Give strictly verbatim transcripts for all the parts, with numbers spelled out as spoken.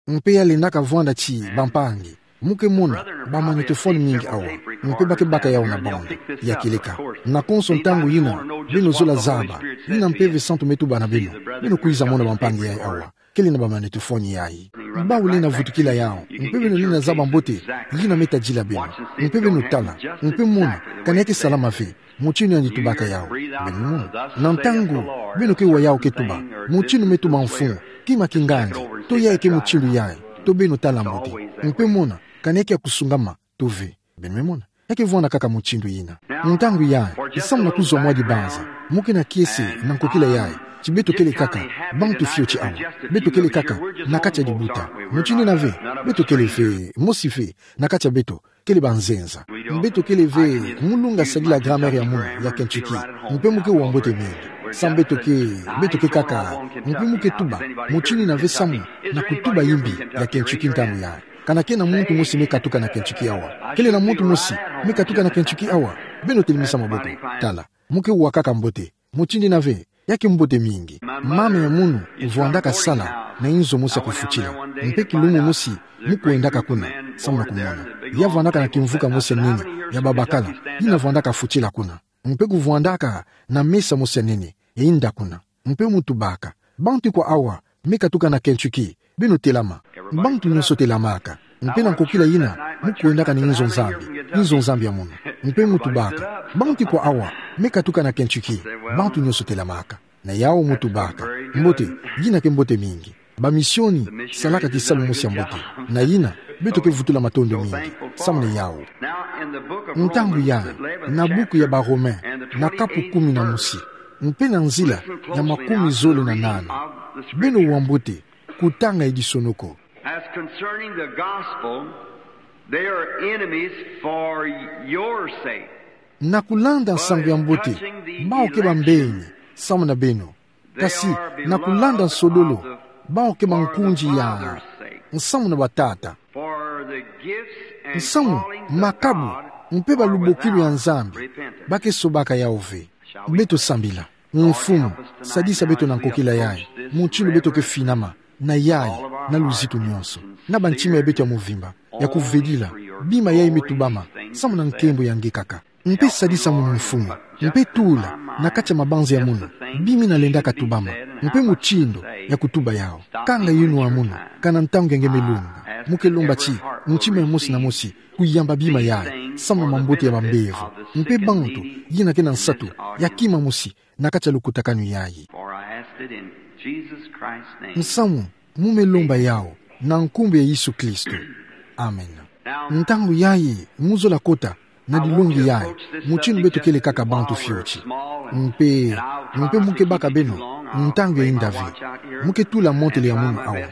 Mpe ya lendaka vwanda ti bampangi. Mu ke mona bamagnétophone mingi awa. Mpe ba ke baka yawu na bande ya kieleka. Na konso ntangu yina, beno zola zaba yina Mpeve Santu me tuba na beno. Beno kwiza mona bampangi yayi awa, kele na bamagnétophone yayi. Bawu lenda vutukila yawu, mpe beno lenda zaba mbote yina me tadila beno. Mpe beno tala, mpe mona kana ya ke salama ve mutindu yandi tubaka yawu. Beno mona, na ntangu beno ke wa yawu ke tuba, mutindu me tuba mfumu, kima kingandi, to yayi ke mutindu yayi, to beno tala mbote, mpe mona kana ya ke ya kusungama, to ve. Beno me mona, ya ke vwanda kaka mutindu yina. Ntangu yayi, samu na kuzwa mwa dibanza, mu ke na kiese na nkokila yayi ti beto kele kaka bantu fioti awa. Beto kele kaka na kati ya dibuta. Mutindu yina ve, beto kele ve mosi ve na kati ya beto kele banzenza. Beto kele ve mu lunga sadila grammaire ya munu ya Kentucky. Mpe mu ke wa mbote mingi. Samu beto ke, beto ke kaka, mpe mu ke tuba mutindu yina ve samu na kutuba yimbi ya Kentucky ntangu yayi. Kana ke na muntu mosi me katuka na Kentucky awa? Kele na muntu mosi me katuka na Kentucky awa? Beno telemisa maboko. Tala, mu ke wa kaka mbote. Mutindu yina ve, ya ke mbote mingi. Mama ya munu vwandaka sala na inzo mosi ya kufutila. Mpe kilumbu mosi mu kwendaka kuna, samu na kumona. Ya vwandaka na kimvuka mosi ya nene ya babakala, yina vwandaka futila kuna. Mpe kuvwandaka na mesa mosi ya nene ya inda kuna. Mpe mu tubaka: Bantu ikwa awa me katuka na Kentucky? Beno telama. Bantu nyonso telamaka. Mpe na nkokila yina mu kwendaka na inzo Nzambi, inzo Nzambi ya munu. Mpe mu tubaka: Bantu ikwa awa me katuka na Kentucky? Bantu nyonso telamaka. Na yawu mu tubaka: Mbote, yina ke mbote mingi. Bamisioni salaka kisalu mosi ya mbote. Na yina, beto ke vutula matondo mingi samu na yawu. Ntangu yayi, na buku ya Baromain, na kapu kumi na mosi, mpe na nzila ya makumi zole na nana, beno wa mbote kutanga edisonoko. As concerning the gospel, they are enemies for your sake. Na kulanda nsangu ya mbote, bawu ke bambeni samu na beno. Kasi na kulanda nsodolo, bawu ke bankunzi ya nsamu na batata. For the gifts and callings of God. Nsamu, makabu, mpe balubokilu ya Nzambi, ba ke sobaka yawu ve. Beto sambila. Mfumu, sadisa beto na nkokila yayi, mutindu beto ke finama na yayi na luzitu nyonso, na bantima ya beto ya mvimba, ya kuvedila bima yayi me tubama samu na nkembo ya nge kaka. Mpe sadisa munu, Mfumu, mpe tula na kati ya mabanza ya munu bima yina lendaka tubama, mpe mutindu ya kutuba yawu. Kanga yinwa munu, kana ntangu ya nge me lunga. Mu ke lomba ti ntima ya mosi na mosi kuyamba bima yayi samu na mambote ya bambevo, mpe bantu yina ke na nsatu ya kima mosi na kati ya lukutakanu yayi. For I ask it in Jesus Christ's name. Nsamu, mu me lomba yawu na nkumbu ya Yesu Kristo. Amen. Ntangu yayi, mu zola kota na dilongi yayi, mutindu beto kele kaka bantu fioti. Mpe, mpe mu ke baka beno ntangu ya inda ve. Mu ke tula montre ya munu awa.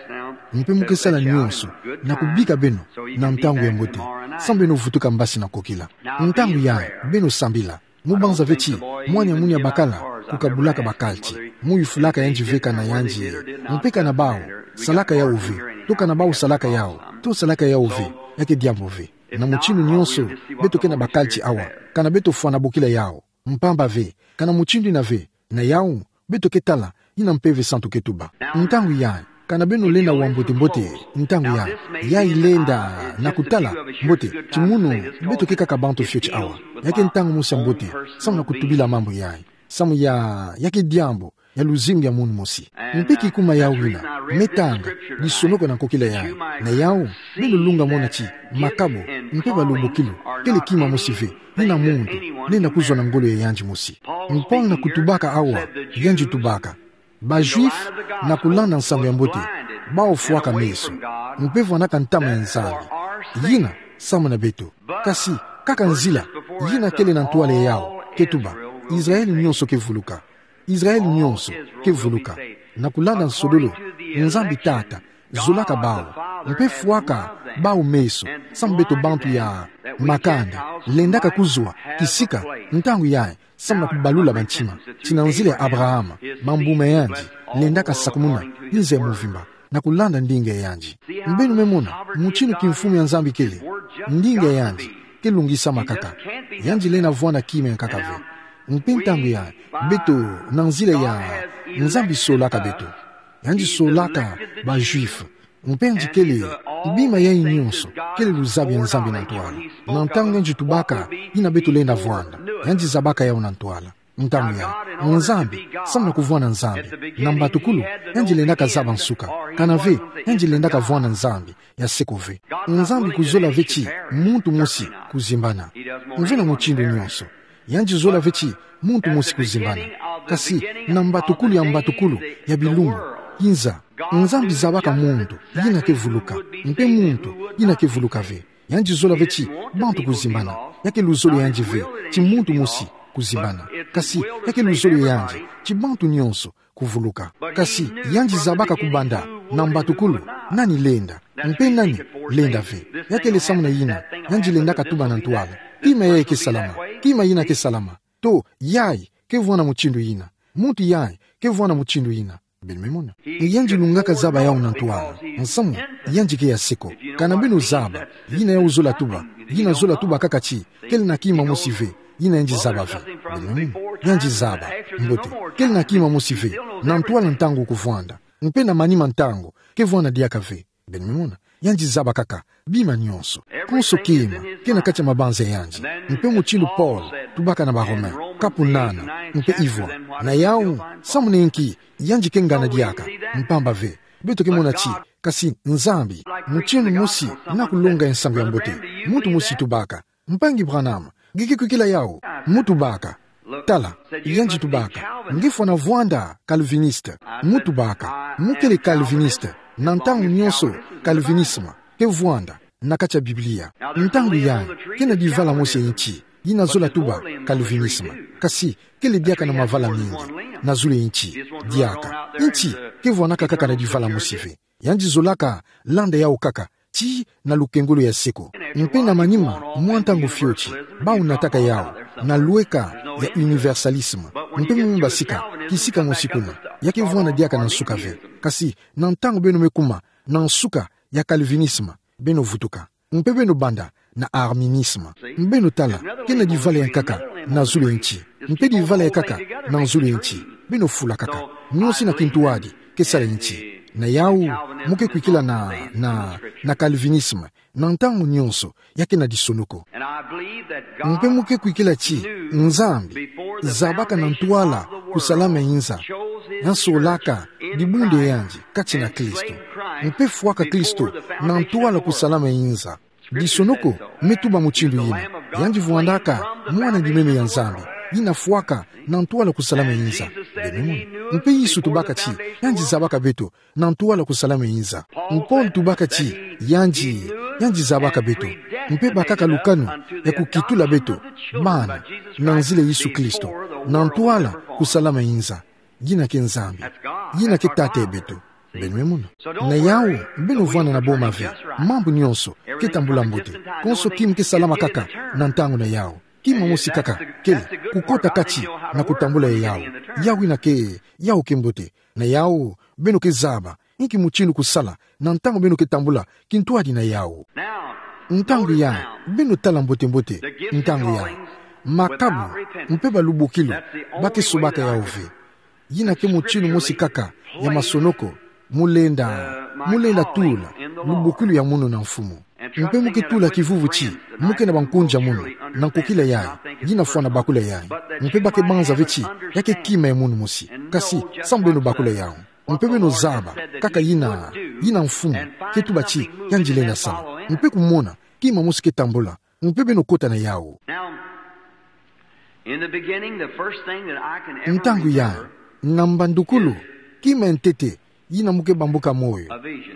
Mpe mu ke sala nyonso na kubika beno na ntangu ya mbote, samu beno vutuka mbasi na nkokila. Ntangu yayi, beno sambila. Mu banza ve ti mwana ya munu ya bakala kukabulaka bakalti. Mu yufulaka yandi ve kana yandi, mpe kana bawu salaka yawu ve, to kana bawu salaka yawu, to salaka yawu ve, ya ke diambu ve. Na mutindu nyonso, beto ke na bakalti awa, kana beto fwana bokila yawu. Mpamba ve, kana mutindu yina ve, na yawu beto ke tala yina Mpeve Santu ke tuba. Ntangu yayi, kana beno lenda wa mbote-mbote ntangu yayi, yayi lenda na kutala mbote ti munu beto ke kaka bantu fioti awa. Ya ke ntangu mosi ya mbote samu na kutubila mambu yayi, samu ya, ya ke diambu ya luzingu ya munu mosi. Mpe kikuma yawu yina, me tanga disonoko na nkokila yayi. Na yawu, beno lunga mona ti makabu mpe balubokilu kele kima mosi ve yina muntu lenda kuzwa na ngolo ya yandi mosi. Paul na kutubaka awa, yandi tubaka: Ba Juifs, na kulanda nsangu ya mbote, bawu fwaka meso, mpe vwanaka ntama ya Nzambi. Yina samu na beto. Kasi kaka nzila yina kele na ntwala ya yawu ke tuba: Israel nyonso ke vuluka. Israel nyonso ke vuluka. Na kulanda nsodolo, Nzambi Tata zolaka bawu, mpe fwaka bawu meso, samu beto bantu ya makanda, lendaka kuzwa kisika ntangu yayi, samu na kubalula bantima, ti na nzila ya Abraham, bambuma ya yandi lendaka sakumuna inza ya mvimba, na kulanda ndinga ya yandi. Beno me mona mutindu kimfumu ya Nzambi kele. Ndinga ya yandi ke lungisama kaka. Yandi lenda vwanda kima ya nkaka ve. Mpe ntangu yayi, beto, na nzila ya Nzambi solaka beto. Yandi solaka ba Juifs. Mpe yandi kele, bima yayi nyonso, kele luzabi ya Nzambi na ntwala. Na ntangu yandi tubaka, ina beto lenda vwanda, yandi zabaka yawu na ntwala. Ntangu yayi, Nzambi, samu na kuvwanda Nzambi, na mbatukulu, yandi lendaka zaba nsuka. Kanave, yandi lendaka vwanda Nzambi ya seko ve. Nzambi kuzola ve ti muntu mosi kuzimbana. Mvena mutindu nyonso. Yandi zola ve ti muntu mosi kuzimbana. Kasi, na mbatukulu ya mbatukulu ya bilumbu, inza, Nzambi zabaka muntu, yina ke vuluka. Mpe muntu, yina ke vuluka ve. Yandi zola ve ti bantu kuzimbana. Ya ke luzolo yandi ve ti muntu mosi kuzimbana. Kasi, ya ke luzolo yandi ti bantu nyonso kuvuluka. Kasi, yandi zabaka kubanda na mbatukulu nani lenda, mpe nani lenda ve. Ya kele samu na yina, yandi lendaka tuba na ntwala: Kima yayi ke salama, kima yina ke salama. To, yayi ke vwanda mutindu yina. Muntu yayi ke vwanda mutindu yina. Beno me mona. Yandi lungaka zaba yawu na ntwala. Nsamu, yandi ke ya seko. Kana beno zaba, yina yawu zola tuba, yina zola tuba kaka ti kele na kima mosi ve yina yandi zaba ve. Beno me mona. Yandi zaba. Mbote. Kele na kima mosi ve. Na ntwala ntangu kuvwanda. Mpe na manima ntangu ke vwanda diaka ve. Beno me mona. Yandi zaba kaka bima nyonso. Konso kima ke na kati ya mabanza ya yandi. Mpe mutindu Paul tubaka na Baromain, kapu nana, mpe ivwa. Na yawu, samu na inki yandi ke ngana diaka? Mpamba ve, beto ke mona ti, kasi Nzambi, mutindu mosi na kulonga nsangu ya mbote, muntu mosi tubaka: Mpangi Branham, nge ke kwikila yawu? Mu tubaka: Tala, yandi tubaka, nge fwana vwanda calviniste. Mu tubaka: Mu kele calviniste, na ntangu nyonso calvinisme ke vwanda na kati ya Biblia. Ntangu yayi, ke na divala mosi ya inti yina zola tuba calvinisme. Kasi, kele diaka na mavala mingi na zulu ya inti. Diaka, inti ke vwanaka kaka na divala mosi ve. Yandi zolaka landa yawu kaka tii na lukengolo ya seko. Mpe na manima mwa ntangu fioti, bawu nataka yawu na lweka ya universalisme. Mpe me basika, kisika mosi kuna, ya ke vwanda diaka na nsuka ve. Kasi na ntangu beno me kuma na nsuka ya calvinisme, beno vutuka. Mpe beno banda na arminisme. Beno tala, ke na divala ya nkaka na zulu ya inti. Mpe divala ya nkaka na zulu ya inti. Beno fula kaka. Nyonso na kintwadi ke sala inti. Na yawu, mu ke kwikila na, na, na calvinisme, na ntangu nyonso, ya ke na disonoko. Mpe mu ke kwikila ti Nzambi zabaka na ntwala kusalama inza, ya solaka dibundu ya yandi kati na Kristo. Mpe fwaka Kristo na ntwala kusalama inza. Disonoko me tuba mutindu yina: Yandi vwandaka Mwana Dimeme ya Nzambi, yina fwaka na ntwala kusalama inza. Beno me mona. Mpe Yesu tubaka ti yandi zabaka beto na ntwala kusalama inza. Paul tubaka ti yandi, yandi zabaka beto, mpe bakaka lukanu ya kukitula beto bana na nzila Yesu Kristo, na ntwala kusalama inza. Yina ke Nzambi. Yina ke Tata ya beto. Beno me mona. Na yawu, beno vwanda na boma ve. Mambu nyonso ke tambula mbote. Konso kima ke salama kaka na ntangu na yawu. Kima mosi kaka kele kukota kati na kutambula ya yawu. Yawu yina ke, yawu ke mbote. Na yawu, beno ke zaba inki mutindu kusala na ntangu beno ke tambula kintwadi na yawu. Ntangu yayi, beno tala mbote-mbote ntangu yayi. Makabu mpe balubokilu ba ke sobaka yawu ve. Yina ke mutindu mosi kaka ya masonoko mu lenda, mu lenda tula lubokilu ya munu na Mfumu. Mpe mu ke tula kivuvu ti mu ke na bankunzi ya munu na nkokila yayi, yina fwana bakula yayi. Mpe ba ke banza ve ti ya ke kima ya munu mosi. Kasi samu beno bakula yawu. Mpe beno zaba kaka yina, yina Mfumu ke tuba ti yandi lenda sala. Mpe kumona kima mosi ke tambula. Mpe beno kota na yawu. Now, in the beginning, the first thing that I can ever remember. Ntangu yayi, na mbandukulu, kima ya ntete yina mu ke bambuka moyo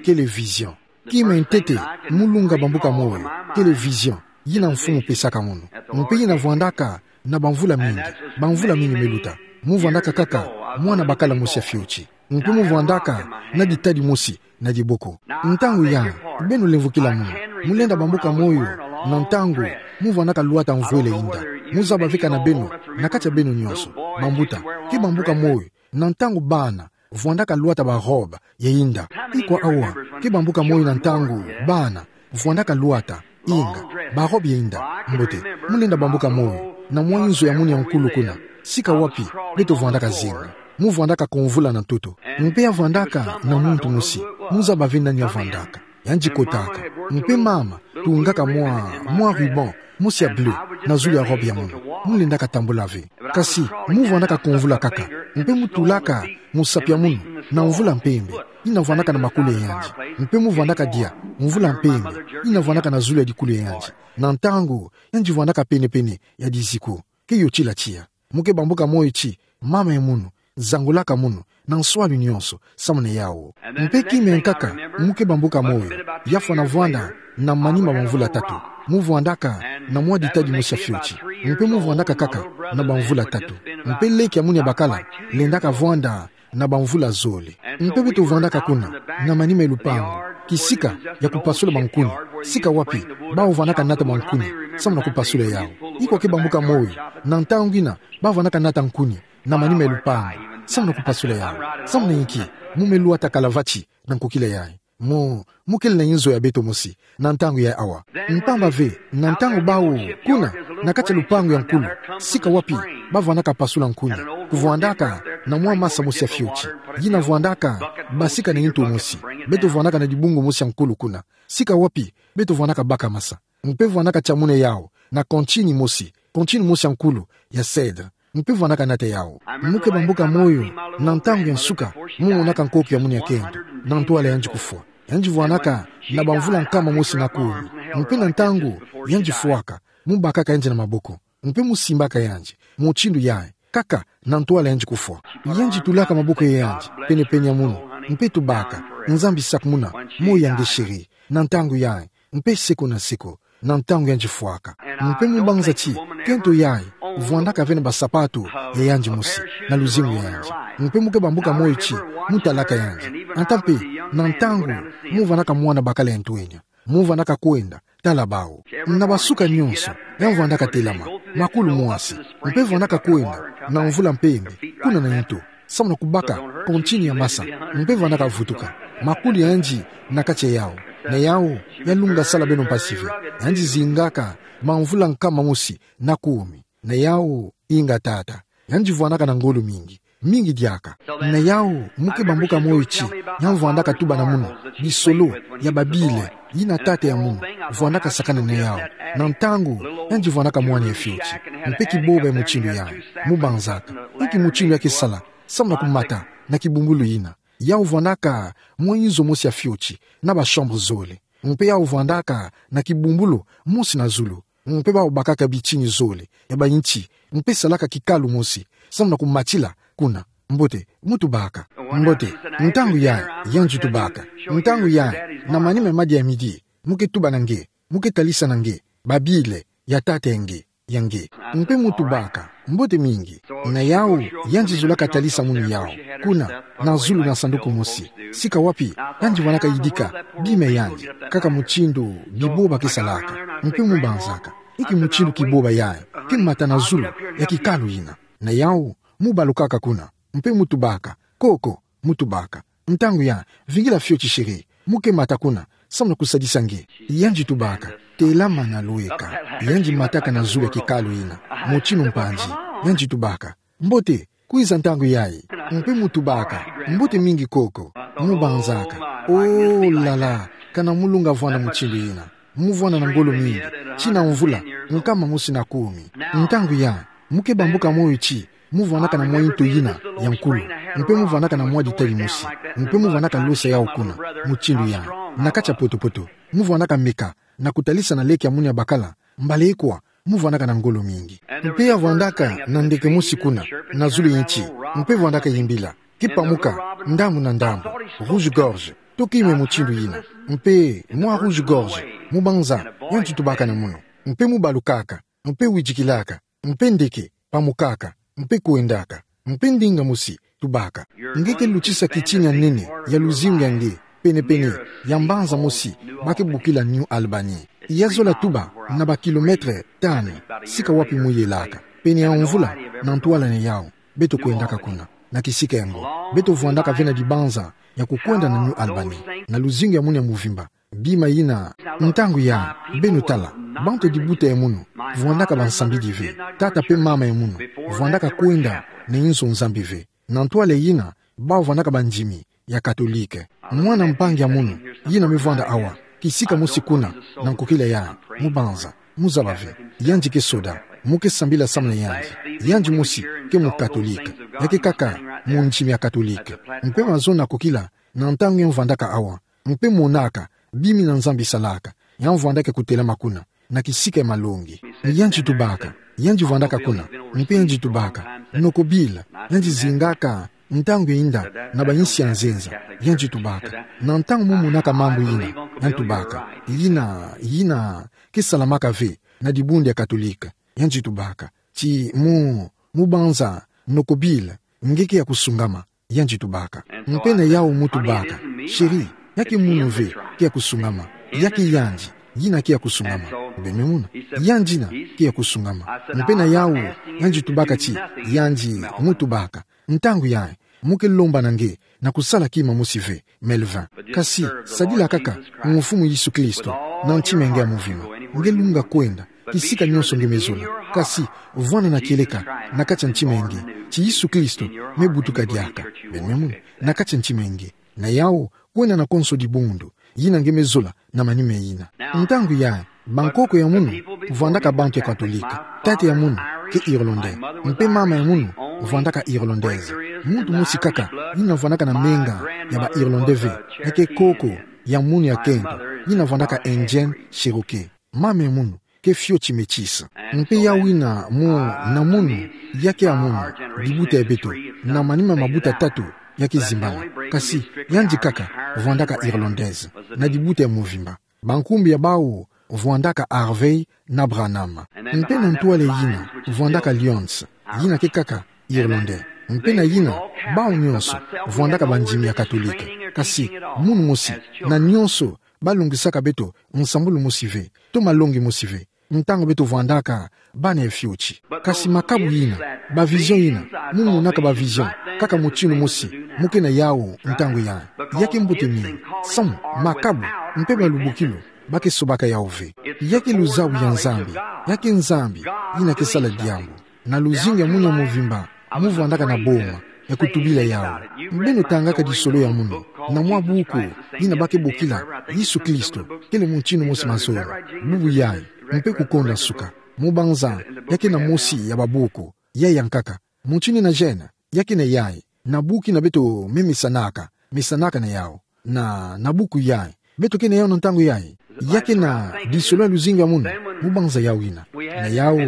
kele vision. Kima ya ntete mu lunga bambuka moyo kele vision yina Mfumu pesaka munu. Mpe yina vwandaka na bamvula mingi, bamvula mingi me luta. Mu vwandaka kaka mwana bakala mosi ya fioti. Mpe mu vwandaka na ditadi mosi na diboko. Ntangu yayi, beno lemvokila munu, mu lenda bambuka moyo na ntangu mu vwandaka lwata mvwele inda. Mu zaba ve kana beno, na kati ya beno nyonso, bambuta, ke bambuka moyo na ntangu bana vwandaka lwata barobe ya inda. Ikwa awa ke bambuka moyo na ntangu bana vwandaka lwata, inga, barobe ya inda? Mbote, mu lenda bambuka moyo na mwa inzo ya munu ya nkulu kuna, sika wapi beto vwandaka zinga. Mu vwandaka ko mvula na ntoto. Mpe ya vwandaka na muntu mosi. Mu zaba ve nani ya vwandaka. Yandi kotaka. Mpe mama, tungaka mwa, mwa ruban mosi ya bleu na zulu ya robe ya munu. Mu lendaka tambula ve. Kasi, mu vwandaka ko mvula kaka. Mpe mu tulaka musapi ya munu na mvula mpembe, yina vwandaka na makulu ya yandi. Mpe mu vwandaka dia mvula mpembe, yina vwandaka na zulu ya dikulu ya yandi. Na ntangu yandi vwandaka pene-pene ya diziku, ke yotila tiya. Mu ke bambuka moyo ti, mama ya munu, zangulaka munu na nswalu nyonso, samu na yawu. Mpe kima ya nkaka, mu ke bambuka moyo, ya fwana vwanda na manima ma mvula tatu. Mu vwandaka na mwa ditadi mosi ya fioti. Mpe mu vwandaka kaka na bamvula tatu. Mpe leki ya munu ya bakala lendaka vwanda na bamvula zole. Mpe beto vwandaka kuna, na manima ya lupangu, kisika ya kupasula bankuni, sika wapi bawu vwandaka nata bankuni, samu na kupasula yawu. Ikwa ke bambuka moyo, na ntangu yina, ba vwandaka nata nkuni na manima ya lupangu, samu na kupasula yawu. Samu na inki? Mu me lwata kalavati na nkokila yayi. Mu, mu kele na inzo ya beto mosi na ntangu yayi awa. Mpamba ve, na ntangu bawu kuna, na kati ya lupangu ya nkulu, sika wapi ba vwandaka pasula nkuni, ku vwandaka na mwa masa mosi ya fioti, yina vwandaka basika na intu mosi. Beto vwandaka na dibungu mosi ya nkulu kuna, sika wapi beto vwandaka baka masa. Mpe vwandaka tia munu yawu na kontini mosi, kontini mosi ya nkulu ya cèdre. Mpe vwandaka nata yawu. Mu ke bambuka moyo, na ntangu ya nsuka, mu monaka nkoko ya munu ya kento, na ntwala yandi kufwa. Yandi vwandaka na bamvula nkama mosi na kumi. Mpe na ntangu yandi fwaka, mu bakaka yandi na maboko. Mpe mu simbaka yandi mutindu yayi, kaka na ntwala yandi kufwa. Yandi tulaka maboko ya yandi pene-pene ya munu, mpe tubaka: Nzambi, sakumuna moyo ya nge chéri, na ntangu yayi, mpe seko na seko, na ntangu yandi fwaka. Mpe mu banza ti, kento yayi vwandaka ve na basapatu ya yandi mosi, na luzingu ya yandi. Mpe mu ke bambuka moyo ti, mu talaka yandi. Ata mpe na ntangu mu vwandaka mwana bakala ya ntwenya, mu vwandaka kwenda tala bawu. Na basuka nyonso, ya vwandaka telama, makulu mwasi, mpe vwandaka kwenda na mvula mpembe, kuna na intu, samu na kubaka kontini ya masa, mpe vwandaka vutuka. Makulu ya yandi na kati ya yawu. Na yawu, ya lunga sala beno mpasi ve. Yandi zingaka bamvula nkama mosi na kumi. Na yawu, inga tata, yandi vwandaka na ngolo mingi, mingi diaka. Na yawu, mu ke bambuka moyo ti, ya vwandaka tuba na munu bisolo ya ba Bible, yina tata ya munu vwandaka sakana na yawu, na ntangu yandi vwandaka mwana ya fioti. Mpe kiboba ya mutindu yayi, mu banzaka: Inki mutindu ya ke sala samu na kumata na kibumbulu yina? Yawu vwandaka mwa inzo mosi ya fioti, na ba chambre zole. Mpe yawu vwandaka na kibumbulu mosi na zulu. Mpe bawu bakaka bitini zole ya ba inti, mpe salaka kikalu mosi, samu na kumatila kuna. Mbote, mu tubaka. Mbote, ntangu yayi, yandi tubaka. Ntangu yayi, na manima ya madia ya midi, mu ke tuba na nge, mu ke talisa na nge ba Bible ya tata ya nge, ya nge. Mpe mu tubaka. Mbote mingi. Na yawu, yandi zolaka talisa munu yawu, kuna, na zulu na sanduku mosi, sika wapi yandi vwandaka yidika bima ya yandi, kaka mutindu biboba ke salaka. Mpe mu banzaka: Inki mutindu kiboba yayi ke mata na zulu ya kikalu yina? Na yawu, mu balukaka kuna, mpe mu tubaka: Koko, mu tubaka. Ntangu yayi, vingila fioti chéri, mu ke mata kuna, samu na kusadisa nge. Yandi tubaka: Telama na lweka. Yandi mataka na zulu ya kikalu yina, mutindu mpanzi. Yandi tubaka: Mbote, kwiza ntangu yayi. Mpe mu tubaka: Mbote mingi koko. Mu banzaka: Oh là là, kana mu lunga vwanda mutindu yina. Mu vwanda na ngolo mingi, tii na mvula nkama mosi na kumi. Ntangu yayi, mu ke bambuka moyo ti, mu vwandaka na mwa intu yina ya nkulu, mpe mu vwandaka na mwa ditadi mosi, mpe mu vwandaka losa yawu kuna, mutindu yayi, na kati ya poto-poto. Mu vwandaka meka na kutalisa na leki ya munu ya bakala, mbala ikwa, mu vwandaka na ngolo mingi. Mpe ya vwandaka na ndeke mosi kuna, na zulu ya inti, mpe vwandaka yimbila: Ke pamuka ndambu na ndambu, rouge-gorge, to kima mutindu yina. Mpe mwa rouge-gorge, mu banza, yandi tubaka na munu. Mpe mu balukaka, mpe widikilaka, mpe ndeke pamukaka, mpe kwendaka, mpe ndinga mosi tubaka: Nge ke lutisa kitini ya nene ya luzingu ya nge pene-pene ya mbanza mosi ba ke bokila New Albany. Ya zola tuba na ba kilomètre tanu sika wapi mu yelaka. Pene ya mvula, na ntwala na yawu, beto kwendaka kuna, na kisika yango. Beto vwandaka ve na dibanza ya kukwenda na New Albany, na luzingu ya munu ya muvimba. Bima yina, ntangu yayi, beno tala, bantu ya dibuta ya munu vwandaka bansambidi ve. Tata mpe mama ya munu vwandaka kwenda na inzo Nzambi ve. Na ntwala yina, bawu vandaka bandimi ya Katolike. Mwana mpangi ya munu yina mevwanda awa, kisika mosi kuna, na nkokila ya, mubanza, muzaba ve, yandi ke soda, mu ke sambila samu na yandi, yandi mosi ke mu Katolike, ya ke kaka mundimi ya Katolike. Mpe mazono na kokila, na ntangu yamvandaka awa, mpe monaka bima Nzambi salaka, yamvandaka kutelama kuna, na kisika ya malongi. Yandi tubaka, yandi vandaka kuna, mpe yandi tubaka, noko Bill, yandi zingaka ntangu ya inda na bayinsi ya nzenza, yandi tubaka. Na ntangu mu monaka mambu yina, yandi tubaka, yina, yina ke salamaka ve na dibundu ya Katolike, yandi tubaka. Ti mu, mubanza, noko Bill, nge ke ya kusungama, yandi tubaka. Mpe na yawu mu tubaka, chéri, ya ke munu ve ke ya kusungama, ya ke yandi yina ke ya kusungama. Beno mona, yandi yina ke ya kusungama. Mpe na yawu, yandi tubaka ti, yandi mu tubaka, ntangu yayi, mu ke lomba na nge na kusala kima mosi ve, Melvin. Kasi, sadila kaka Mfumu Yesu Kristo na ntima ya nge ya muvimba, nge lunga kwenda kisika nionso nge mezola. Kasi, vwanda na kieleka na kati ya ntima ya nge ti Yesu Kristo mebutuka diaka, beno mona, na kati ya ntima ya nge. Na yawu, kwenda na konso dibundu yina nge mezola na manima yina. Ntangu yayi, bankoko ya munu vwandaka bantu ya Katolike. Tata ya munu ke Irlandais, mpe mama ya munu vwandaka Irlandaise. Muntu mosi kaka yina vwandaka na menga ya ba Irlandais ve, ya ke koko ya munu ya kento, yina vwandaka Indienne Cherokee. Mama ya munu ke fioti métisse. Mpe yawu yina mu, na munu, ya ke ya munu, dibuta ya beto, na manima mabuta tatu ya ke zimbana. Kasi, yandi kaka vwandaka Irlandaise na dibuta ya muvimba. Bankumbu ya bawu vwandaka Harvey na Branham. Mpe na ntwala yina vwandaka Lyons, yina ke kaka Irlandais. Mpe na yina, bawu nionso vwandaka bandimi ya Katolike. Kasi, munu mosi, na nionso balongisaka beto nsambulu mosi ve, to malongi mosi ve, ntangu beto vwandaka bana ya fioti. Kasi makabu yina, ba vision yina, mu monaka ba vision kaka mutinu mosi, mu ke na yawu ntangu yayi, ya ke mbote mingi. Samu makabu mpe balubukilu ba ke sobaka yawu ve. Ya ke luzabu ya Nzambi, ya ke Nzambi yina ke sala diambu. Na luzingu ya munu ya muvimba mu vwandaka na boma ya kutubila yawu. Beno tangaka lisolo ya munu na mwa buku yina ba ke bokila Yesu Kristo kele mutinu mosi mazono. Bubu yayi, mpe kukonda nsuka, mubanza, ya ke na mosi ya babuku yayi ya nkaka. Mutinu na gêne, ya ke na yayi, na buku yina beto me mesanaka, mesanaka na yawu. Na, na buku yayi, beto ke na yawu na ntangu yayi. Ya ke na lisolo ya luzingu ya munu, mubanza yawu yina. Na yawu,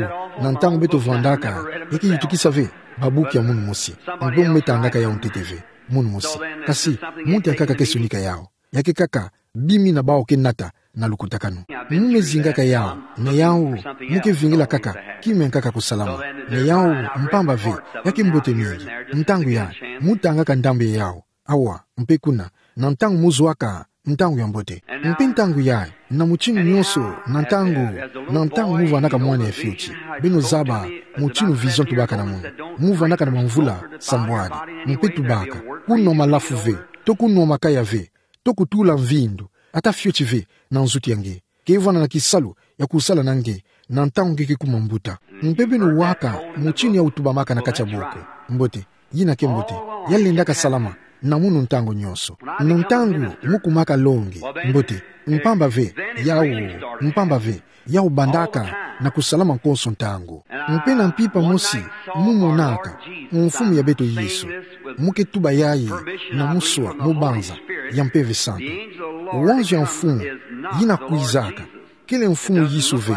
na ntangu beto vwandaka, ya ke yitukisa ve babuku ya munu mosi. Mpe mu me tangaka yawu ntete ve, munu mosi. Kasi, muntu ya nkaka ke sonika yawu. Ya ke kaka bima yina bawu ke nata na lukutakanu. Mu me zingaka yawu, na yawu, mu ke vingila kaka kima ya nkaka kusalama. Na yawu, mpamba ve, ya ke mbote mingi. Ntangu yayi, mu tangaka ndambu ya yawu. Awa, mpe kuna, na ntangu mu zwaka ntangu ya mbote. Mpe ntangu yayi, na mutinu nionso, na ntangu, na ntangu mu vwandaka mwana ya fioti, beno zaba mutinu vision tubaka na munu. Mu vwandaka na bamvula sambwadi, mpe tubaka, kunwa malafu ve, to kunwa makaya ve, to kutula mvindu, ata fioti ve na nzutu ya nge. Ke vwanda na kisalu ya kusala na nge, na ntangu nge ke kuma mbuta. Mpe beno waka mutinu yawu tubamaka na kati ya boko. Mbote, yina ke mbote, ya lendaka salama na munu ntangu nionso. Na ntangu mu kumaka longi, mbote, mpamba ve, yawu, mpamba ve, yawu bandaka na kusalama konso ntangu. Mpe na mpimpa mosi, mu monaka Mfumu ya beto Yesu, mu ke tuba yayi na muswa, mubanza, ya Mpeve Santu. Wanzu ya Mfumu yina kwizaka, kele Mfumu Yesu ve,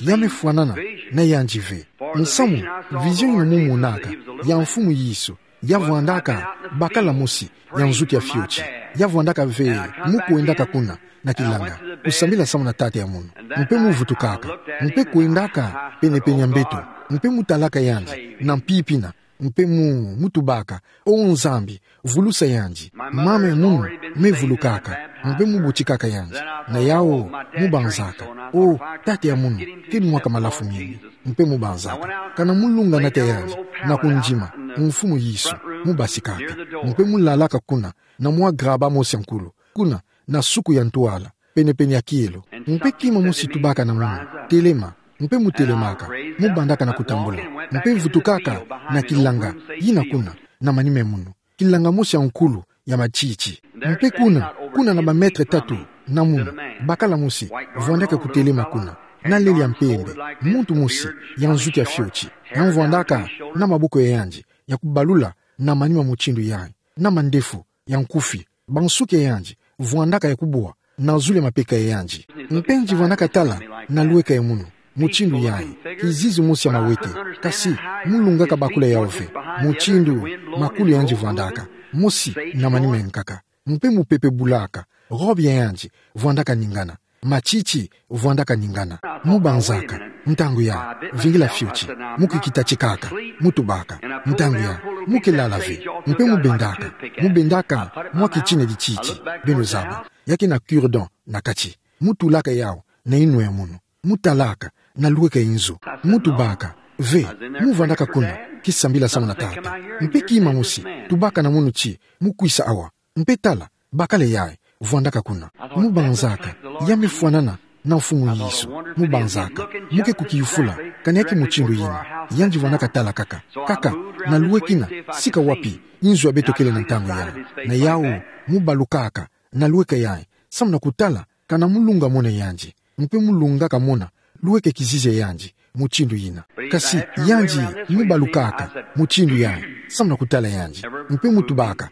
ya me fwanana na yandi ve. Nsamu, vision yina mu monaka ya Mfumu Yesu, ya vwandaka bakala mosi ya nzutu ya fioti. Ya vwandaka ve mu kwendaka kuna na kilanga, kusambila samu na tata ya munu. Mpe mu vutukaka, mpe kwendaka penepene ya mbeto, mpe mu talaka yandi na mpimpa yina, mpe mu, mu tubaka: O Nzambi, vulusa yandi. Mama ya munu me vulukaka, mpe mu botikaka yandi. Na yawu, mu banzaka: O, tata ya munu, keni mwaka malafu mingi. Mpe mu banzaka. Kana mu lunga nata yandi, na kundima Mfumu Yesu, mu basikaka. Mpe mu lalaka kuna, na mwa graba mosi ya nkulu, kuna, na suku ya ntwala, penepene ya kielo. Mpe kima mosi tubaka na munu: Telema. Mpe mu telemaka, mu bandaka na kutambula, mpe vutukaka na kilanga yina kuna, na manima ya munu. Kilanga mosi ya nkulu ya matiti. Mpe kuna, kuna na ba mètre tatu na munu, bakala mosi, vwandaka kutelema kuna. Na leli ya mpembe, muntu mosi, ya nzuki ya fioti. Ya vwandaka na maboko ya yandi, ya kubalula, na manima mutindu yayi. Na mandefu, ya nkufi, bansuki ya yandi, vwandaka ya kubwa, na zulu ya mapeka ya yandi. Mpe ngienda vwandaka tala, na lweka ya munu, mutindu yayi, kizizi mosi ya mawete, kasi, mu lungaka bakula yawu ve, mutindu, makulu ya yandi vwandaka, mosi, na manima ya nkaka. Mpe mupepe bulaka, robe ya yandi, vwandaka ningana. Matiti, vwandaka ningana. Mu banzaka, ntangu ya, vingila fioti, mu kikita tikaka, mu tubaka, ntangu ya, mu ke lala ve, mpe mu bendaka, mu bendaka, mwa kitina dititi, beno zaba, ya ke na cure-dent, na kati, mu tulaka yawu, na yinwa ya munu, mu talaka, na lweka ya nzo, mu tubaka, ve, mu vwandaka kuna, kisambila samu na tata, mpe kima mosi, tubaka na munu ti, mu kwisa awa, mpe tala, bakala yayi, vwandaka kuna. Mu banzaka, ya me fwanana, na Mfumu Yesu. Mu banzaka, mu ke kukiyufula, kana ya ke mutindu yina, yandi vwandaka tala kaka. Kaka, na lwekina, sika wapi, nzo ya beto kele na ntangu yayi. Na yawu, mu balukaka, na lweka yayi, samu na kutala, kana mu lunga mona yandi. Mpe mu lungaka mona, lweka kizizi ya yandi, mutindu yina. Kasi, yandi, mu balukaka, mutindu yayi, samu na kutala yandi. Mpe mu tubaka.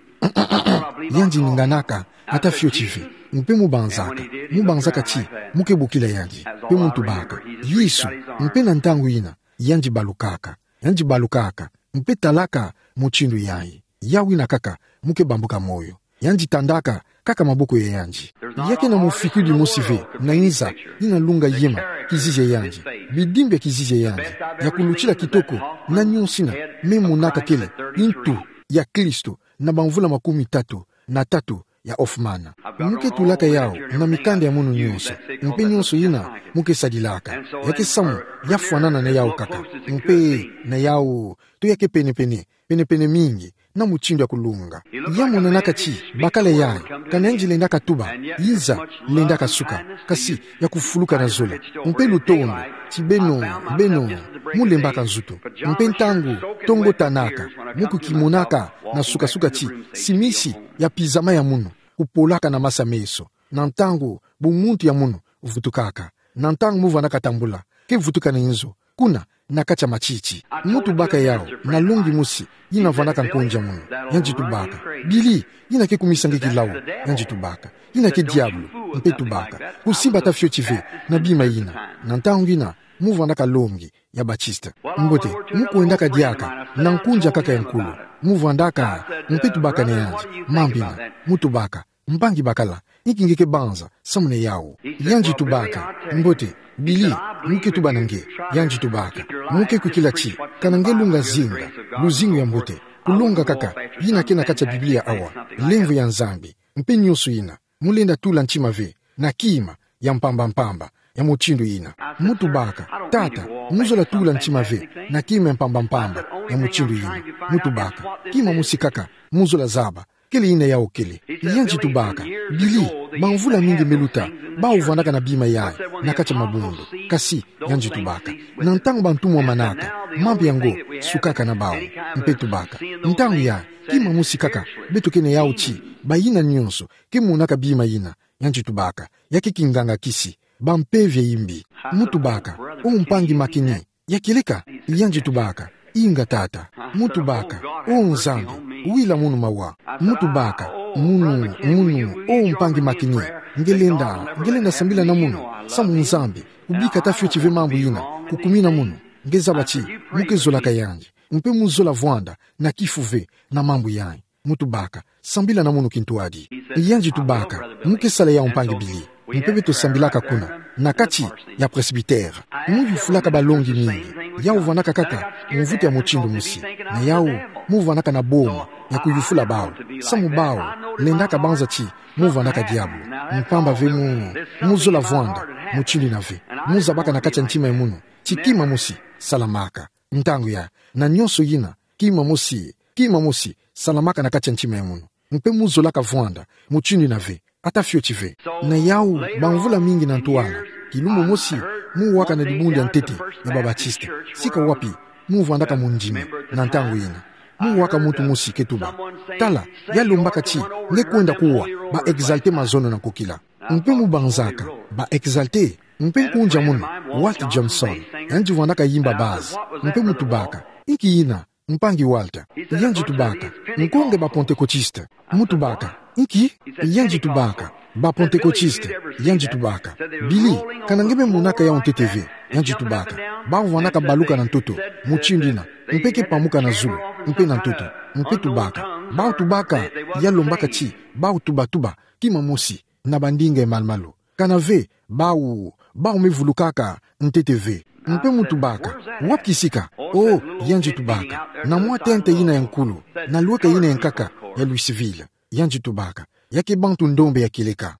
Yandi ninganaka, ata fioti ve. Mpe mu banzaka, mu banzaka ti, mu ke bokila yandi. Mpe mu tubaka. Yesu, mpe na ntangu yina, yandi balukaka. Yandi balukaka, mpe talaka, mutindu yayi. Yawu yina kaka, mu ke bambuka moyo. Yandi tandaka, kaka maboko ya yandi. Ya ke na mufikidi mosi ve, na nza, yina lunga yema, kizizi ya yandi. Bidimbi ya kizizi ya yandi. Ya kulutila kitoko, na nionso yina, me monaka kele, ntu, ya Kristo, na bamvula makumi tatu, na tatu, ya Hoffmann. Mu ke tulaka yawu, na mikanda ya munu nionso. Mpe nionso yina, mu ke sadilaka. Ya ke samu, ya fwanana na yawu kaka. Mpe, na yawu, to ya ke penepene, penepene mingi, na mutindu ya kulunga. Ya monanaka ti, bakala yayi, kana yandi lendaka tuba, nza, lendaka suka, kasi, ya kufuluka na zola. Mpe lutondo, ti beno, beno, mu lembaka nzutu. Mpe ntangu, tongo tanaka, mu kukimonaka, na sukasuka ti, simisi, ya pizama ya munu, kupolaka na masa meso. Na ntangu, bumuntu ya munu, vutukaka. Na ntangu mu vwandaka tambula, ke vutuka na nzo, kuna, na kati ya matiti. Mu tubaka yawu, na longi mosi, yina vwandaka nkonzi ya munu. Yandi tubaka. Billy, yina ke kumisa nge kilau, yandi tubaka. Yina ke diabulu, mpe tubaka. Kusimba ata fioti ve, na bima yina. Na ntangu yina, mu vwandaka longi, ya Baptiste. Mbote, mu kwendaka diaka, na nkonzi ya nkaka ya nkulu. Mu vwandaka, mpe tubaka na yandi, mambu yina, mu tubaka. Mpangi bakala, inki nge ke banza, samu na yawu. Yandi tubaka, mbote, Billy, mu ke tuba na nge, yandi tubaka. Mu ke kwikila ti, kana nge lunga zinga, luzingu ya mbote. Kulonga kaka, yina ke na kati ya Biblia awa, lemvo ya Nzambi, mpe nionso yina. Mu lenda tula ntima ve, na kima, ya mpamba mpamba, ya mutindu yina. Mu tubaka, tata, mu zola tula ntima ve, na kima ya mpamba mpamba, ya mutindu yina. Mu tubaka, kima mosi kaka, mu zola zaba, kele yina yawu kele. Yandi tubaka, Billy, bamvula mingi me luta, bawu vwandaka na bima yayi, na kati ya mabundu. Kasi, yandi tubaka. Na ntangu bantumwa manaka, mambu yango, sukaka na bawu. Mpe tubaka. Ntangu yayi, kima mosi kaka, beto ke na yawu ti, bayina nionso, ke monaka bima yina, yandi tubaka, ya ke kinganga kisi, bampeve ya imbi. Mu tubaka, o mpangi Makini, ya kieleka, yandi tubaka, inga tata. Mu tubaka, o Nzambi, wila munu mawa. Mu tubaka, munu, munu, o mpangi Makini, nge lenda, nge lenda sambila na munu, samu Nzambi, kubika ata fioti ve mambu yina, kukumina munu, nge zaba ti, mu ke zolaka yandi, mpe mu zola vwanda, na kifu ve, na mambu yayi. Mu tubaka, sambila na munu kintwadi. Yandi tubaka, mu ke sala yawu mpangi Billy. Mpe beto sambilaka kuna, na kati ya presbytère. Mu yufulaka balongi mingi, yawu vwandaka kaka, mvutu ya mutindu mosi. Na yawu, mu vwandaka na boma, ya kuyufula bawu. Samu bawu, lendaka banza ti, mu vwandaka diabulu. Mpamba ve mu, mu zola vwanda, mutindu yina ve. Mu zabaka na kati ya ntima ya munu, ti kima mosi, salamaka. Ntangu yayi, na nionso yina, kima mosi, kima mosi, salamaka na kati ya ntima ya munu. Mpe mu zolaka vwanda, mutindu yina ve, ata fioti ve. Na yawu, bamvula mingi na ntwala, kilumbu mosi, mu waka na dibundu ya ntete, ya ba Baptiste. Sika wapi, mu vwandaka mundimi, na ntangu yina. Mu waka muntu mosi ke tuba: Tala, ya lombaka ti nge kwenda kuwa ba exalté mazono na kokila. Mpe mu banzaka: Ba exalté? Mpe nkunja mono, Walt Jameson, yandi vwandaka yimba base. Mpe mu tubaka: Inki ina, mpangi Walt? Yandi tubaka: Nko nge ba Pentecôtistes. Mu tubaka: Inki? Yandi tubaka: Ba Pentecôtistes. Yandi tubaka: Billy, kana nge me monaka yau ntete ve? Yandi tubaka: Bawu vwandaka baluka na ntoto, mutindu ina, mpe ke pamuka na zulu, mpe na ntoto. Mpe tubaka: Bawu tubaka, ya lombaka ti bawu tubatuba kima mosi na bandinga ya malu-malu. Kana ve, bawu, bawu me vulukaka ntete ve. Mpe mu tubaka: Wapi kisika? Oh, yandi tubaka: Na mwa tente ina ya nkulu, na lweka ina ya nkaka ya Louisville. Yandi tubaka: Ya ke bantu ndombe ya kieleka.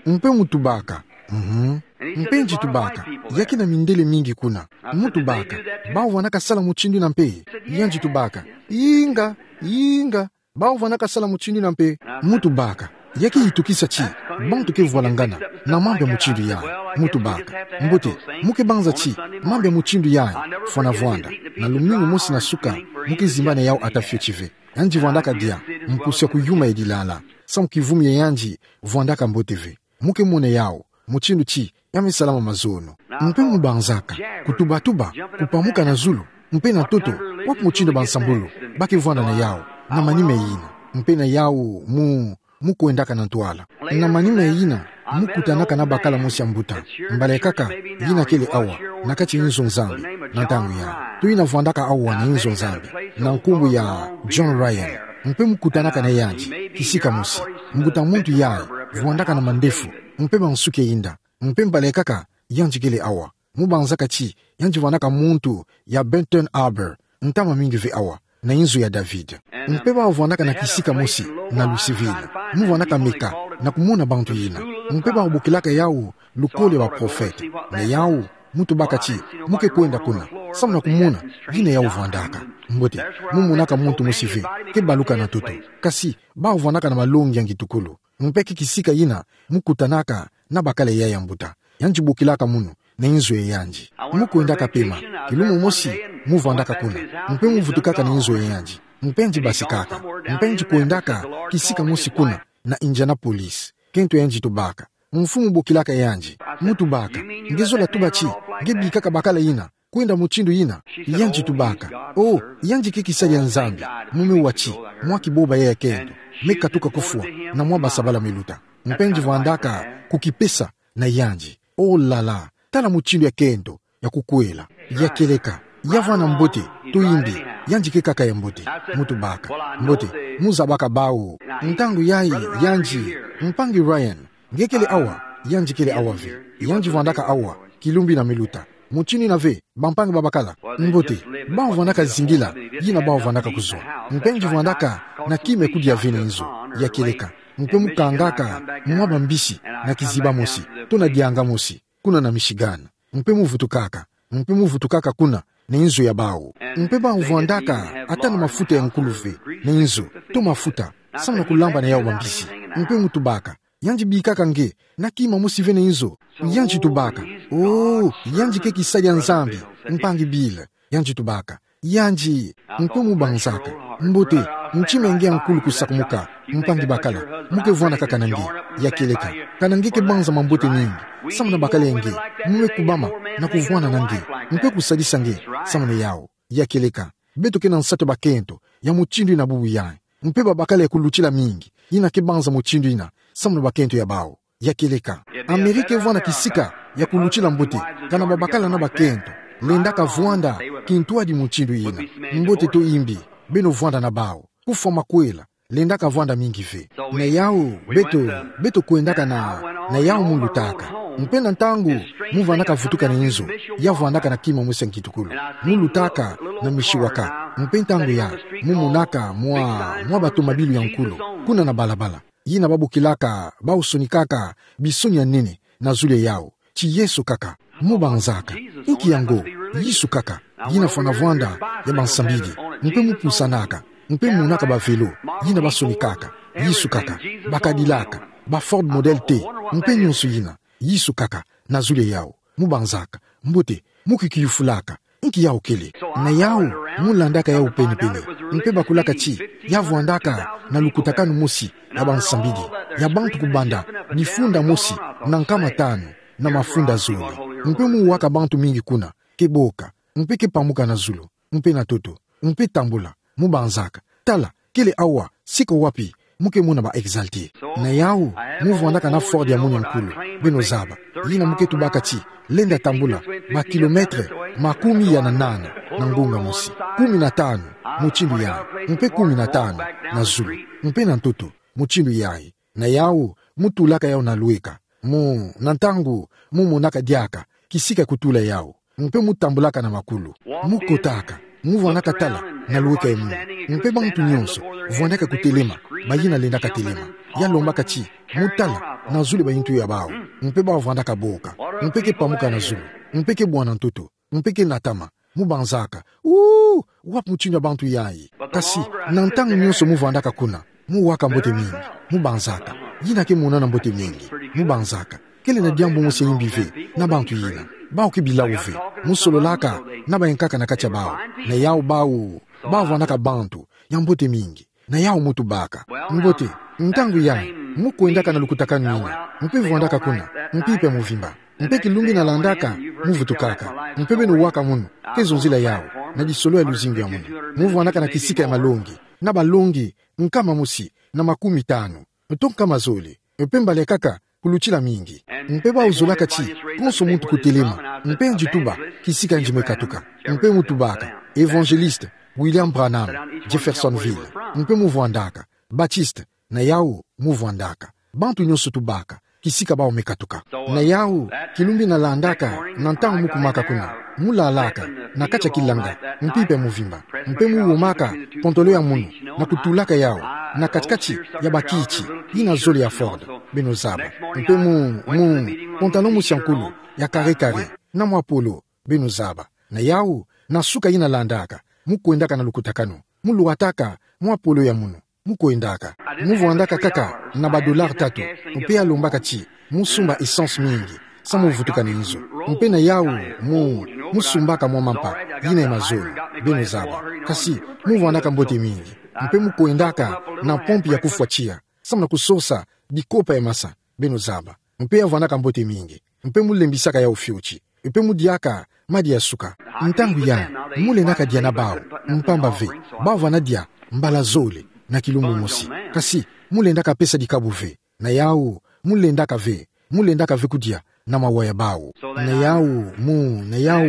Mpe mu tubaka: Mhm. Mpe yandi tubaka: Ya ke na mindele mingi kuna. Mu tubaka: Bawu vwandaka sala mutindu ina mpe? Yandi tubaka: Inga, inga, bawu vwandaka sala mutindu ina mpe. Mu tubaka: Ya ke itokisa ti bantu ke vwalangana na mambu ya mutindu yayi? Mu tubaka: Mbote, mu ke banza ti mambu ya mutindu yayi fwana vwanda. Na lumingu mosi na suka, mu ke zimba na yau ata fioti ve. Yandi vwandaka dia mpusu ya kuyuma ya dilala, samu kivumu ya yandi vwandaka mbote ve. Mu ke mona yau mutindu ti ya me salama mazono. Mpe mu banzaka: Kutubatuba, kupamuka na zulu, mpe na ntoto, wapi mutindu bansambulu ba ke vwanda na yau na manima ina? Mpe na yau mu, mu kwendaka na ntwala. Na manima ina, mu kutanaka na bakala mosi ya mbuta. Mbala ya nkaka, yina kele awa, na kati ya inzo Nzambi, na ntangu yayi. To yina vwandaka awa na inzo Nzambi, na nkumbu ya John Ryan. Mpe mu kutanaka na yandi kisika mosi. Mbuta muntu yayi vwandaka na mandefu, mpe mansuki ya inda. Mpe mbala ya nkaka, yandi kele awa. Mu banzaka ti yandi vwandaka muntu ya Benton Harbor, ntama mingi ve awa, na inzo ya David. Mpe bawu vwandaka na kisika mosi na Louisville. Mu vwandaka meka na kumona bantu yina. Mpe bawu bokilaka yau lukolo ya baprofete. Na yau, mu tubaka ti mu ke kwenda kuna, samu na kumona yina yau vwandaka. Mbote, mu monaka muntu mosi ve ke baluka na ntoto, kasi bawu vwandaka na malongi ya ngitukulu. Mpe ke kisika yina mu kutanaka na bakala yayi ya mbuta. Yandi bokilaka munu na inzo ya yandi. Mu kwendaka pema, kilumbu mosi mu vwandaka kuna. Mpe mu vutukaka na inzo ya yandi. Mpe yandi basikaka. Mpe yandi kwendaka kisika mosi kuna na Indianapolis. Kento yandi tubaka. Mfumu bokilaka yandi. Mu tubaka: Nge zola tuba ti nge bikaka bakala yina kwenda mutindu yina? Yandi tubaka: Oh, yandi ke kisadi ya Nzambi. Mu me wa ti mwa kiboba ya kento me katuka kufwa, na mwa basabala me luta. Mpe yandi vwandaka kukipesa na yandi. Oh là là, tala mutindu ya kento ya kukwela, ya kieleka, ya vwanda mbote, to imbi, yandi ke nkaka ya mbote. Mu tubaka: Mbote, mu zabaka bawu. Ntangu yayi yandi: Mpangi Ryan, nge kele awa? Yandi kele awa ve. Yandi vwandaka awa kilumbu ina me luta. Mutindu ina ve, bampangi babakala. Mbote, bawu vwandaka zingila yina bawu vwandaka kuzwa. Mpe yandi vwandaka na kima ya kudia ve na inzo, ya kieleka. Mpe mu kangaka mwa bambisi na kiziba mosi, to na dianga mosi, kuna na Michigan. Mpe mu vutukaka, mpe mu vutukaka kuna na inzo ya bawu. Mpe bawu vwandaka ata na mafuta ya nkulu ve na inzo, to mafuta, samu na kulamba na yau bambisi. Mpe mu tubaka: Yandi bikaka nge na kima mosi ve na inzo? Yandi tubaka: Oh, yandi ke kisadi ya Nzambi, mpangi Bill. Yandi tubaka: Yandi. Mpe mu banzaka: Mbote, ntima ya nge ya nkulu kusakumuka, mpangi bakala. Mu ke vwanda kaka na nge, ya kieleka. Kana nge ke banza mambote mingi samu na bakala ya nge, mu me kubama na kuvwanda na nge, mpe kusadisa nge samu na yau, ya kieleka. Beto ke na nsatu ya bakento ya mutindu ina bubu yayi. Mpe babakala ya kulutila mingi yina ke banza mutindu ina samu na bakento ya bawu, ya kieleka. Amerika evwanda kisika ya kulutila mbote, kana babakala na bakento lendaka vwanda kintwadi mutindu ina. Mbote to imbi, beno vwanda na bawu. Kufwa makwela, lendaka vwanda mingi ve. Na yau, beto, beto kwendaka na, na yau mu lutaka. Mpe na ntangu mu vandaka vutuka na inzo, ya vwandaka na kima mosi ya ngitukulu. Mu lutaka na Mishawaka. Mpe ntangu yayi, mu monaka mwa, mwa batomabilu ya nkulu kuna na balabala, yina babokilaka, basonikaka bisoni ya nene na zulu ya yau, ti Yesu kaka. Mu banzaka: Inki yango? Yesu kaka. Yina fwana vwanda ya bansambidi. Mpe mu pusanaka, mpe mu monaka bavelo yina basonikaka. Yesu kaka. Bacadillac, baFord Model T, mpe nyonso yina, Yesu kaka na zulu ya yau. Mu banzaka: Mbote, mu kikiyufulaka Nki yau kele? Na yau, mu landaka yau pene-pene. Mpe bakulaka ti, ya vwandaka na lukutakanu mosi ya bansambidi, ya bantu kubanda, ni funda mosi, na nkama tanu, na mafunda zole. Mpe mu waka bantu mingi kuna, ke boka, mpe ke pamuka na zulu, mpe na ntoto, mpe tambula, mu banzaka: Tala, kele awa, sika wapi mu ke mona ba Exaltés. Na yau, mu vwandaka na Ford ya munu ya nkulu, beno zaba, yina mu ke tubaka ti lenda tambula ba kilomètre makumi ya na nana na ngonga mosi, kumi na tanu, mutindu yayi, mpe kumi na tanu na zulu, mpe na ntoto, mutindu yayi. Na yau, mu tulaka yau na lweka. Mu, na ntangu, mu monaka diaka kisika kutula yau, mpe mu tambulaka na makulu. Mu kotaka, mu vwandaka tala na lweka ya munu. Mpe bantu nyonso vwandaka kutelema, bayina lendaka telema, ya lombaka ti mu tala na zulu bayintu ya bau. Mpe bau vwandaka boka, mpe ke pamuka na zulu, mpe ke bwana ntoto, mpe ke natama, mu banzaka: Uu, wapi mutindu ya bantu yayi? Kasi, na ntangu nyonso mu vwandaka kuna, mu waka mbote mingi, mu banzaka: Yina ke monana mbote mingi, mu banzaka: Kele na diambu mosi ya imbi ve na bantu yina. Bau ke bilau ve. Mu sololaka na bayankaka na kati ya bau. Na yau bau, bau vwandaka bantu ya mbote mingi. Na yau mu tubaka: Mbote, ntangu yayi, mu kwendaka na lukutakanu yina, mpe vwandaka kuna mpimpa ya muvimba. Mpe kilumbu ina landaka, mu vutukaka. Mpe beno waka munu, ke zonzila yau, na disolo ya luzingu ya munu. Mu vwandaka na kisika ya malongi, na balongi nkama mosi na makumi tanu, to nkama zole, mpe mbala kaka kulutila mingi. Mpe bau zolaka ti konso muntu kutelema, mpe yandi tuba kisika yandi me katuka. Mpe mu tubaka: Évangéliste William Branham, Jeffersonville. Mpe mu vwandaka: Baptiste. Na yau, mu vwandaka. Bantu nyonso tubaka kisika bau me katuka. Na yau, kilumbu ina landaka, na ntangu mu kumaka kuna, mu lalaka na kati ya kilanga mpimpa ya muvimba, mpe mu womaka pantalo ya munu, na kutulaka yau na kati-kati ya bakiti yina zole ya Ford, beno zaba. Mpe mu, mu, pantalo mosi ya nkulu, ya carré-carré, na mwa polo, beno zaba. Na yau, na suka ina landaka, mu kwendaka na lukutakanu, mu lwataka mwa polo ya munu, mu kwendaka. Mu vwandaka kaka na ba dollars tatu, mpe ya lombaka ti mu sumba essence mingi, samu mu vutuka na nzo. Mpe na yau, mu, mu sumbaka mwa mampa yina ya mazono, beno zaba. Kasi, mu vwandaka mbote mingi, mpe mu kwendaka na pompe ya kufwa tiya, samu na kusosa bikopa ya masa, beno zaba. Mpe ya vwandaka mbote mingi, mpe mu lembisaka yau fioti, mpe mu diaka madia ya suka. Ntangu yayi, mu lendaka dia na bau, mpamba ve bau vwanda dia mbala zole na kilumbu mosi. Kasi, mu lendaka pesa dikabu ve. Na yau, mu lendaka ve, mu lendaka ve kudia na mawa ya bau. Na yau, mu, na yau,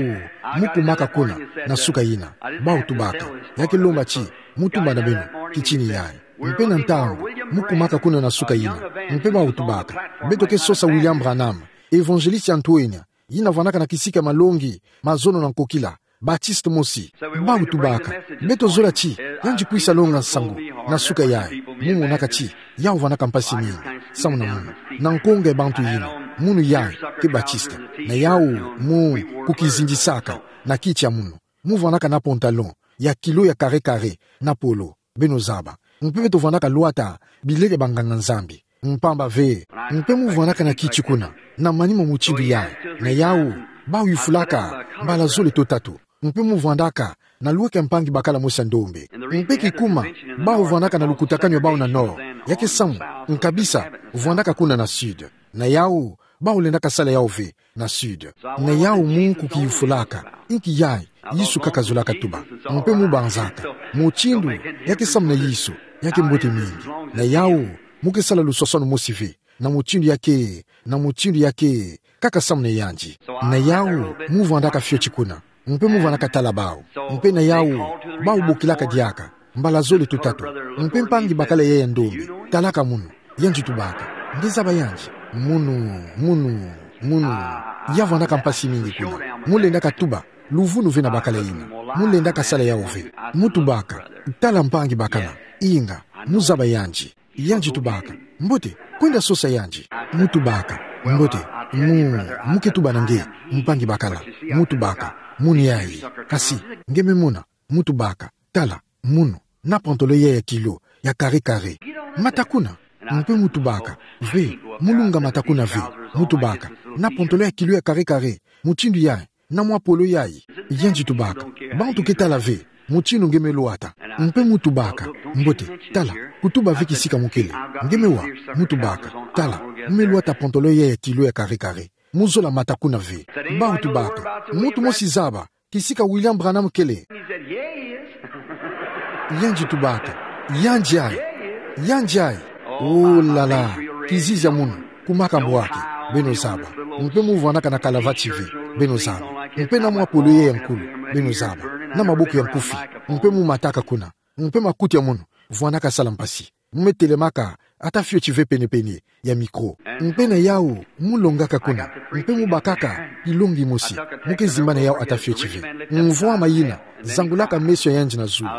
mu kumaka kuna na suka ina, bau tubaka, ya ke lomba ti mu tumba na beno kitini yayi. Mpe na ntangu mu kumaka kuna na suka ina, mpe bau tubaka: Beto ke sosa William Branham, évangéliste ya ntoenia, yina vwandaka na kisika ya malongi mazono na nkokila, Baptiste mosi. Bau tubaka: Beto zola ti yandi kwisa longa nsangu na suka yayi. Mu monaka ti yau vwandaka mpasi mingi samu na munu, na nkonga ya bantu yina. Munu yayi ke Baptiste. Na yau, mu, kukizindisaka na kiti ya munu, mu vwandaka na pantalon ya kilo ya carré-carré, na polo, beno zaba. Mpe beto vwandaka lwata bilele ya banganga-Nzambi, mpamba ve. Mpe mu vwandaka na kiti kuna, na manima mutindu yayi. Na yau, bau yufulaka mbala zole to tatu. Mpe mu vwandaka na lweka ya mpangi bakala mosi ya ndombe. Mpe kikuma, bau vwandaka na lukutakanu ya bau na nord, ya ke samu nkabisa vwandaka kuna na sud. Na yau, bau lendaka sala yau ve na sud. Na yau, mu kukiyufulaka, nki yayi Yesu kaka zolaka tuba. Mpe mu banzaka: Mutindu ya ke samu na Yesu ya ke mbote mingi. Na yau, mu ke sala luswaswanu mosi ve na mutindu ya ke, na mutindu ya ke kaka samu na yandi. Na yau, mu vwandaka fioti kuna, mpe mu vwandaka tala bau. Mpe na yau, bau bokilaka diaka mbala zole to tatu. Mpe mpangi bakala yayi ya ndombe: Talaka munu. Yandi tubaka: Nge zaba yandi? Munu, munu, munu, ya vwandaka mpasi mingi kuna. Mu lendaka tuba luvunu ve na bakala yina. Mu lendaka sala yau ve. Mu tubaka: Tala, mpangi bakala. Inga, mu zaba yandi? Yandi tubaka: Mbote, kwenda sosa yandi. Mu tubaka: Mbote, mu, mu ke tuba na nge, mpangi bakala. Mu tubaka: Munu yayi. Kasi, nge me mona? Mu tubaka: Tala, munu, na pantalon yayi ya kilo ya carré-carré. Mata kuna. Mpe mu tubaka: Ve, mu lunga mata kuna ve. Mu tubaka: Na pantalon ya kilo ya carré-carré, mutindu yayi, na mwa polo yayi. Yandi tubaka: Bantu ke tala ve mutindu nge me lwata. Mpe mu tubaka: Mbote, tala, kutuba ve kisika mu kele. Nge me wa, mu tubaka: Tala, mu me lwata pantalon yayi ya tilo ya kare kare. Mu zola mata kuna ve. Bawu tubaka: Muntu mosi zaba kisika William Branham kele? Yandi tubaka: Yandi ayi. Yandi ayi. Oh là là, kizizi ya munu, kumaka mbwaki, beno zaba. Mpe mu vwanaka na kalavati ve, beno zaba. Mpe na mwa polo yayi ya nkulu, beno zaba, na maboko ya nkufi. Mpe mu mataka kuna. Mpe makuti ya munu, vwanaka sala mpasi. Mu me telemaka ata fioti ve penepene ya mikro. Mpe na yawu, mu longaka kuna. Mpe mu bakaka kilongi mosi. Mu ke zimba na yawu ata fioti ve. Mvwama yina zangulaka meso ya yandi na zulu.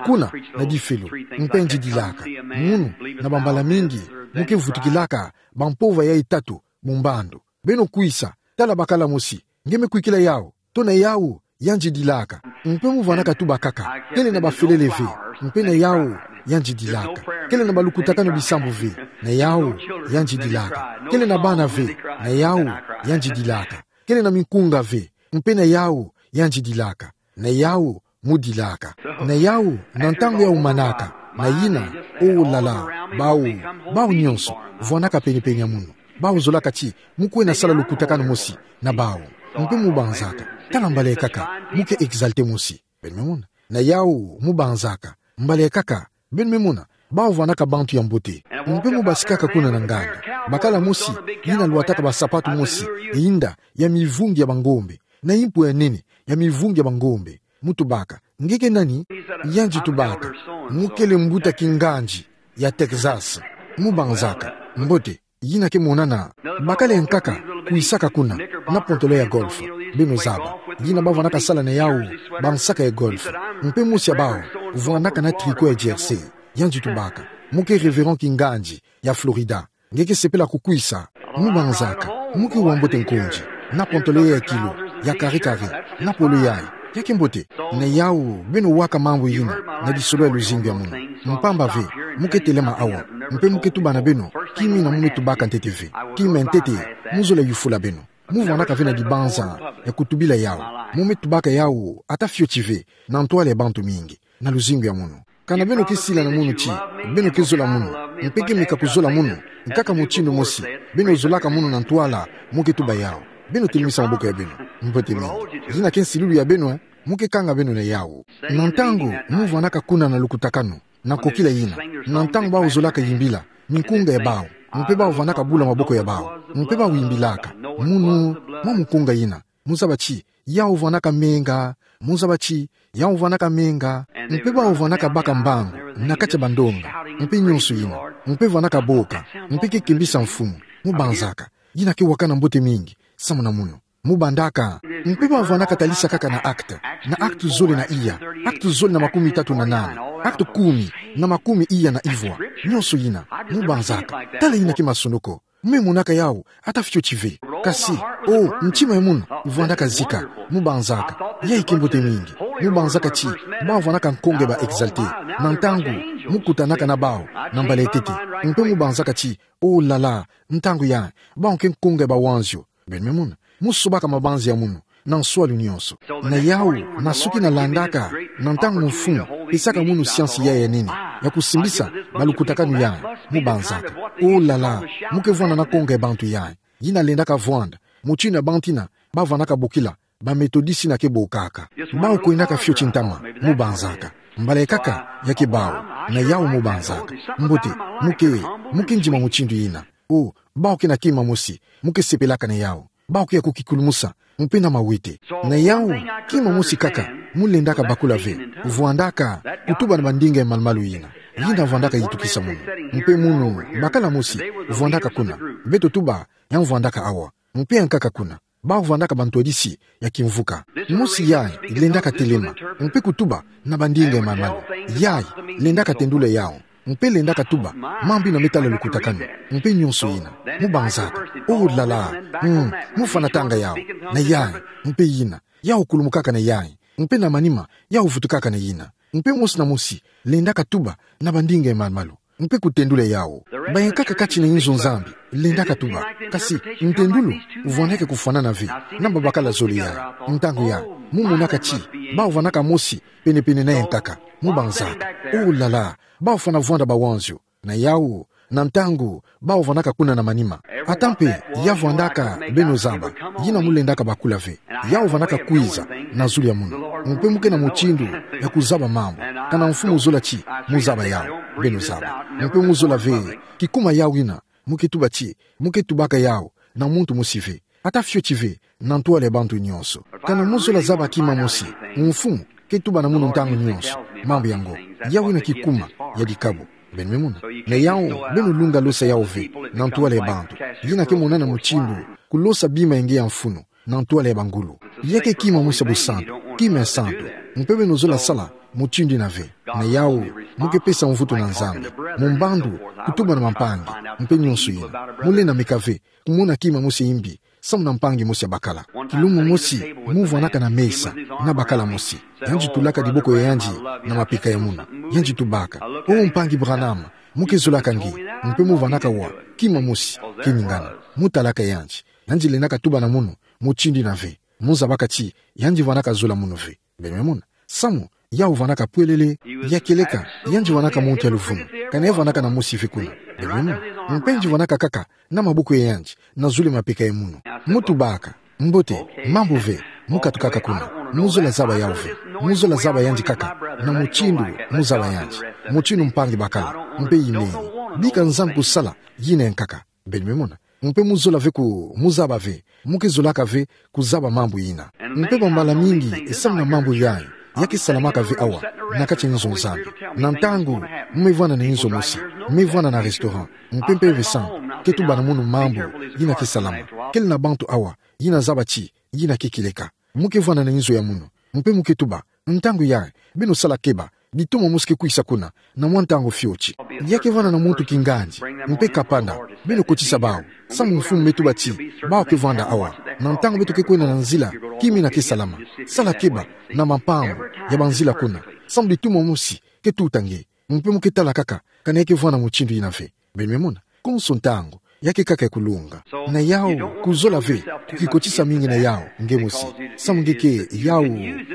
Kuna, na difelo. Mpe yandi dilaka. Munu, na bambala mingi, mu ke vutukilaka bampova yayi tatu mu mbandu. Beno kwisa, tala bakala mosi. Nge me kwikila yawu? To na yawu, yandi dilaka. Mpe mu vwanaka tuba kaka: Kele na bafelele ve. Mpe na yawu, yandi dilaka. Kele na balukutakanu bisambu ve. Na yawu, yandi dilaka. Kele na bana ve. Na yawu, yandi dilaka. Kele na minkunga ve. Mpe na yawu, yandi dilaka. Na yawu, mu dilaka. Na yawu, na ntangu yawu manaka, na yina, oh là là, bawu, bawu nyonso, vwanaka penepene ya munu. Bawu zolaka ti mu kwenda sala lukutakanu mosi na bawu. Mpe mu banzaka: Tala mbala ya nkaka, mu ke exalté mosi. Beno me mona? Na yawu, mu banzaka: Mbala ya nkaka, beno me mona, bawu vwanaka bantu ya mbote. Mpe mu basikaka kuna na nganda. Bakala mosi, yina lwataka basapatu mosi ya inda, ya mivungi ya bangombe, na impu ya nene ya mivungi ya bangombe. Mu tubaka: Nge ke nani? Yandi tubaka: Mu kele mbuta kingandi ya Texas. Mu banzaka: Mbote, yina ke monana. Bakala ya nkaka kwisaka kuna, na pantalon ya golf. Beno zaba. Yina ba vwanaka sala na yawu bansaka ya golf. Mpe mosi ya bawu vwanaka na tricot ya jersey. Yandi tubaka: Mu ke révérend kingandi ya Florida. Nge ke sepela kukwisa? Mu banzaka: Mu ke wa mbote nkonzi, na pantalon ya tilo, ya kare kare, na polo yayi. Ya ke mbote. Na yawu, beno waka mambu yina na lisolo ya luzingu ya munu. Mpamba ve, mu ke telema awa, mpe mu ke tuba na beno kima yina mu me tubaka ntete ve. Kima ntete, mu zola yufula beno. Mu vwanaka ve na dibanza ya kutubila yawu. Mu me tubaka yawu ata fioti ve na ntwala ya bantu mingi na luzingu ya munu. Kana beno ke sila na munu ti beno ke zola munu, mpe ke meka kuzola munu, nkaka mutindu mosi, beno zolaka munu na ntwala mu ke tuba yawu. Beno telemisa maboko ya beno. Mbote mingi. Yina ke nsilulu ya beno, eh? Mu ke kanga beno na yawu. Na ntangu mu vwanaka kuna na lukutakanu, na kokila yina, na ntangu bawu zolaka yimbila, minkunga ya bawu, mpe bawu vwanaka bula maboko ya bawu, mpe bawu yimbilaka: Munu, mwa mukunga yina. Mu zaba ti yawu vwanaka menga. Mu zaba ti yawu vwanaka menga. Mpe bawu vwanaka baka mbangu na kati ya bandonga, mpe nyonso yina, mpe vwanaka boka, mpe ke kembisa Mfumu. Mu banzaka: Yina ke wakana mbote mingi samu na munu. Mu bandaka: Mpe bawu vwanaka talisa kaka na acte, na acte zole na iya, acte zole na makumitatu na nana, acte kumi na makumi iya na ivwa, nyonso yina. Mu banzaka: Tala yina ke masonoko. Mu me monaka yawu ata fioti ve. Kasi, oh, ntima ya munu vwandaka zika. Mu banzaka: Yayi ke mbote mingi. Mu banzaka ti bawu vwanaka nkonge ba exalté. Na ntangu mu kutanaka na bawu na mbala ya ntete, mpe mu banzaka ti, oh là là, ntangu yayi, bawu ke nkonge ba wanzio. Beno me mona? Mu sobaka mabanzi ya munu na nswalu nyonso. Na yawu, na soki na landaka na ntangu Mfumu pesaka munu siansi yayi ya nene ya kusimbisa balukutakanu yayi, mu banzaka: Oh là là, mu ke vwanda na nkonge ya bantu yayi. Yina lendaka vwanda mutindu ya bantu yina ba vwanaka bokila ba Metodisi yina ke bokaka. Bawu kwendaka fioti ntama, mu banzaka. Mbala ya nkaka, ya ke bawu. Na yawu, mu banzaka: Mbote, mu ke, mu ke ndima mutindu yina. Oh, bawu ke na kima mosi mu ke sepelaka na yawu. Bawu ke ya kukikulumusa, mpe na mawete. Na yawu, kima mosi kaka mu lendaka bakula ve, vwandaka kutuba na bandinga ya malumalu yina. Yina vwandaka yitukisa munu. Mpe munu, bakala mosi vwandaka kuna. Beto tuba ya mvwandaka awa. Mpe ya nkaka kuna. Bawu vwandaka bantwadisi ya kimvuka. Mosi yayi lendaka telema, mpe kutuba na bandinga ya malumalu. Yayi lendaka tendula yawu, mpe lendaka tuba mambu yina me tala lukutakanu, mpe nyonso yina. Mu banzaka: Oh là là. Mm, mu fwanatanga yawu na yayi, mpe yina. Yawu kulumukaka na yayi, mpe na manima yawu vutukaka na yina. Mpe mosi na mosi lendaka tuba na bandinga ya malumalu. mpe kutendula yao. Bayankaka kati na inzo Nzambi lendaka tuba. Kasi ntendulu vwaneke kufwanana ve na babakala zole yai. Ntangu yai, mu monaka ti bau vwanaka mosi penepene na yankaka, mu banzaka: Oh là là, bau fwana vwanda bawanzio. Na yau, na ntangu, bau vwanaka kuna na manima. Ata mpe ya vwandaka beno zaba, yina mu lendaka bakula ve. Yau vwanaka kwiza na zulu ya munu. Mpe mu ke na mutindu ya kuzaba mambu, kana Mfumu zola ti mu zaba yau, beno zaba. Mpe mu zola ve kikuma yau yina, mu ke tuba ti, mu ke tubaka yau na muntu mosi ve, ata fioti ve, na ntwala ya bantu nyonso. Kana mu zola zaba kima mosi, Mfumu ke tuba na munu ntangu nyonso mambu yango. Yau yina kikuma ya dikabu. Beno me mona. Na yau, beno lunga losa yau ve na ntwala ya bantu. Yina ke monana mutindu kulosa bima ya nge ya mfunu na ntwala ya bangulu. Ya ke kima mosi ya busantu, kima ya santu. Mpe beno zola sala mutindu yina ve. Na yau, mu ke pesa mvutu na Nzambi mu mbandu, kutuba na bampangi, mpe nyonso yina. Mu lenda meka ve kumona kima mosi ya imbi samu na mpangi mosi ya bakala. Kilumbu mosi, mu vwanaka na mesa na bakala mosi. Yandi tulaka diboko ya yandi na mapeka ya munu. Yandi tubaka: Oh mpangi Branham, mu ke zolaka nge. Mpe mu vwanaka wa kima mosi ke ningana. Mu talaka yandi. Yandi lendaka tuba na munu mutindu yina ve. Mu zabaka ti yandi vwanaka zola munu ve. Beno me mona. Samu yau vwanaka pwelele. Ya kieleka, yandi vwanaka muntu ya luvunu. Kana ya vwanaka na mosi ve kuna. Beno me mona. Mpe yandi vwanaka kaka na maboko ya yandi na zulu ya mapeka ya munu. Mu tubaka: Mbote, mambu ve, mu katukaka kuna. Mu zola zaba yau ve. Mu zola zaba yandi kaka na mutindu mu zaba yandi, mutindu mpangi bakala, mpe imeni. Bika Nzambi kusala yina yankaka. Beno me mona. Mpe mu zola ve ku, mu zaba ve, mu ke zolaka ve kuzaba mambu yina. Mpe bambala mingi, samu na mambu yai, ya ke salamaka ve awa na kati ya inzo Nzambi. Na ntangu mu me vwanda na inzo mosi, mu me vwanda na restaurant, mpe Mpeve Santu ke tuba na munu mambu yina ke salama. Kele na bantu awa yina zaba ti yina ke kieleka. Mu ke vwanda na inzo ya munu, mpe mu ke tuba: Ntangu yai, beno sala keba, bitoma mosi ke kwisa kuna na mwa ntangu fioti. Ya ke vwanda na muntu kingandi, mpe kapanda, beno kotisa bau, samu Mfumu me tuba ti bau ke vwanda awa. Na ntangu beto ke kwenda na nzila, kima yina ke salama. Sala keba na mampambu ya banzila kuna, samu bitoma mosi ke tuta nge. Mpe mu ke tala kaka kana ya ke vwanda mutindu yina ve. Beno me mona. Konso ntangu, ya ke kaka ya kulunga. Na yau, kuzola ve kukikotisa mingi na yau nge mosi. Samu nge ke, yau,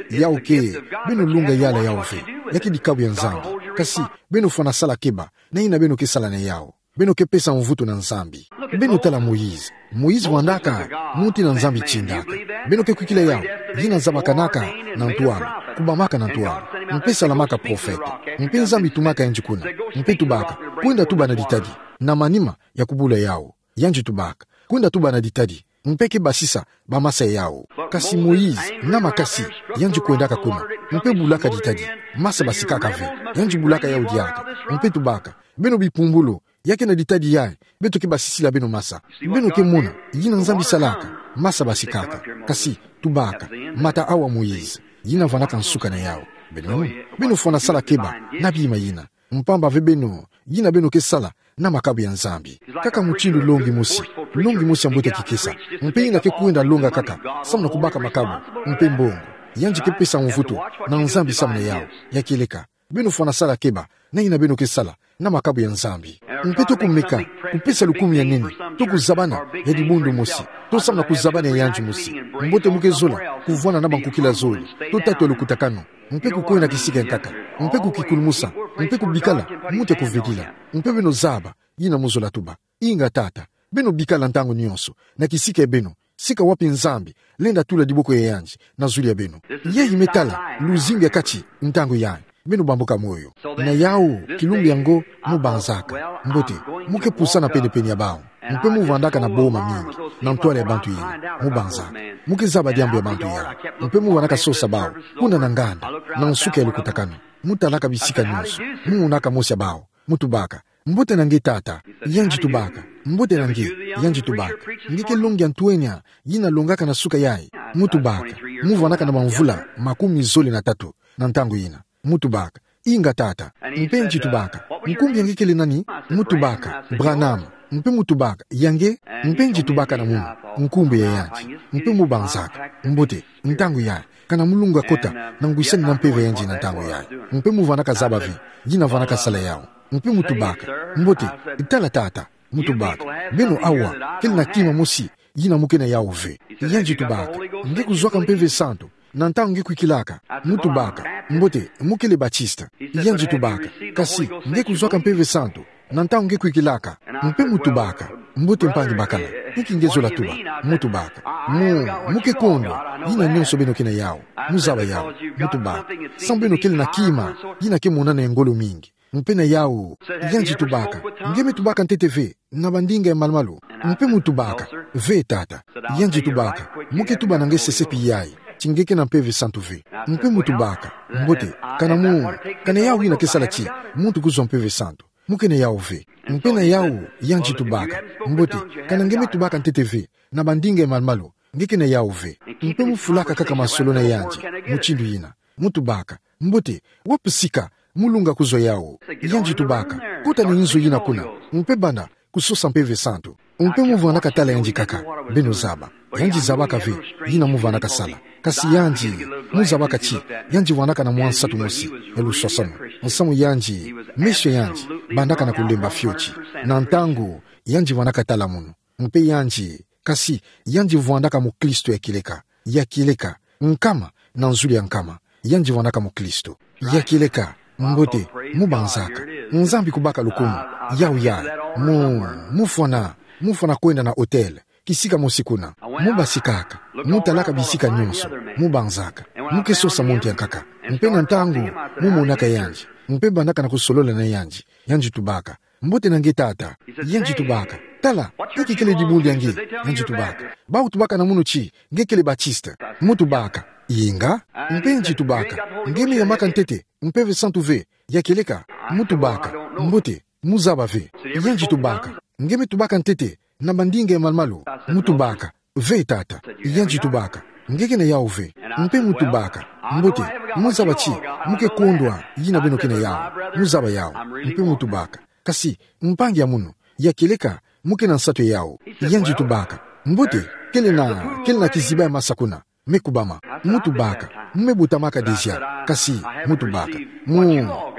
yau ke, beno lunga yala yau ve. Ya ke dikabu ya Nzambi. Kasi beno fwana sala keba na yina beno ke sala na yau. Beno ke pesa mvutu na Nzambi. Beno tala Moïse. Moïse vwandaka muntu yina Nzambi tindaka. Beno ke kwikila yau, yina zabakanaka na ntwala, kubamaka na ntwala, mpe salamaka profeta. Mpe Nzambi tumaka yandi kuna, mpe tubaka: Kwenda tuba na ditadi na manima ya kubula yau. Yandi tubaka: Kwenda tuba na ditadi, mpe ke basisa bamasa ya yau. Kasi Moïse, na makasi, yandi kwendaka kuna, mpe bulaka ditadi, masa basikaka ve. Yandi bulaka yau diaka, mpe tubaka: Beno bipumbulu, ya ke na ditadi yai beto ke basisila beno masa. Beno ke mona yina Nzambi salaka, masa basikaka. Kasi tubaka: Mata awa Moïse, yina vwandaka nsuka na yau. Beno, beno fwana sala keba na bima yina. Mpamba ve beno, yina beno ke sala na makabu ya Nzambi. Kaka mutindu longi mosi, longi mosi ya mbote kikesa, mpe yina ke kwenda longa kaka samu na kubaka makabu mpe mbongo. Yandi ke pesa mvutu na Nzambi samu na yau. Ya kieleka, beno fwana sala keba na yina beno ke sala na makabu ya Nzambi. Mpe to kumeka, kupesa lukumu ya nene, to kuzabana ya dibundu mosi, to samu na kuzabana ya yandi mosi. Mbote mu ke zola kuvwanda na bankukila zole, to tatu ya lukutakanu, mpe kukwenda kisika ya nkaka, mpe kukikulumusa, mpe kubikala muntu ya kuvedila. Mpe beno zaba yina mu zola tuba. Inga tata, beno bikala ntangu nyonso na kisika ya beno, sika wapi Nzambi lenda tula diboko ya yandi na zulu ya beno. Yayi me tala luzingu ya kati ntangu yayi. Beno bambuka moyo. Na yau, kilumbu yango, mu banzaka: Mbote, mu ke pusana penepene ya bau. Mpe mu vandaka na boma mingi na ntwala ya bantu yina, mu banzaka. Mu ke zaba diambu ya bantu yayi. Mpe mu vandaka sosa bau kuna na nganda, na nsuka ya lukutakanu. Mu talaka bisika nyonso, mu monaka mosi ya bau, mu tubaka: Mbote na nge tata. Yandi tubaka: Mbote na nge. Yandi tubaka: Nge ke longi ya ntwenya yina longaka na suka yayi? Mu tubaka: Mu vandaka na bamvula makumi zole na tatu na ntangu yina. Mu tubaka: Inga tata. Mpe yandi tubaka: Nkumbu ya nge kele nani? Mu tubaka: Branham. Mpe mu tubaka: Ya nge? Mpe yandi tubaka na munu: Nkumbu ya yandi. Mpe mu banzaka: Mbote, ntangu yayi, kana mu lunga kota na ngwisani na mpeve ya yandi na ntangu yayi. Mpe mu vandaka zaba ve yina vandaka sala yau. Mpe mu tubaka: Mbote, tala tata. Mu tubaka: Beno awa, kele na kima mosi yina mu ke na yawu ve. Yandi tubaka: Nge kuzwaka Mpeve Santu, na ntangu nge kwikilaka. Mu tubaka: Mbote, mu kele Batiste. Yandi tubaka: Kasi nge kuzwaka Mpeve Santu, na ntangu nge kwikilaka. Mpe mu tubaka: Mbote mpangi bakala, inki nge zola tuba? Mu tubaka: Mu, mu ke kondwa yina nionso beno ke na yawu. Mu zaba yawu. Mu tubaka: Sambu beno kele na kima yina ke monana ya ngolo mingi. Mpe na yawu, yandi tubaka: Nge me tubaka ntete ve na bandinga ya malu-malu? Mpe mu tubaka: Ve tata. Yandi tubaka: Mu ke tuba na nge sesepi yayi, ti nge ke na Mpeve Santu ve. Mpe mu tubaka: Mbote, kana mu, kana yawu yina ke sala ti muntu kuzwa Mpeve Santu, mu ke na yawu ve. Mpe na yawu, yandi tubaka: Mbote, kana nge me tubaka ntete ve na bandinga ya malu-malu, nge ke na yawu ve. Mpe mu fulaka kaka masolo na yandi mutindu yina. Mu tubaka: Mbote, wapi sika mu lunga kuzwa yawu? Yandi tubaka: Kota na inzo yina kuna, mpe banda kusosa Mpeve Santu. Mpe mu vwandaka tala yandi kaka. Beno zaba. Yandi zabaka ve yina mu vwandaka sala. Kasi yandi, mu zabaka ti, yandi vwandaka na mwa nsatu mosi ya luswaswanu. Nsamu yandi, meso yandi bandaka na kulemba fioti. Na ntangu yandi vwandaka tala munu. Mpe yandi, kasi yandi vwandaka mukristo ya kieleka. Ya kieleka, nkama na nzulu ya nkama, yandi vwandaka mukristo. Ya kieleka, mbote, mu banzaka. Nzambi kubaka lukumu, yawu yayi. Mu, mu fwana, mu fwana kwenda na hôtel, kisika mosi kuna. Mu basikaka, mu talaka bisika nionso, mu banzaka. Mu ke sosa muntu ya nkaka. Mpe na ntangu mu monaka yandi, mpe bandaka na kusolola na yandi, yandi tubaka: Mbote na nge tata. Yandi tubaka: Tala, inki kele dibundu ya nge? Yandi tubaka: Bawu tubaka na munu ti nge kele Batiste. Mu tubaka: Inga. Mpe yandi tubaka: Nge me yamaka ntete Mpeve Santu ve? Ya kieleka. Mu tubaka: Mbote, mu zaba ve. Yandi tubaka: Nge me tubaka ntete na bandinga ya malu-malu? Mu tubaka: Ve tata. Yandi tubaka: Nge ke na yawu ve. Mpe mu tubaka: Mbote, mu zaba ti mu ke kondwa yina beno ke na yawu. Mu zaba yawu. Mpe mu tubaka: Kasi mpangi ya munu, ya kieleka, mu ke na nsatu ya yawu. Yandi tubaka: Mbote, kele na, kele na kiziba ya masa kuna, me kubama. Mu tubaka: Mu me butamaka déjà. Kasi, mu tubaka, mu,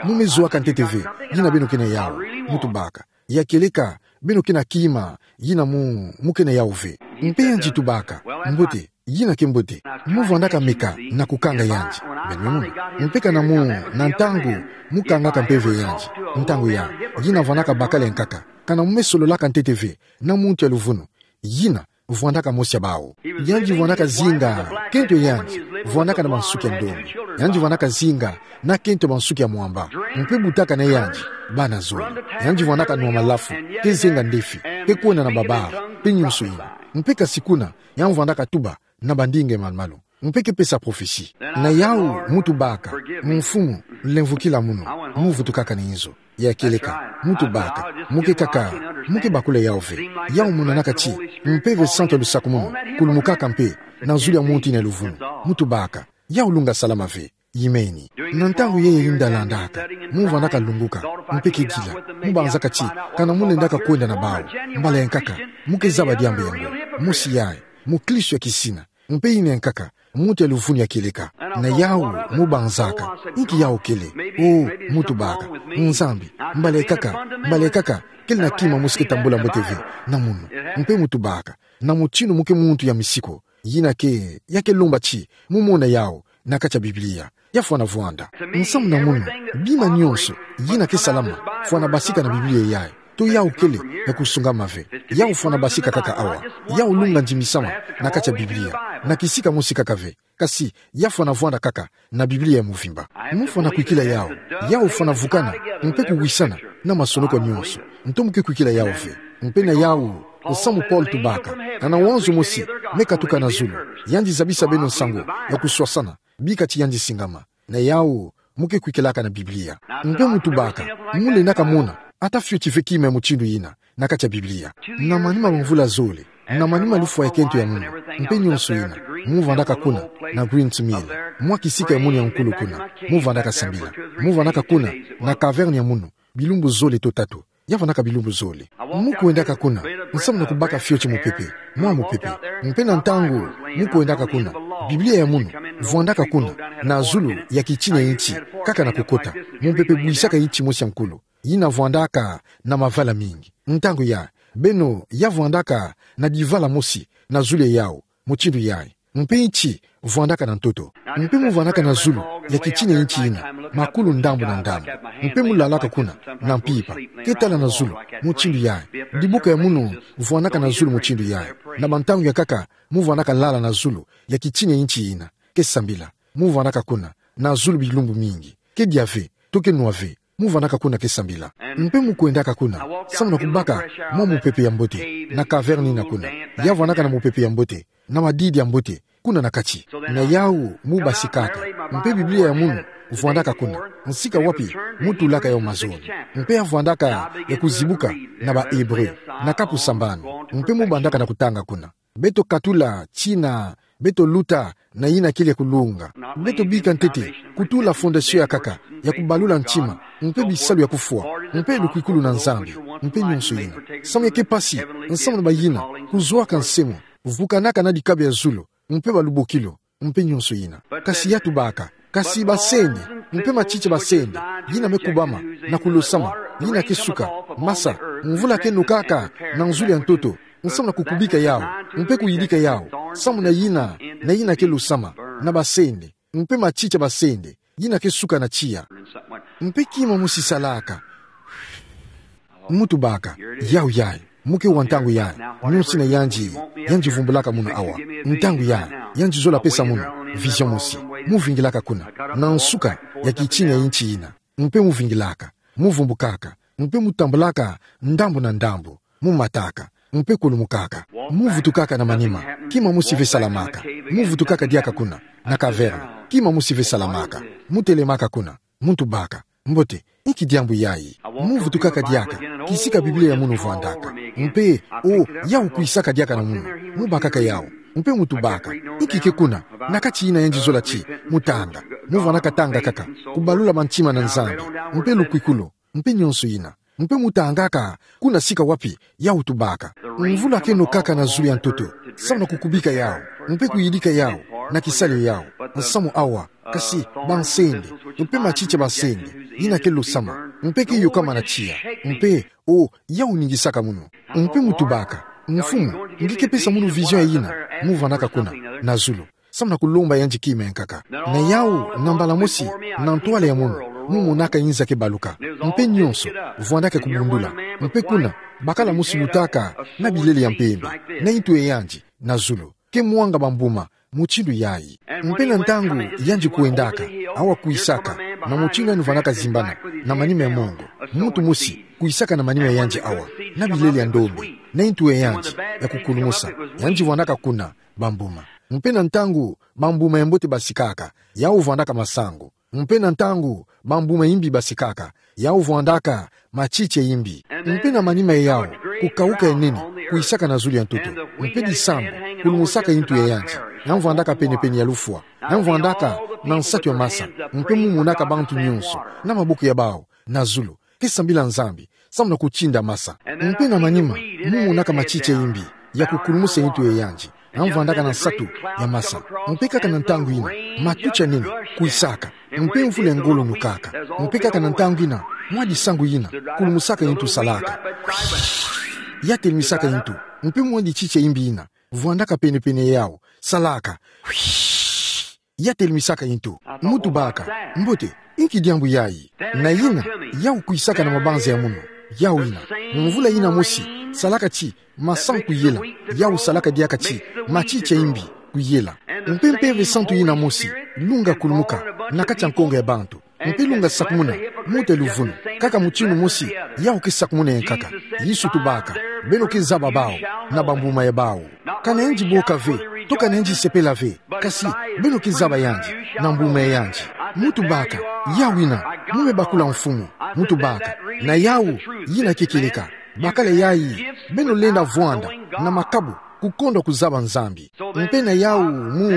mu me zuaka ntete ve yina beno ke na yawu. Mu tubaka: Ya kieleka, beno ke na kima yina mu, mu ke na yawu ve. Mpe yandi tubaka: Mbote, yina ke mbote. Mu vwandaka meka na kukanga yandi. Beno me mona. Mpe kana mu, na ntangu mu kangaka mpeve ya yandi, ntangu ya, yina vwandaka bakala ya nkaka, kana mu me sololaka ntete ve na muntu ya luvunu, yina vwandaka mosi ya bawu. Yandi vwandaka zinga kento ya yandi vwandaka na bansuki ya ndombe. Yandi vwandaka zinga na kento ya bansuki ya mwamba. Mpe butaka na yandi, bana zole. Yandi vwandaka nwa malafu, ke zenga ndefi, ke kwenda na babare, mpe nionso yina. Mpe kasi kuna, yandi vwandaka tuba na bandinga ya malu-malu, mpe ke pesa prophetie. Na yawu mu tubaka: Mfumu, lemvokila munu, mu vutukaka na inzo. Ya kieleka, mu tubaka: Mu ke kaka, mu ke bakula yawu ve. Yawu monanaka ti Mpeve Santu ya lusakumunu kulumukaka mpe na zulu ya muntu yina ya luvunu. Mu tubaka: Yawu lunga salama ve. Imeni. Na ntangu yayi yinda landaka, mu vwandaka lunguka, mpe ke dila, mu banzaka ti, kana mu lendaka kwenda na bawu, mbala ya nkaka, mu ke zaba diambu yango. Mosi yayi, mukristo ya kisina, mpe yina ya nkaka, muntu ya luvunu ya kieleka. Na yawu, mu banzaka: Inki yawu kele? O, mu tubaka: Nzambi, mbala ya nkaka, mbala ya nkaka, kele na kima mosi ke tambula mbote ve na munu. Mpe mu tubaka: Na mutindu mu ke muntu ya misiku, yina ke, ya ke lomba ti mu mona yawu na kati ya Biblia, ya fwana vwanda. Nsamu na munu, bima nionso yina ke salama fwana basika na Biblia yayi. To yawu kele ya kusungama ve. Yawu fwana basika kaka awa. Yawu lunga ndimisama na kati ya Biblia, na kisika mosi kaka ve. Kasi ya fwana vwanda kaka na Biblia ya muvimba. Mu fwana kwikila yawu. Yawu fwana vukana mpe kuwisana na masonoko nionso. Nto mu ke kwikila yawu ve. Mpe na yawu, nsamu Paul tubaka: Kana wanzo mosi me katuka na zulu, yandi zabisa beno nsangu ya kuswasana, bika ti yandi singama. Na yawu, mu ke kwikilaka na Biblia. Mpe mu tubaka: Mu lendaka mona ata fioti ve kima ya mutindu yina na kati ya Biblia. Na manima ma mvula zole, na manima lufwa ya kento ya munu, mpe nionso yina, mu vwandaka kuna na Green's Mill, mwa kisika ya munu ya nkulu kuna, mu vwandaka sambila. Mu vwandaka kuna na caverne ya munu bilumbu zole to tatu. Ya vwandaka bilumbu zole. Mu kwendaka kuna, nsamu na kubaka fioti mupepe, mwa mupepe. Mpe na ntangu mu kwendaka kuna, Biblia ya munu vwandaka kuna na zulu ya kitina ya inti, kaka na kukota. Mupepe bwisaka inti mosi ya nkulu. yina vwandaka na mavala mingi. Ntangu yayi, beno ya vwandaka na divala mosi na zulu ya yawu, mutindu yayi. Mpe nti vwandaka na ntoto. Mpe mu vwandaka na zulu ya kitina ya nti yina, makulu ndambu na ndambu. Mpe mu lalaka kuna, na mpimpa. Ke tala na zulu, mutindu yayi. Dibuka ya munu vwandaka na zulu mutindu yayi. Na bantangu ya nkaka, mu vwandaka lala na zulu ya kitina ya nti yina. Ke sambila. Mu vwandaka kuna, na zulu bilumbu mingi. Ke dia ve, to ke nwa ve. Mu vwandaka kuna ke sambila. Mpe mu kwendaka kuna, samu na kubaka mwa mupepe ya mbote, na caverne yina kuna. Ya vwandaka na mupepe ya mbote, na madidi ya mbote, kuna na kati. Na yawu mu basikaka. Mpe Biblia ya munu vwandaka kuna, nsika wapi mu tulaka yawu mazono. Mpe ya vwandaka ya kuzibuka na ba Hébreu, na kapu sambanu. Mpe mu bandaka na kutanga kuna. Beto katula tina beto luta na yina kele ya kulunga. Beto bika ntete kutula fondation ya nkaka ya kubalula ntima, mpe bisalu ya kufwa, mpe lukwikulu na Nzambi, mpe nyonso yina. Samu ya ke mpasi, nsamu na bayina kuzwaka nsemo, vukanaka na dikabu ya zulu, mpe balubokilu, mpe nyonso yina. Kasi ya tubaka, kasi basende, mpe matiti ya basende, yina me kubama na kulosama, yina ke suka, masa, mvula ke nokaka na nzulu ya ntoto, nsamu na kukubika yawu, mpe kuyidika yawu, samu na yina, na yina ke losama na basende, mpe matiti ya basende, yina ke suka na tiya. Mpe kima mosi salaka. Mu tubaka, yawu yayi, mu ke wa ntangu yayi, nyonso yina yandi, yandi vumbulaka munu awa. Ntangu yayi, yandi zola pesa munu vision mosi. Mu vingilaka kuna, na nsuka ya kitina ya nti yina. Mpe mu vingilaka, mu vumbukaka, mpe mu tambulaka ndambu na ndambu, mu mataka, mpe kulumukaka. Mu vutukaka na manima, kima mosi ve salamaka. Mu vutukaka diaka kuna, na caverne, kima mosi ve salamaka. Mu telemaka kuna, mu tubaka. Mbote, inki diambu yayi? Mu vutukaka diaka, kisika Biblia ya munu vwandaka. Mpe, o, yawu kwisaka diaka na munu. Mu bakaka yawu. Mpe mu tubaka. Inki ke kuna, na kati yina yandi zola ti, mu tanga. Mu vwandaka tanga nkaka. Kubalula bantima na Nzambi. Mpe lukwikulu. Mpe nyonso yina. Mpe mu tangaka, kuna sika wapi, yawu tubaka. Mvula ke nokaka na zulu ya ntoto. Samu na kukubika yawu. Mpe kuyidika yawu. Na kisalila yawu. Nsamu awa. Kasi, bansende, mpe matiti ya bansende, yina ke losama, mpe ke yokama na tiya, mpe, o, yawu ningisaka munu, mpe mu tubaka, Mfumu, nge ke pesa munu vision ya yina, mu vwandaka kuna, na zulu, samu na kulomba yandi kima ya nkaka. Na yawu, na mbala mosi, na ntwala ya munu, mu monaka inza ke baluka, mpe nyonso, vwandaka kubundula, mpe kuna, bakala mosi lutaka, na bilele ya mpembe, na intu ya yandi, na zulu. Ke mwanga bambuma, mutindu yayi. Mpe na ntangu yandi kwendaka, awa kwisaka, na mutindu yandi vwandaka zimbana, na manima ya mongo, muntu mosi, kwisaka na manima ya yandi awa, na bilele ya ndombe, na intu ya yandi, ya kukulumusa, yandi vwandaka kuna, bambuma. Mpe na ntangu, bambuma ya mbote basikaka, yawu vwandaka masangu. Mpe na ntangu, bambuma ya imbi basikaka, yawu vwandaka, matiti ya imbi. Mpe na manima ya yawu, kukawuka ya nene, kwisaka na zulu ya ntoto. Mpe disambu, kulumusaka intu ya yandi, yandi vwandaka pene-pene ya lufwa, yandi vwandaka, na nsatu ya masa, mpe mu monaka bantu nyonso, na maboko ya bawu, na zulu, ke sambila Nzambi, samu na kutinda masa. Mpe na manima, mu monaka matiti ya imbi, ya kukulumusa intu ya yandi. Yandi vwandaka na nsatu ya masa. Mpe kaka na ntangu yina, matuti ya nene, kwisaka. Mpe mvula ya ngolo nokaka. Mpe kaka na ntangu yina, mwa disangu yina, kulumusaka intu salaka. Ya telimisaka intu. Mpe mwa dititi ya imbi yina, vwandaka pene-pene ya yawu, salaka. Ya telimisaka intu. Mu tubaka. Mbote, inki diambu yayi? Na yina, yawu kwisaka na mabanza ya munu. Yawu yina. Mvula yina mosi, salaka ti, masangu kuyela. Yawu salaka diaka ti, matiti ya imbi, kuyela. Mpe Mpeve Santu yina mosi, lunga kulumuka, na kati ya nkongo ya bantu. Mpe lunga sakumuna, mbuta luvunu, kaka mutindu mosi, yawu ke sakumuna ya nkaka. Yesu tubaka, beno ke zaba bawu, na bambuma ya bawu. Ka na yandi boka ve, to ka na yandi sepela ve, kasi, beno ke zaba yandi, na mbuma ya yandi. Mu tubaka, yawu yina, mu me bakula Mfumu, mu tubaka, na yawu, yina ke kieleka, bakala yayi, beno lenda vwanda, na makabu, kukondwa kuzaba Nzambi. Mpe na yawu, mu,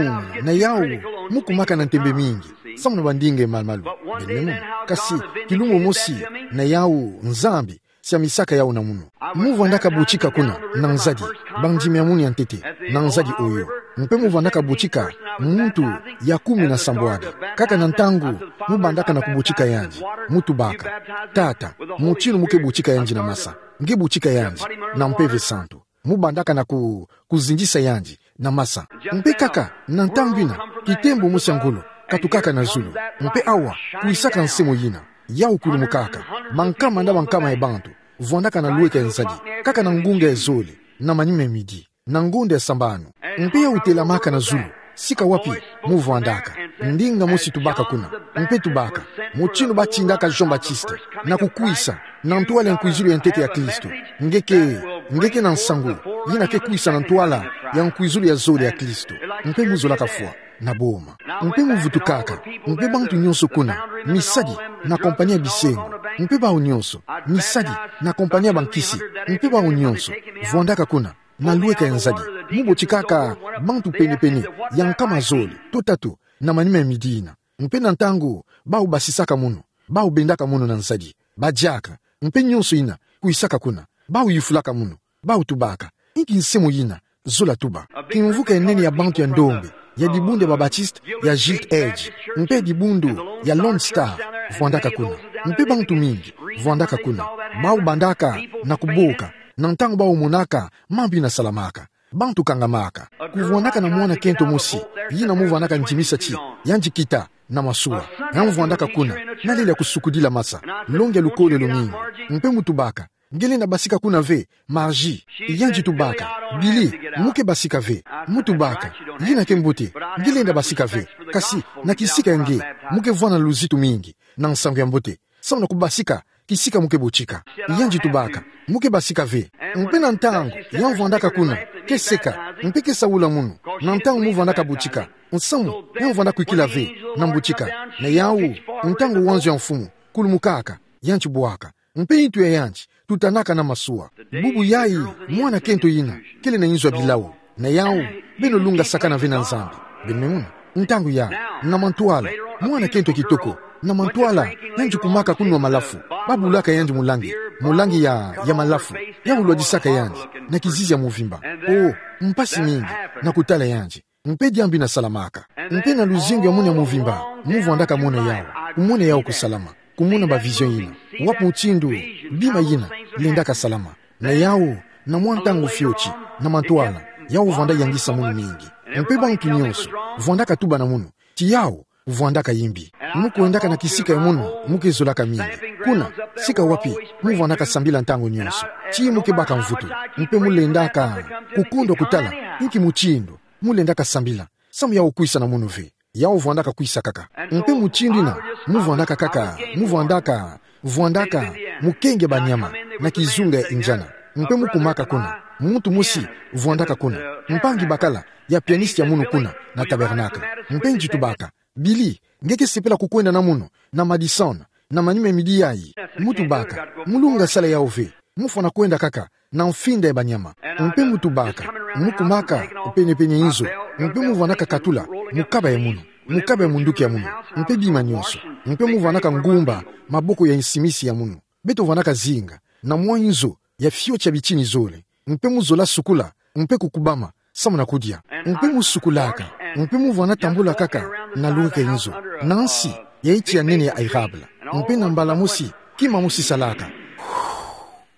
na yawu, mu kumaka na ntembe mingi. Samu na bandinga malumalu. Beno me mona. Kasi, kilumbu mosi, na yawu, Nzambi, siamisaka yawu na munu. Mu vwandaka butika kuna, na nzadi, bandimi ya munu ya ntete, na nzadi oyo. Mpe mu vandaka botika muntu ya kumi na sambwadi. Kaka na ntangu mu bandaka na kubotika yandi, mu tubaka: Tata, mutindu mu ke botika yandi na masa? Nge botika yandi na Mpeve Santu. Mu bandaka na ku-, kuzindisa yandi na masa. Mpe kaka na ntangu ina, kitembo mosi ya ngolo katukaka na zulu. Mpe awa, kwisaka nse moyina, yau kulumukaka. Bankama na bankama ya bantu vandaka na lweka ya nzadi, kaka na ngunga ya zole, na manima ya midi, na ngonda ya sambanu. Mpe yau telamaka na zulu, sika wapi mu vandaka. Ndinga mosi tubaka kuna, mpe tubaka: Mutindu batindaka Jean-Baptiste na kukwisa na ntwala ya nkwizulu ya ntete ya Kristo, nge ke, nge ke na nsangu yina ke kwisa na ntwala ya nkwizulu ya zole ya Kristo. Mpe mu zolaka fwa na boma. Mpe mu vutukaka, mpe bantu nyonso kuna, misadi na kompani ya bisengo, mpe bau nyonso, misadi na kompani ya bankisi, mpe bau nyonso vandaka kuna na lweka ya nzadi. Mu botikaka bantu pene-pene ya nkama zole to tatu na manima ya midi ina. Mpe na ntangu bau basisaka munu, bau bendaka munu na nzadi, badiaka, mpe nyonso ina kwisaka kuna, bau yufulaka munu, bau tubaka: Inki nse moyina zola tuba? Kimvuka ya nene ya bantu ya ndombe, ya dibundu ya ba-Baptiste ya Gilt Edge, mpe dibundu ya Lone Star, vandaka kuna. Mpe bantu mingi vandaka kuna, bau bandaka na kuboka na ntangu bau monaka mambu ina salamaka. Bantu kangamaka. Kuvandaka na mwana kento mosi, yina mu vandaka ndimisa ti yandi kita na masuwa. Yandi vandaka kuna, na lele ya kusukudila masa, longi ya lukolelo mingi. Mpe mu tubaka: Nge lenda basika kuna ve, Margie? Yandi tubaka: Billy, mu ke basika ve. Mu tubaka: Yina ke mbote, nge lenda basika ve. Kasi na kisika ya nge, mu ke vwanda na luzitu mingi na nsangu ya mbote, samu na kubasika kisika mu ke botika. Yandi tubaka: Mu ke basika ve. Mpe na ntangu yandi vandaka kuna, ke seka, mpe ke saula munu na ntangu mu vandaka botika, nsamu yandi vwanda kwikila ve na mbotika. Na yau, ntangu wanzo ya mfumu kulumukaka, yandi bwaka, mpe ntu ya yandi tutanaka na masuwa. Bubu yayi, mwana kento yina kele na inzo ya bilau. Na yau, beno lunga sakana ve na Nzambi. Beno me mona, ntangu yayi, na mantwala, mwana kento kitoko, na mantwala, yandi kumaka kunwa malafu. Babulaka yandi mulangi, mulangi ya, ya malafu. Yau lwadisaka yandi na kizizi ya muvimba. Oh, mpasi mingi na kutala yandi. Mpe diambu ina salamaka. Mpe na luzingu ya munu ya muvimba, mu vandaka mona yau, kumona yau kusalama, kumona ba vision yina. Wapi mutindu bima yina lendaka salama? Na yau, na mwa ntangu fioti, na mantwala, yau vwanda yangisa munu mingi. Mpe bantu nyonso vandaka tuba na munu ti yau vwandaka yimbi. Mu kwendaka na kisika ya munu mu ke zolaka mingi. Kuna, sika wapi mu vandaka sambila ntangu nyonso, ti mu ke baka mvutu. Mpe mu lendaka kukondwa kutala inki mutindu mu lendaka sambila, samu yau kwisa na munu ve. Yau vwandaka kwisa kaka. Mpe mutindu ina, mu vandaka kaka, mu vandaka, vwandaka mukenge banyama na kizunga ya Indiana. Mpe mu kumaka kuna, muntu mosi vwandaka kuna, mpangi bakala ya pianiste ya munu kuna na tabernacle. Mpe yandi tubaka: Billy, nge ke sepela kukwenda na munu na Madison na manima ya midi yayi? Mu tubaka: Mu lunga sala yau ve. Mu fwana kwenda kaka na mfinda ya banyama. Mpe mu tubaka, mu kumaka pene-pene ya inzo, mpe mu vwanaka katula mukaba ya munu, mukaba ya munduki ya munu, mpe bima nyonso. Mpe mu vwanaka ngumba maboko ya nsimisi ya munu. Beto vwanaka zinga na mwa inzo ya fioti ya bitini zole. Mpe mu zola sukula, mpe kukubama, samu na kudia. Mpe mu sukulaka, mpe mu vwana tambula kaka na lweka ya inzo, na nsi ya iti ya nene ya érable. Mpe na mbala mosi, kima mosi salaka.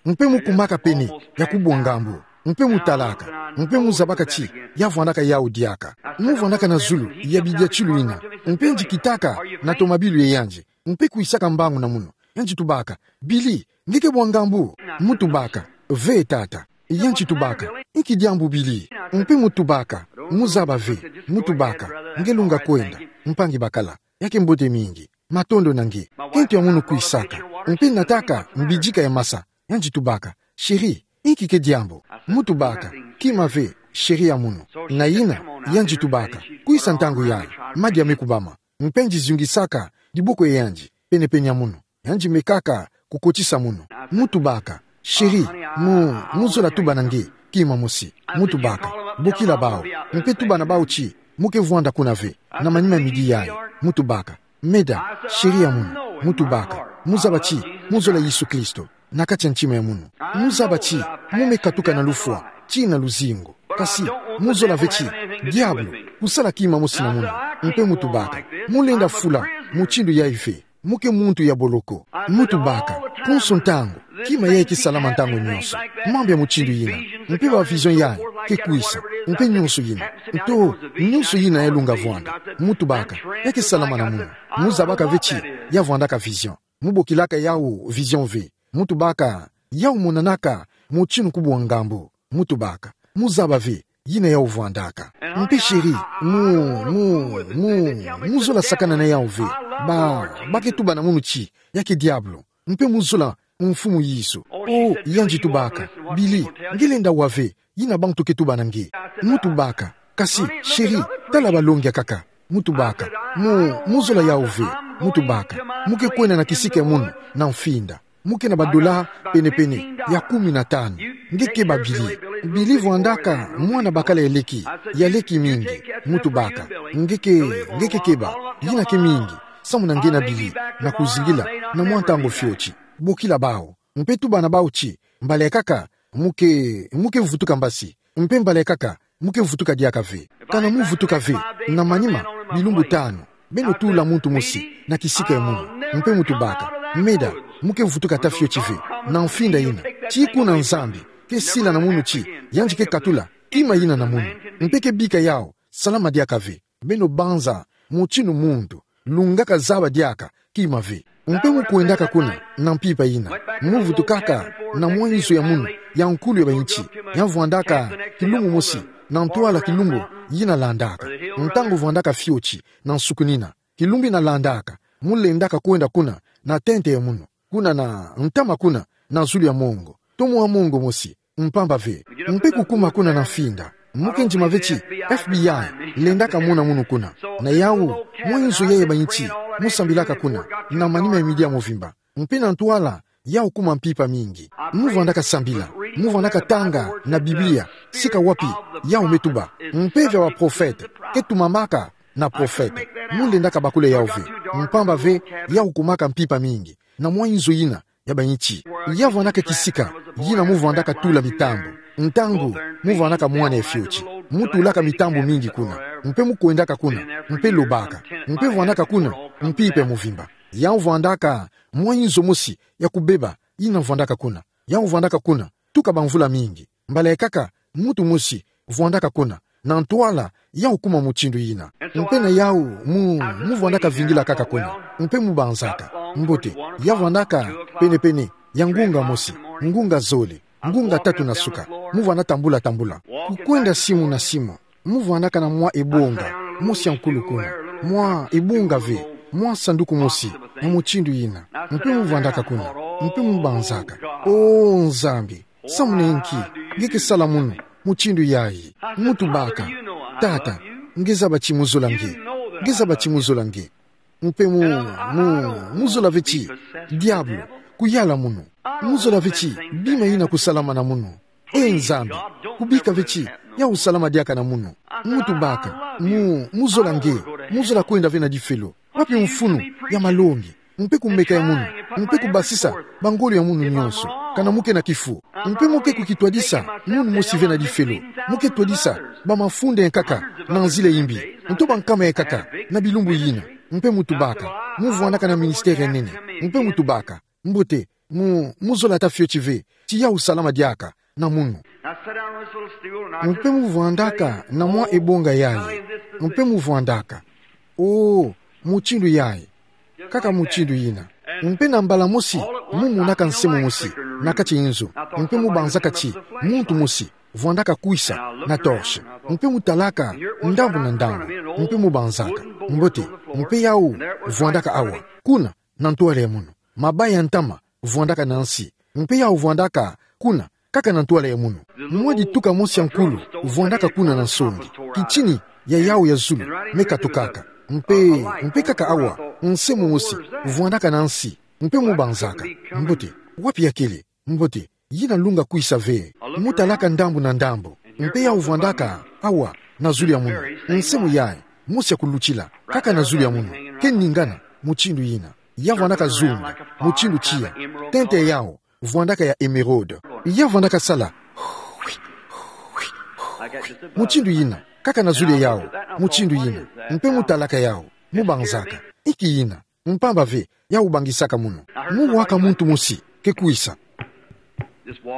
Mpe mu kumaka pene ya kubwa ngambu. Mpe mu talaka, mpe mu zabaka ti ya vwanaka yau diaka. Mu vwanaka na zulu ya bidiatilu yina. Mpe yandi kitaka na tomabilu ya yandi, mpe kwisaka mbangu na munu. Yandi tubaka: Billy, nge ke bwa ngambu? Mu tubaka: Ve, tata. Yandi tubaka: Inki diambu, Billy? Mpe mu tubaka: Mu zaba ve. Mu tubaka: Nge lunga kwenda, mpangi bakala. Ya ke mbote mingi. Matondo na nge. Kento ya munu kwisaka. Mpe nataka mbidika ya masa. Yandi tubaka: Chéri, inki ke diambu? Mu tubaka: Kima ve, chéri ya munu. Na yina, yandi tubaka: Kwisa ntangu yayi, madia me kubama. Mpe yandi zungisaka diboko ya yandi pene-pene ya munu. Yandi mekaka kukotisa munu. Mu tubaka: Chéri, mu, mu zola tuba na nge kima mosi? Mu tubaka: Bokila bau, mpe tuba na bau ti mu ke vwanda kuna ve na manima ya midi yayi. Mu tubaka: Meda, chéri ya munu, mu tubaka: Mu zaba ti mu zola Yesu Kristo na kati ya ntima ya munu. Mu zaba ti mu me katuka na lufwa tii na luzingu. Kasi mu zola ve ti Diabolo, kusala kima mosi na munu. Mpe mu tubaka, mu lenda fula mutindu yayi ve. Mu ke muntu ya boloko. Mu tubaka, konso ntangu, kima yayi kisalama ntangu nyonso. Mambu ya mutindu yina. Mpe ba vision yayi ke kwisa. Mpe nyonso yina. Nto, nyonso yina yalunga vwanda. Mu tubaka, ya kisalama na munu. Mu zabaka ve ti ya vwandaka vision. Mu bokilaka yawu vision ve. Mu tubaka, yawu monanaka mutinu kubwa ngambu. Mu tubaka, mu zaba ve yina yawu vwandaka. Mpe chéri, mu, mu, mu, mu zola sakana na yawu ve. Ba, ba ke tuba na munu ti ya ki diabolo. Mpe mu zola Mfumu Yesu. O, yandi tubaka: Billy, nge lenda wa ve yina bantu ke tuba na nge. Mu tubaka: Kasi, chéri, tala balongi akaka. Mu tubaka: Mu, mu zola yawu ve. Mu tubaka: Mu ke kwenda na kisika ya munu na mfinda. Mu ke na ba dola pene-pene ya kumi na tanu. Nge keba Billy. Billy vwandaka mwana bakala ya leki, ya leki mingi. Mu tubaka: Nge ke, nge ke keba, yina ke mingi. Samuna nge na Billy, na kuzingila, na mwa ntangu fioti. Bokila bawu. Mpe tuba na bawu ti, mbala ya nkaka, mu ke, mu ke vutuka mbasi. Mpe mbala ya nkaka, mu ke vutuka diaka ve. Kana mu vutuka ve, na manima bilumbu tanu, beno tula muntu mosi na kisika ya munu. Mpe mu tubaka: Meda, mu ke vutuka ata fioti ve na mfinda yina. Ti kuna Nzambi ke sila na munu ti yandi ke katula kima yina na munu. Mpe ke bika yawu salama diaka ve. Beno banza mutinu muntu lungaka zaba diaka kima ve. Mpe mu kwendaka kuna na mpimpa yina. Mu vutukaka na mwa nzo ya munu ya nkulu ya ba inti, ya vwandaka kilumbu mosi na ntwala kilumbu yina landaka. Ntangu vwandaka fioti na nsukunina, kilumbu yina landaka, mu lendaka kwenda kuna na tente ya munu, kuna na ntama kuna na zulu ya mongo, to mwa mongo mosi, mpamba ve. Mpe kukuma kuna na mfinda, mu ke ndima ve ti FBI lendaka mona munu kuna. Na yawu mwa nzo yayi ya ba inti, mu sambilaka kuna na manima ya midi ya movimba. Mpe na ntwala yawu kuma mpimpa mingi. Mu vwandaka sambila, mu vwandaka tanga na Biblia sika wapi yawu me tuba. Mpeve ya ba prophète ke tumamaka na prophète. Mu lendaka bakula yawu ve, mpamba ve yawu kumaka mpimpa mingi na mwa nzo yina ya ba inti. Ya vwandaka kisika yina mu vwandaka tula mitambu. Ntangu mu vwandaka mwana ya fioti, mu tulaka mitambu mingi kuna. Mpe mu kwendaka kuna, mpe lobaka. Mpe vwandaka kuna mpimpa ya movimba. Yawu vwandaka mwa nzo mosi ya kubeba yina vwandaka kuna. Yawu vwandaka kuna tuka bamvula mingi. Mbala ya nkaka, muntu mosi vwandaka kuna na ntwala yawu kuma mutindu yina. Mpe na yawu mu, mu vwandaka vingila kaka kuna. Mpe mu banzaka. Mbote, ya vwandaka pene-pene ya ngunga mosi, ngunga zole, ngunga tatu na suka. Mu vwanda tambula-tambula, kukwenda simu na simu. Mu vwandaka na mwa ebonga mosi ya nkulu kuna. Mwa ebonga ve, mwa sanduku mosi ya mutindu yina. Mpe mu vwandaka kuna, mpe mu banzaka: O Nzambi, samuna nki nge ke sala munu mutindu yayi? Mu tubaka: Tata, nge zaba ti mu zola nge. Nge zaba ti mu zola nge. Mpe mu, mu, mu zola ve ti diabolo kuyala munu. Mu zola ve ti bima yina kusalama na munu. E Nzambi, kubika ve ti yawu salama diaka na munu. Mu tubaka: Mu, mu zola nge. Mu zola kwenda ve na difelo. Wapi mfunu ya malongi, mpe kumeka ya munu, mpe kubasisa bangolo ya munu nyonso, kana mu ke na kifu? Mpe mu ke kukitwadisa munu mosi ve na difelo. Mu ke twadisa bamafunda ya nkaka na nzila ya imbi, nto bankama ya nkaka na bilumbu yina. Mpe mu tubaka: Mu vwandaka na ministère ya nene. Mpe mu tubaka: Mbote, mu, mu zola ata fioti ve ti yawu salama diaka na munu. Mpe mu vwandaka na mwa ebonga yayi. Mpe mu vwandaka: O, mutindu yayi. Kaka mutindu yina. Mpe na mbala mosi, mu monaka nse momosi na kati ya nzo. Mpe mu banzaka ti muntu mosi vwandaka kwisa na torche. Mpe mu talaka ndambu na ndambu. Mpe mu banzaka: Mbote, mpe yawu vwandaka awa, kuna na ntwala ya munu. Mabaya ya ntama vwandaka na nsi, mpe yawu vwandaka kuna kaka na ntwala ya munu. Mwa dituka mosi ya nkulu vwandaka kuna na nsongi. Kitini ya yawu ya zulu me katukaka. Mpe, mpe kaka awa, nse momosi vwandaka na nsi. Mpe mu banzaka: Mbote, wapi ya kele? Mbote, yina lunga kwisa ve. Mu talaka ndambu na ndambu. Mpe yawu vwandaka awa na zulu ya munu. Nse mu yayi, mosi ya kulutila, kaka na zulu ya munu, ke ningana mutindu yina. Ya vwandaka zunga mutindu tiya. Tente ya yawu vwandaka ya émeraude. Ya vwandaka sala mutindu yina. kaka na zulu ya yawu, mutindu yina, mpe mu talaka yawu, mu banzaka, inki yina, mpamba ve, yawu bangisaka munu. Mu waka muntu mosi ke kwisa,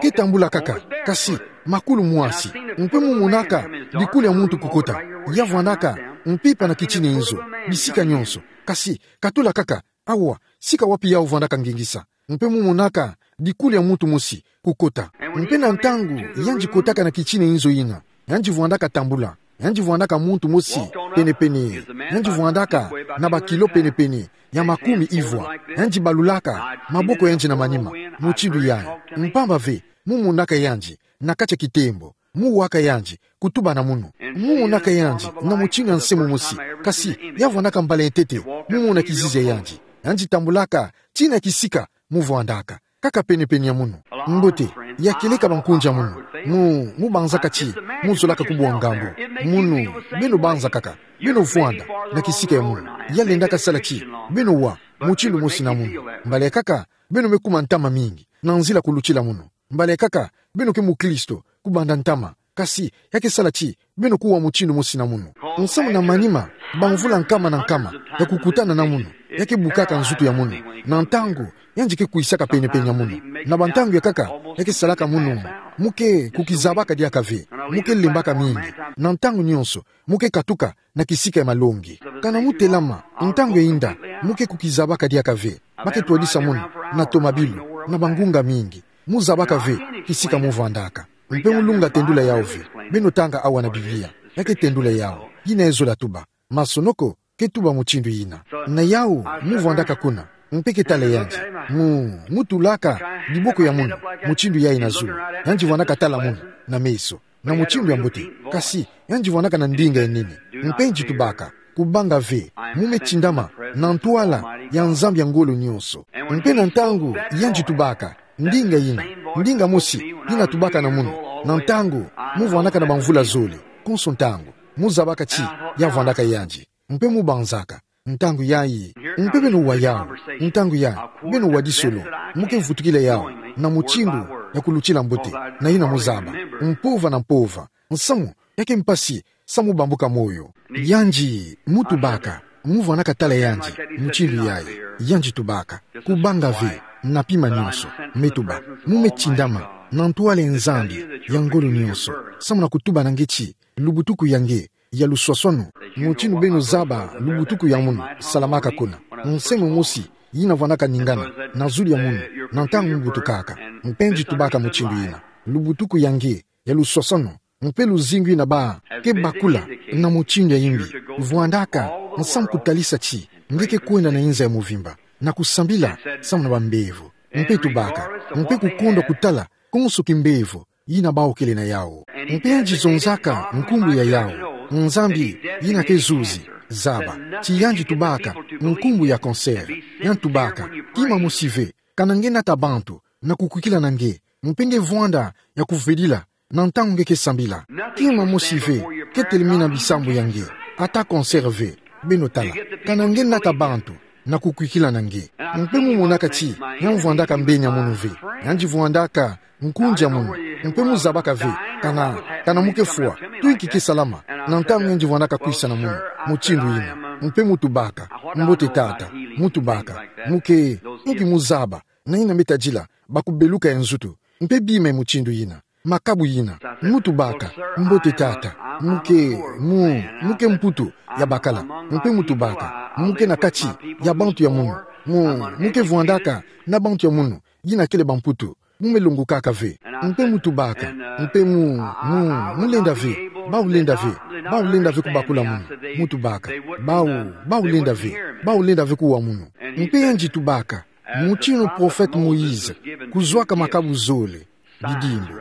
ke tambula kaka, kasi makulu mwasi, mpe mu monaka dikulu ya muntu kukota, ya vwandaka mpimpa na kitina nzo, bisika nionso, kasi katula kaka, awa, sika wapi yawu vwandaka ngingisa, mpe mu monaka dikulu ya muntu mosi kukota. Mpe na ntangu yandi kotaka na kitina nzo yina, yandi vwandaka tambula, yandi vwandaka muntu mosi penepene, yandi vwandaka na bakilo penepene ya makumi ivwa, yandi balulaka maboko yandi na manima, mutindu yayi, mpamba ve, mu monaka yandi na kati ya kitembo, mu waka yandi, kutuba na munu. Mu monaka yandi na mutindu ya nse momosi, kasi ya vwandaka mbala ya ntete, mu mona kizizi ya yandi, yandi tambulaka tii na kisika mu vwandaka, kaka penepene ya munu. Mbote, ya kieleka bankunzi ya munu, mu, mu banzaka ti mu zolaka kubwa ngambu. Munu, beno banza kaka, beno vwanda na kisika ya munu. Ya lendaka sala ti beno wa mutindu mosi na munu. Mbala ya kaka, beno me kuma ntama mingi na nzila kulutila munu. Mbala ya kaka, beno ke mukristo, kubanda ntama. Kasi, ya ke sala ti beno kuwa mutindu mosi na munu. Nsamu na manima, bamvula nkama na nkama ya kukutana na munu, ya ke bukaka nzutu ya munu. Na ntangu yandi ke kwisaka penepene ya munu, na bantangu ya kaka, ya ke salaka munu, mu ke kukizabaka diaka ve, mu ke lembaka mingi. Na ntangu nionso, mu ke katuka na kisika ya malongi. Kana mu telama, ntangu ya inda, mu ke kukizabaka diaka ve, ba ke twadisa munu na tomabilu, na bangunga mingi. Mu zabaka ve kisika mu vwandaka. Mpe mu lunga tendula yawu ve, beno tanga awa na Biblia, ya ke tendula yawu. Yina ezola tuba. Masonoko ke tuba mutindu yina. Na yawu, mu vwandaka kuna, mpe ke tala yandi. Mu, mu tulaka diboko ya munu, mutindu yayi na zulu. Yandi vwandaka tala munu na meso, na mutindu ya mbote. Kasi, yandi vwandaka na ndinga ya nene. Mpe yandi tubaka, kubanga ve, mu me tindama na ntwala ya Nzambi ya ngolo nionso. Mpe na ntangu yandi tubaka ndinga yina, ndinga mosi yina tubaka na munu, na ntangu mu vwandaka na bamvula zole, konso ntangu, mu zabaka ti ya vwandaka yandi. Mpe mu banzaka, ntangu yayi. Mpe beno wa yawu, ntangu yayi, beno wa disolo, mu ke vutukila yawu na mutindu ya kulutila mbote, na yina mu zaba, mpova na mpova, nsamu ya ke mpasi, samu bambuka moyo. Yandi, mu tubaka, mu vwandaka tala yandi, mutindu yayi, yandi tubaka, kubanga ve, na pima nionso, me tuba, mu me tindama na ntwala ya Nzambi ya ngolo nionso, samu na kutuba na nge ti, lubutuku ya nge ya luswaswanu, mutindu beno zaba lubutuku ya munu salamaka kuna. Nse momosi yina vwandaka ningana na zulu ya munu, na ntangu mu butukaka. Mpe yandi tubaka mutindu yina, lubutuku ya nge ya luswaswanu, mpe luzingu yina ba ke bakula na mutindu ya imbi, vwandaka nsamu kutalisa ti nge ke kwenda na inza ya muvimba, na kusambila samu na bambevo. Mpe tubaka, mpe kukondwa kutala konso kimbevo yina bawu kele na yawu. Mpe yandi zonzaka nkumbu ya yawu, Nzambi yina ke zuzi, zaba, ti yandi tubaka nkumbu ya cancer. Yandi tubaka, kima mosi ve, kana nge nata bantu na kukwikila na nge, mpe nge vwanda ya kuvedila na ntangu nge ke sambila. Kima mosi ve ke telemina bisambu ya nge, ata cancer ve, beno tala, kana nge nata bantu na kukwikila na nge. Mpe mu monaka ti ya vwandaka mbenia munu ve, yandi vwandaka nkunzi ya munu, mpe mu zabaka ve, kana, kana mu ke fwa, tu inki ke salama na ntangu yandi vwandaka kwisa na munu, mutindu yina. Mpe mu tubaka, mbote tata, mu tubaka, mu ke, inki mu zaba na yina me tadila bakubeluka ya nzutu, mpe bima ya mutindu yina, makabu yina. Mu tubaka, mbote tata, mu ke, mu, mu ke mputu ya bakala. Mpe mu tubaka, mu ke na kati ya bantu ya munu, mu, mu ke vwandaka na bantu ya munu yina kele bamputu. Mu me longokaka ve. Mpe mu tubaka, mpe mu, mu, mu lenda ve, bawu lenda ve, bawu lenda ve kubakula munu. Mu tubaka, bawu, bawu lenda ve, bawu lenda ve kuwa munu. Mpe yandi tubaka, mutindu prophète Moïse kuzwaka makabu zole, bidimbu,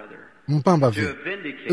mpamba ve,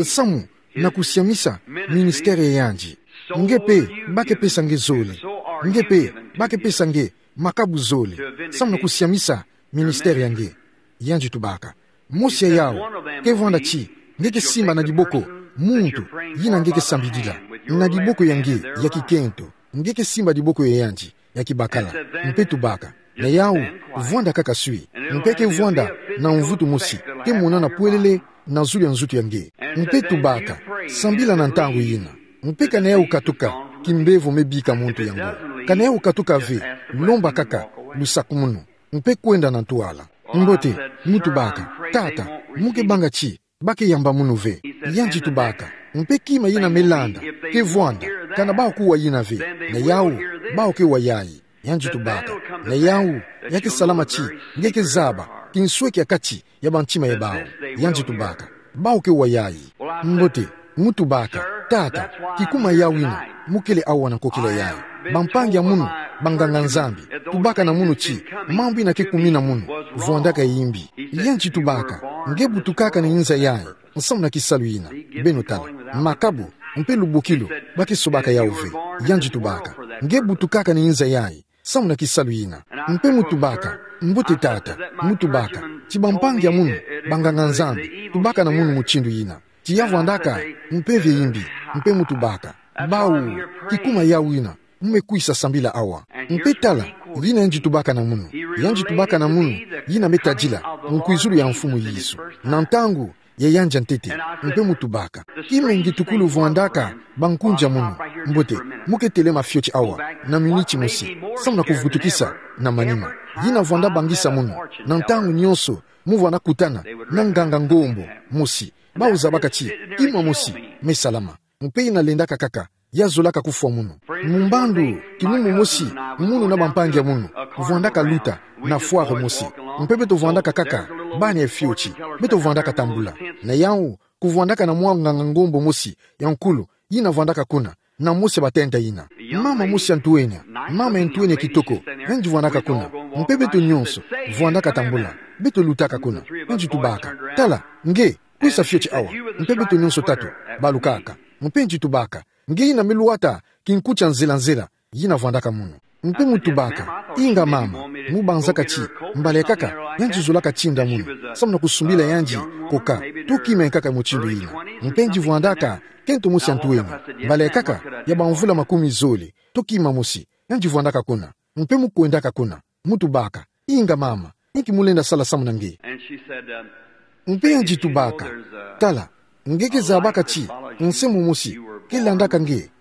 samu na kusiamisa ministère ya yandi. Nge mpe ba ke pesa nge zole. Nge mpe ba ke pesa nge makabu zole, samu na kusiamisa ministère ya nge. Yandi tubaka, mosi ya yawu ke vwanda ti nge ke simba na diboko muntu yina nge ke sambidila, na diboko ya nge ya kikento, nge ke simba diboko ya yandi ya kibakala. Mpe tubaka, na yawu, vwanda kaka swi. Mpe ke vwanda na mvutu mosi ke monana pwelele na zulu ya nzutu ya nge. Mpe tubaka, sambila na ntangu yina. Mpe kana yau katuka, kimbevo me bika muntu yango. Kana yau katuka ve, lomba kaka lusakumuno, mpe kwenda na ntwala. Mbote, mu tubaka: Tata, mu ke banga ti ba ke yamba munu ve. Yandi tubaka: Mpe kima yina me landa ke vwanda, kana bau kuwa yina ve, na yau bau ke wa yayi. Yandi tubaka: Na yau ya ke salama ti nge ke zaba kinsweki ha kati ya bantima ya bau. Yandi tubaka: Bau ke wa yayi. Mbote, mu tubaka: Tata, kikuma yau yina mu kele awa na nkokila yayi. Bampangi ya munu, banganga-Nzambi, tubaka na munu ti mambu yina ke kumina munu, vwandaka ya yimbi. Yandi tubaka: Nge butukaka na inza yayi nsamu na kisalu yina? Beno tala, makabu mpe lubokilu ba ke sobaka yau ve. Yandi tubaka: Nge butukaka na inza yayi nsamu na kisalu yina? Mpe mu tubaka: Mbote tata, mu tubaka ti bampangi ya munu, banganga-Nzambi, tubaka na munu mutindu yina, ti ya vwandaka mpeve ya yimbi. Mpe mu tubaka: Bau, kikuma yau yina mu me kwisa sambila awa. Mpe tala, yina yandi tubaka na munu. Yandi tubaka na munu yina me tadila nkwizulu ya Mfumu Yesu na ntangu ya yandi ya ntete. Mpe mu tubaka: Kima ngitukulu vwandaka bankunzi ya munu? Mbote, mu ke telema fioti awa na miniti mosi, samu na kuvutukisa na manima. Yina vwanda bangisa munu, na ntangu nyonso mu vwanda kutana na nganga-ngombo mosi, bau zabaka ti kima mosi me salama. Mpe yina lendaka kaka, ya zolaka kufwa munu. Mu mbandu, kimumu mosi munu na bampangi ya munu vwandaka luta na fwaro mosi. Mpe beto vwandaka kaka bani ya fioti, beto vwandaka tambula. Na yau, kuvwandaka na mwa nganga-ngombo mosi ya nkulu, yina vwandaka kuna, na mosi ya batenta yina. Mama mosi ya ntwenya, mama ya ntwenya kitoko, yandi vwandaka kuna. Mpe beto nyonso vwandaka tambula, beto lutaka kuna. Yandi tubaka: Tala, nge, kwisa fioti awa. Mpe beto nyonso tatu balukaka. Mpe yandi tubaka: Nge yina me lwata kinkuti ya nzela-nzela, yina vwandaka munu. Mpe mu tubaka: Inga mama, mu banzaka ti mbala ya nkaka yandi zolaka tinda munu, samu na kusumbila yandi coca, to kima ya nkaka mutindu yina. Mpe yandi vwandaka kento mosi ya ntwenya, mbala ya nkaka ya bamvula makumi zole, to kima mosi, yandi vwandaka kuna. Mpe mu kwendaka kuna. Mu tubaka: Inga mama, inki mu lenda sala samu na nge? Mpe yandi tubaka: Tala, nge ke zabaka ti nse momosi ke landaka nge.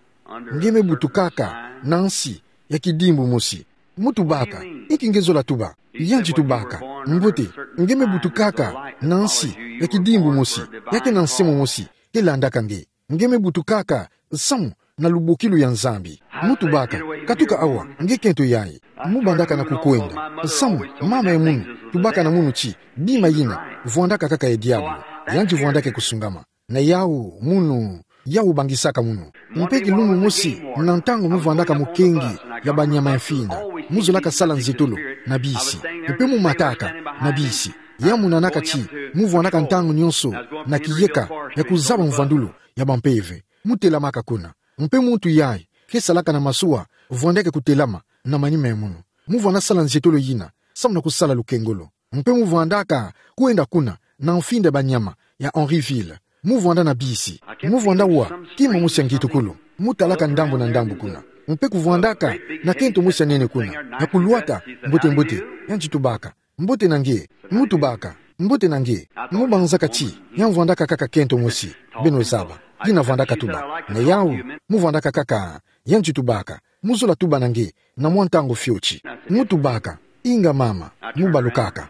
Nge me butukaka na nsi ya kidimbu mosi. Mu tubaka: Inki nge zola tuba? Yandi tubaka: Mbote, nge me butukaka na nsi ya kidimbu mosi, ya ke na nse momosi ke landaka nge. Nge me butukaka samu na lubokilu ya Nzambi. Mu tubaka: Katuka awa, nge kento yayi. Mu bandaka na kukwenda, samu mama ya munu tubaka na munu ti bima yina vwandaka kaka ya diabulu, yandi vwandaka ya kusungama. Na yau munu, yau bangisaka munu. Mpe kilumbu mosi, na ntangu mu vwandaka mukengi ya banyama ya mfinda, mu zolaka sala nzietolo na bisi. Mpe mu mataka na bisi. Ya mu nanaka ti mu vwandaka ntangu nyonso na kiyeka ya kuzaba mvwandulu ya bampeve. Mu telamaka kuna. Mpe muntu yayi ke salaka na masuwa vwandeke kutelama na manima ya munu. Mu vwanda sala nzietolo yina, samu na kusala lukengolo. Mpe mu vwandaka kwenda kuna na mfinda ya banyama ya Henryville. Mu vwanda na bisi. Mu vwanda wa kima mosi ya ngitukulu. Mu talaka ndambu na ndambu kuna. Mpe kuvwandaka na kento mosi ya nene kuna, ya kulwata mbote-mbote. Yandi tubaka: Mbote na nge. Mu tubaka: Mbote na nge. Mu banzaka ti ya vwandaka kaka kento mosi, beno zaba, yina vwandaka tuba. Na yau, mu vwandaka kaka. Yandi tubaka: Mu zola tuba na nge na mwa ntangu fioti. Mu tubaka: Inga mama. Mu balukaka.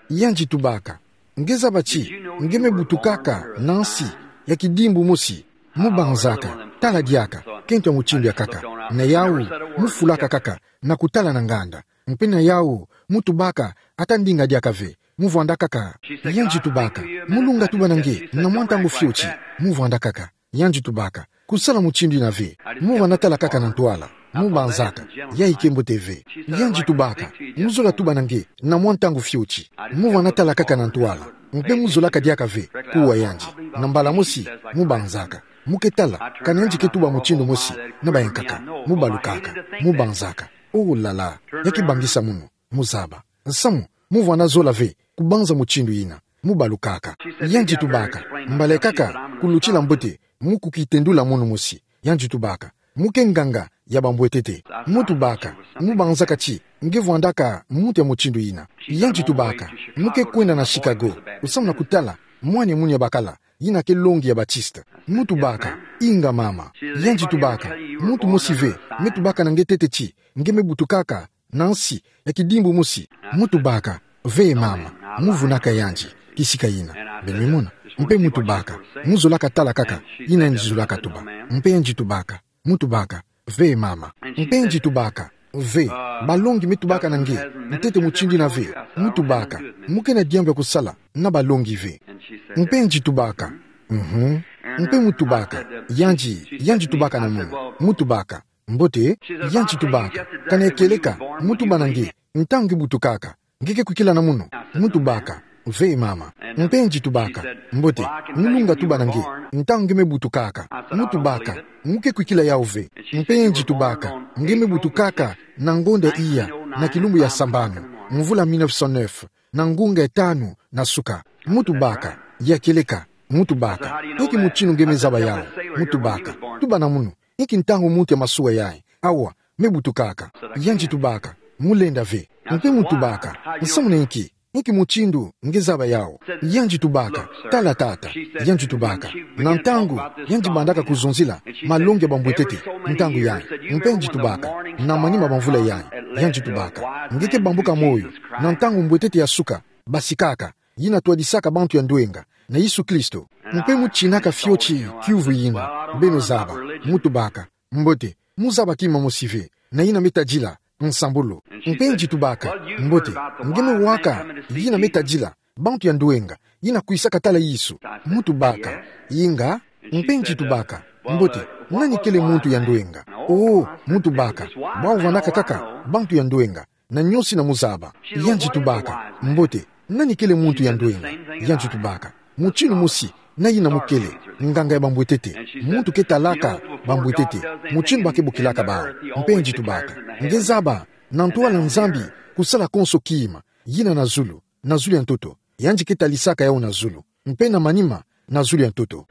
Yandi tubaka: Nge zaba ti nge me butukaka na nsi ya kidimbu mosi? Mu banzaka: Tala diaka, kento ya mutindu ya nkaka. Na yau, mu fulaka kaka na kutala na nganda. Mpe na yau, mu tubaka ata ndinga diaka ve. Mu vwanda kaka. Yandi tubaka: Mu lunga tuba na nge na mwa ntangu fioti? Mu vwanda kaka. Yandi tubaka: Kusala mutindu yina ve. Mu vwanda tala kaka na ntwala. Mu banzaka: Ya ike mbote ve. Yandi tubaka: Mu zola tuba na nge na mwa ntangu fioti? Mu vwanda tala kaka na ntwala. Mpe mu zolaka diaka ve kuwa yandi. Na mbala mosi, mu banzaka. Mu ke tala kana yandi ke tuba mutindu mosi na bayankaka. Mu balukaka. Mu banzaka: Oh là là, ya ke bangisa munu. Mu zaba. Samu mu vwanda zola ve kubanza mutindu yina. Mu balukaka. Yandi tubaka: Mbala ya nkaka, kulutila mbote, mu kukitendula munu mosi. Yandi tubaka: Mu ke nganga ya bambwetete. Mu tubaka: Mu banzaka ti nge vwandaka muntu ya mutindu yina? Yandi tubaka: Mu ke kwenda na Chicago, samu na kutala mwana ya munu ya bakala, yina ke longi ya Baptiste. Mu tubaka: Inga mama. Yandi tubaka: Muntu mosi ve, me tubaka na nge ntete ti nge me butukaka na nsi ya kidimbu mosi. Mu tubaka: Ve mama, mu vunaka yandi kisika ina. Beno mona? Mpe mu tubaka: Mu zolaka tala kaka ina yandi zolaka tuba. Mpe yandi tubaka: Mu tubaka: Ve mama. Mpe yandi tubaka: Ve, balongi me tubaka na nge ntete mutindu ina ve. Mu tubaka: Mu kena diambu ya kusala na balongi ve. Mpe yandi tubaka: Mhm. Mpe mu tubaka: Yandi, yandi tubaka na mono. Mu tubaka: Mbote. Yandi tubaka: Kana kieleka, mu tuba na nge ntangu nge butukaka, nge ke kwikila na mono. Mu tubaka: Ve mama. Mpe yandi tubaka: Mbote, mu lunga tuba na nge ntangu nge me butukaka. Mu tubaka: Mu ke kwikila yau ve. Mpe yandi tubaka: Nge me butukaka na ngonda iya, na kilumbu ya sambanu, mvula mille neuf cent neuf, na ngunga ya tanu na suka. Mu tubaka: Ya kieleka. Mu tubaka: Inki mutindu nge me zaba yau? Mu tubaka: Tuba na mono. Inki ntangu muntu ya masuwa yayi, awa, me butukaka? Yandi tubaka: Mu lenda ve. Mpe mu tubaka: Nsamu na inki? Inki mutindu nge zaba yau? Yandi tubaka: Tala tata. Yandi tubaka: Na ntangu yandi bandaka kuzonzila malongi ya bambwetete ntangu yayi. Mpe yandi tubaka: Na manima bamvula yayi, yandi tubaka: Nge ke bambuka moyo na ntangu mbwetete ya suka basikaka, yina twadisaka bantu ya ndwenga na Yesu Kristo. Mpe mu tinaka fioti kiuvu yina, beno zaba. Mu tubaka: Mbote, mu zaba kima mosi ve na yina me tadila nsambulu. Mpe yandi tubaka: Mbote, nge me waka yina me tadila bantu ya ndwenga yina kwisaka tala Yesu. Mu tubaka: Inga. Mpe yandi tubaka: Mbote, nani kele muntu ya ndwenga? Oh, mu tubaka: Bau vandaka kaka bantu ya ndwenga, na niosi na mu zaba. Yandi tubaka: Mbote, nani kele muntu ya ndwenga? Yandi tubaka: Mutindu mosi na yina mu kele, nganga ya bambwetete, muntu ke talaka bambwetete mutindu ba ke bokilaka bau. Mpe yandi tubaka: Nge zaba na ntwala Nzambi kusala konso kima, yina na zulu, na zulu ya ntoto. Yandi ke talisaka yau na zulu, mpe na manima, na zulu ya ntoto.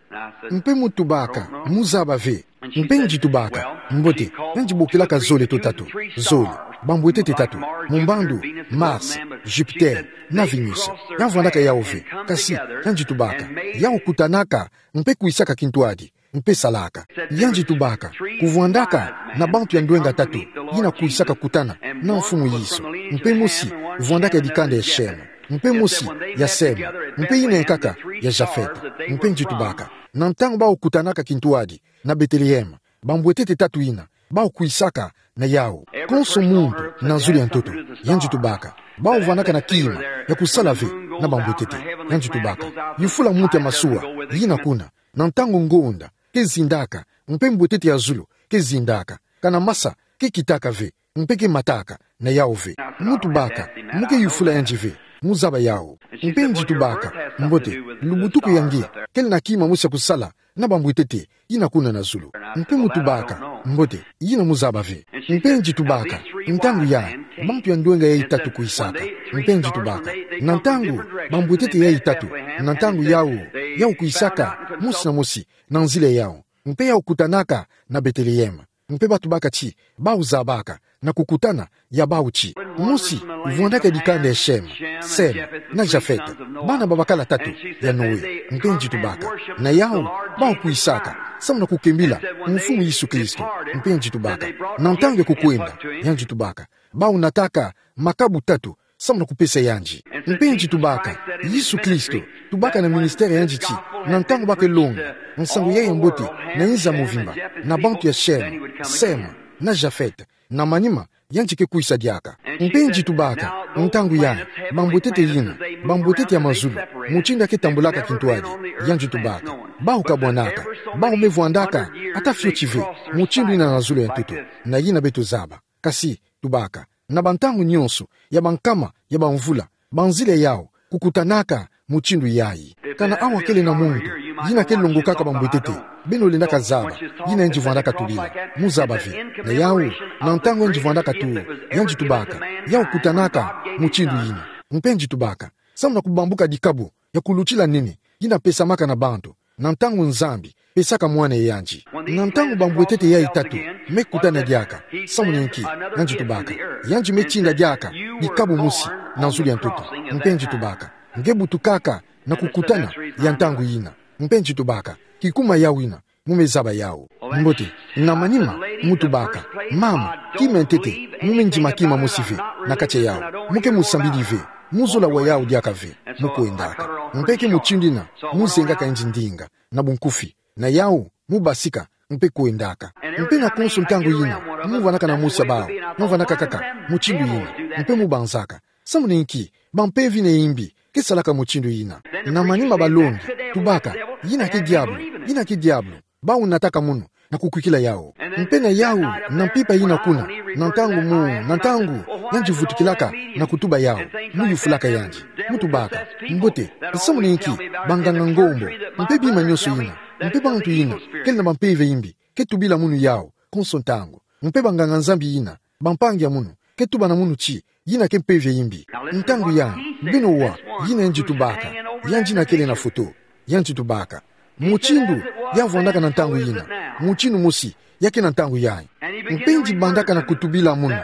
Mpe mu tubaka: Mu zaba ve. Mpe yandi tubaka: Mbote, yandi bokilaka zole to tatu. Zole, bambwetete tatu: Mumbandu, Mars, Jupiter, na Venus. Ya vandaka yau ve, kasi, yandi tubaka, yau kutanaka mpe kwisaka kintwadi, mpe salaka. Yandi tubaka: Kuvwandaka na bantu ya ndwenga tatu yina kwisaka kutana na Mfumu Yesu. Mpe mosi vwandaka ya dikanda ya Shem, mpe mosi ya Sem, mpe yina ya nkaka ya Jafet. Mpe yandi tubaka: Na ntangu bau kutanaka kintwadi na Bethlehem, bambwetete tatu yina bau kwisaka na yau. Konso muntu na zulu ya ntoto. Yandi tubaka: Bau vandaka na kima ya kusala ve na bambwetete. Yandi tubaka: Yufula muntu ya masuwa yina kuna, na ntangu ngonda ke zindaka, mpe mbwetete ya zulu ke zindaka, kana masa ke kitaka ve, mpe ke mataka na yau ve. Mu tubaka: Mu ke yufula yandi ve, mu zaba yau. Mpe yandi tubaka: Mbote, lubutuku ya nge kele na kima mosi ya kusala na bambwetete yina kuna na zulu? Mpe mu tubaka: Mbote, yina mu zaba ve. Mpe yandi tubaka: Ntangu yayi, bantu ya ndwenga yayi tatu kwisaka. Mpe yandi tubaka: Na ntangu bambwetete yayi tatu, na ntangu yau, yau kwisaka, mosi na mosi na nzila yau, mpe yau kutanaka na Bethlehem. Mpe ba tubaka ti bau zabaka na kukutana ya bau ti: Mosi vwandaka ya dikanda ya Shem, Sem, na Jafet, bana ba bakala tatu ya Noe. Mpe yandi tubaka: Na yau bau kwisaka samu na kukembila Mfumu Yesu Kristo. Mpe yandi tubaka: Na ntangu ya kukwenda, yandi tubaka, bau nataka makabu tatu samu na kupesa yandi. Mpe yandi tubaka: Yesu Kristo tubaka na ministère ya yandi ti, na ntangu ba ke longa nsangu yayi ya mbote na inza muvimba, na bantu ya Shem, Sem, na Jafet, na manima yandi ke kwisa diaka. Mpe yandi tubaka: Ntangu yayi, bambwetete yina, bambwetete ya mazulu, mutindu ya ke tambulaka kintwadi, yandi tubaka, bau kabwanaka, bau me vwandaka ata fioti ve mutindu yina na zulu ya ntoto, na yina beto zaba. Kasi, tubaka, na bantangu nionso ya bankama ya bamvula, banzila yau kukutanaka mutindu yayi. Kana awa kele na muntu yina ke longokaka bambwetete, beno lendaka zaba yina yandi vwandaka tulila, mu zaba ve. Na yau, na ntangu yandi vwandaka tu, yandi tubaka, yau kutanaka mutindu yina. Mpe yandi tubaka, samu na kubambuka dikabu ya kulutila nene yina pesamaka na bantu, na ntangu Nzambi pesaka Mwana ya yandi. Na ntangu bambwetete yayi tatu me kutana diaka, samu na inki? Yandi tubaka, yandi me tinda diaka dikabu mosi na zulu ya ntoto. Mpe yandi tubaka, nge butukaka na kukutana ya ntangu yina. Mpe yandi tubaka, kikuma yau yina, mu me zaba yawu. Mbote, na manima, mu tubaka: Mama, kima ntete, mu me ndima kima mosi ve na katia yawu. Mu ke mu sambidi ve, mu zola wa yawu diaka ve, mu kwendaka. Mpe ke mutindu yina mu zengaka nzi ndinga, na bunkufi, na yawu, mu basika, mpe kwendaka. Mpe na konso ntangu yina, mu vanaka na mosi ya bawu, mu vanaka kaka mutindu yina, mpe mu banzaka. Samu na inki? Bampeve yina ya imbi ke salaka mutindu yina. Na manima balongi tubaka: Yina ke diabulu, yina ke diabulu. Bawu nataka munu na kukwikila yawu. Mpe na yawu, na mpimpa yina kuna, na ntangu mu, na ntangu, yandi vutukilaka na kutuba yawu, mu yufulaka yandi, mu tubaka: Mbote, samu na inki banganga ngombo, mpe bima nyonso yina, mpe bantu yina kele na bampeve ya imbi, ke tubila munu yawu konso ntangu? Mpe banganga-Nzambi yina, bampangi ya munu, ke tuba na munu ti yina ke mpeve ya imbi. Ntangu yayi, beno wa, yina yandi tubaka, yandi yina kele na foto, yandi tubaka mutindu ya vwandaka na ntangu yina, mutindu mosi ya ke na ntangu yayi. Mpe ndi bandaka na kutubila munu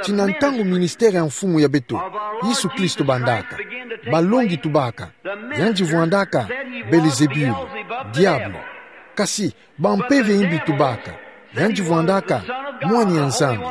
ti na ntangu ministère ya Mfumu ya beto Yesu Kristo bandaka, balongi tubaka: Yandi vwandaka Belezebule, diabulu. Kasi bampeve ya imbi tubaka: Yandi vwandaka Mwana ya Nzambi,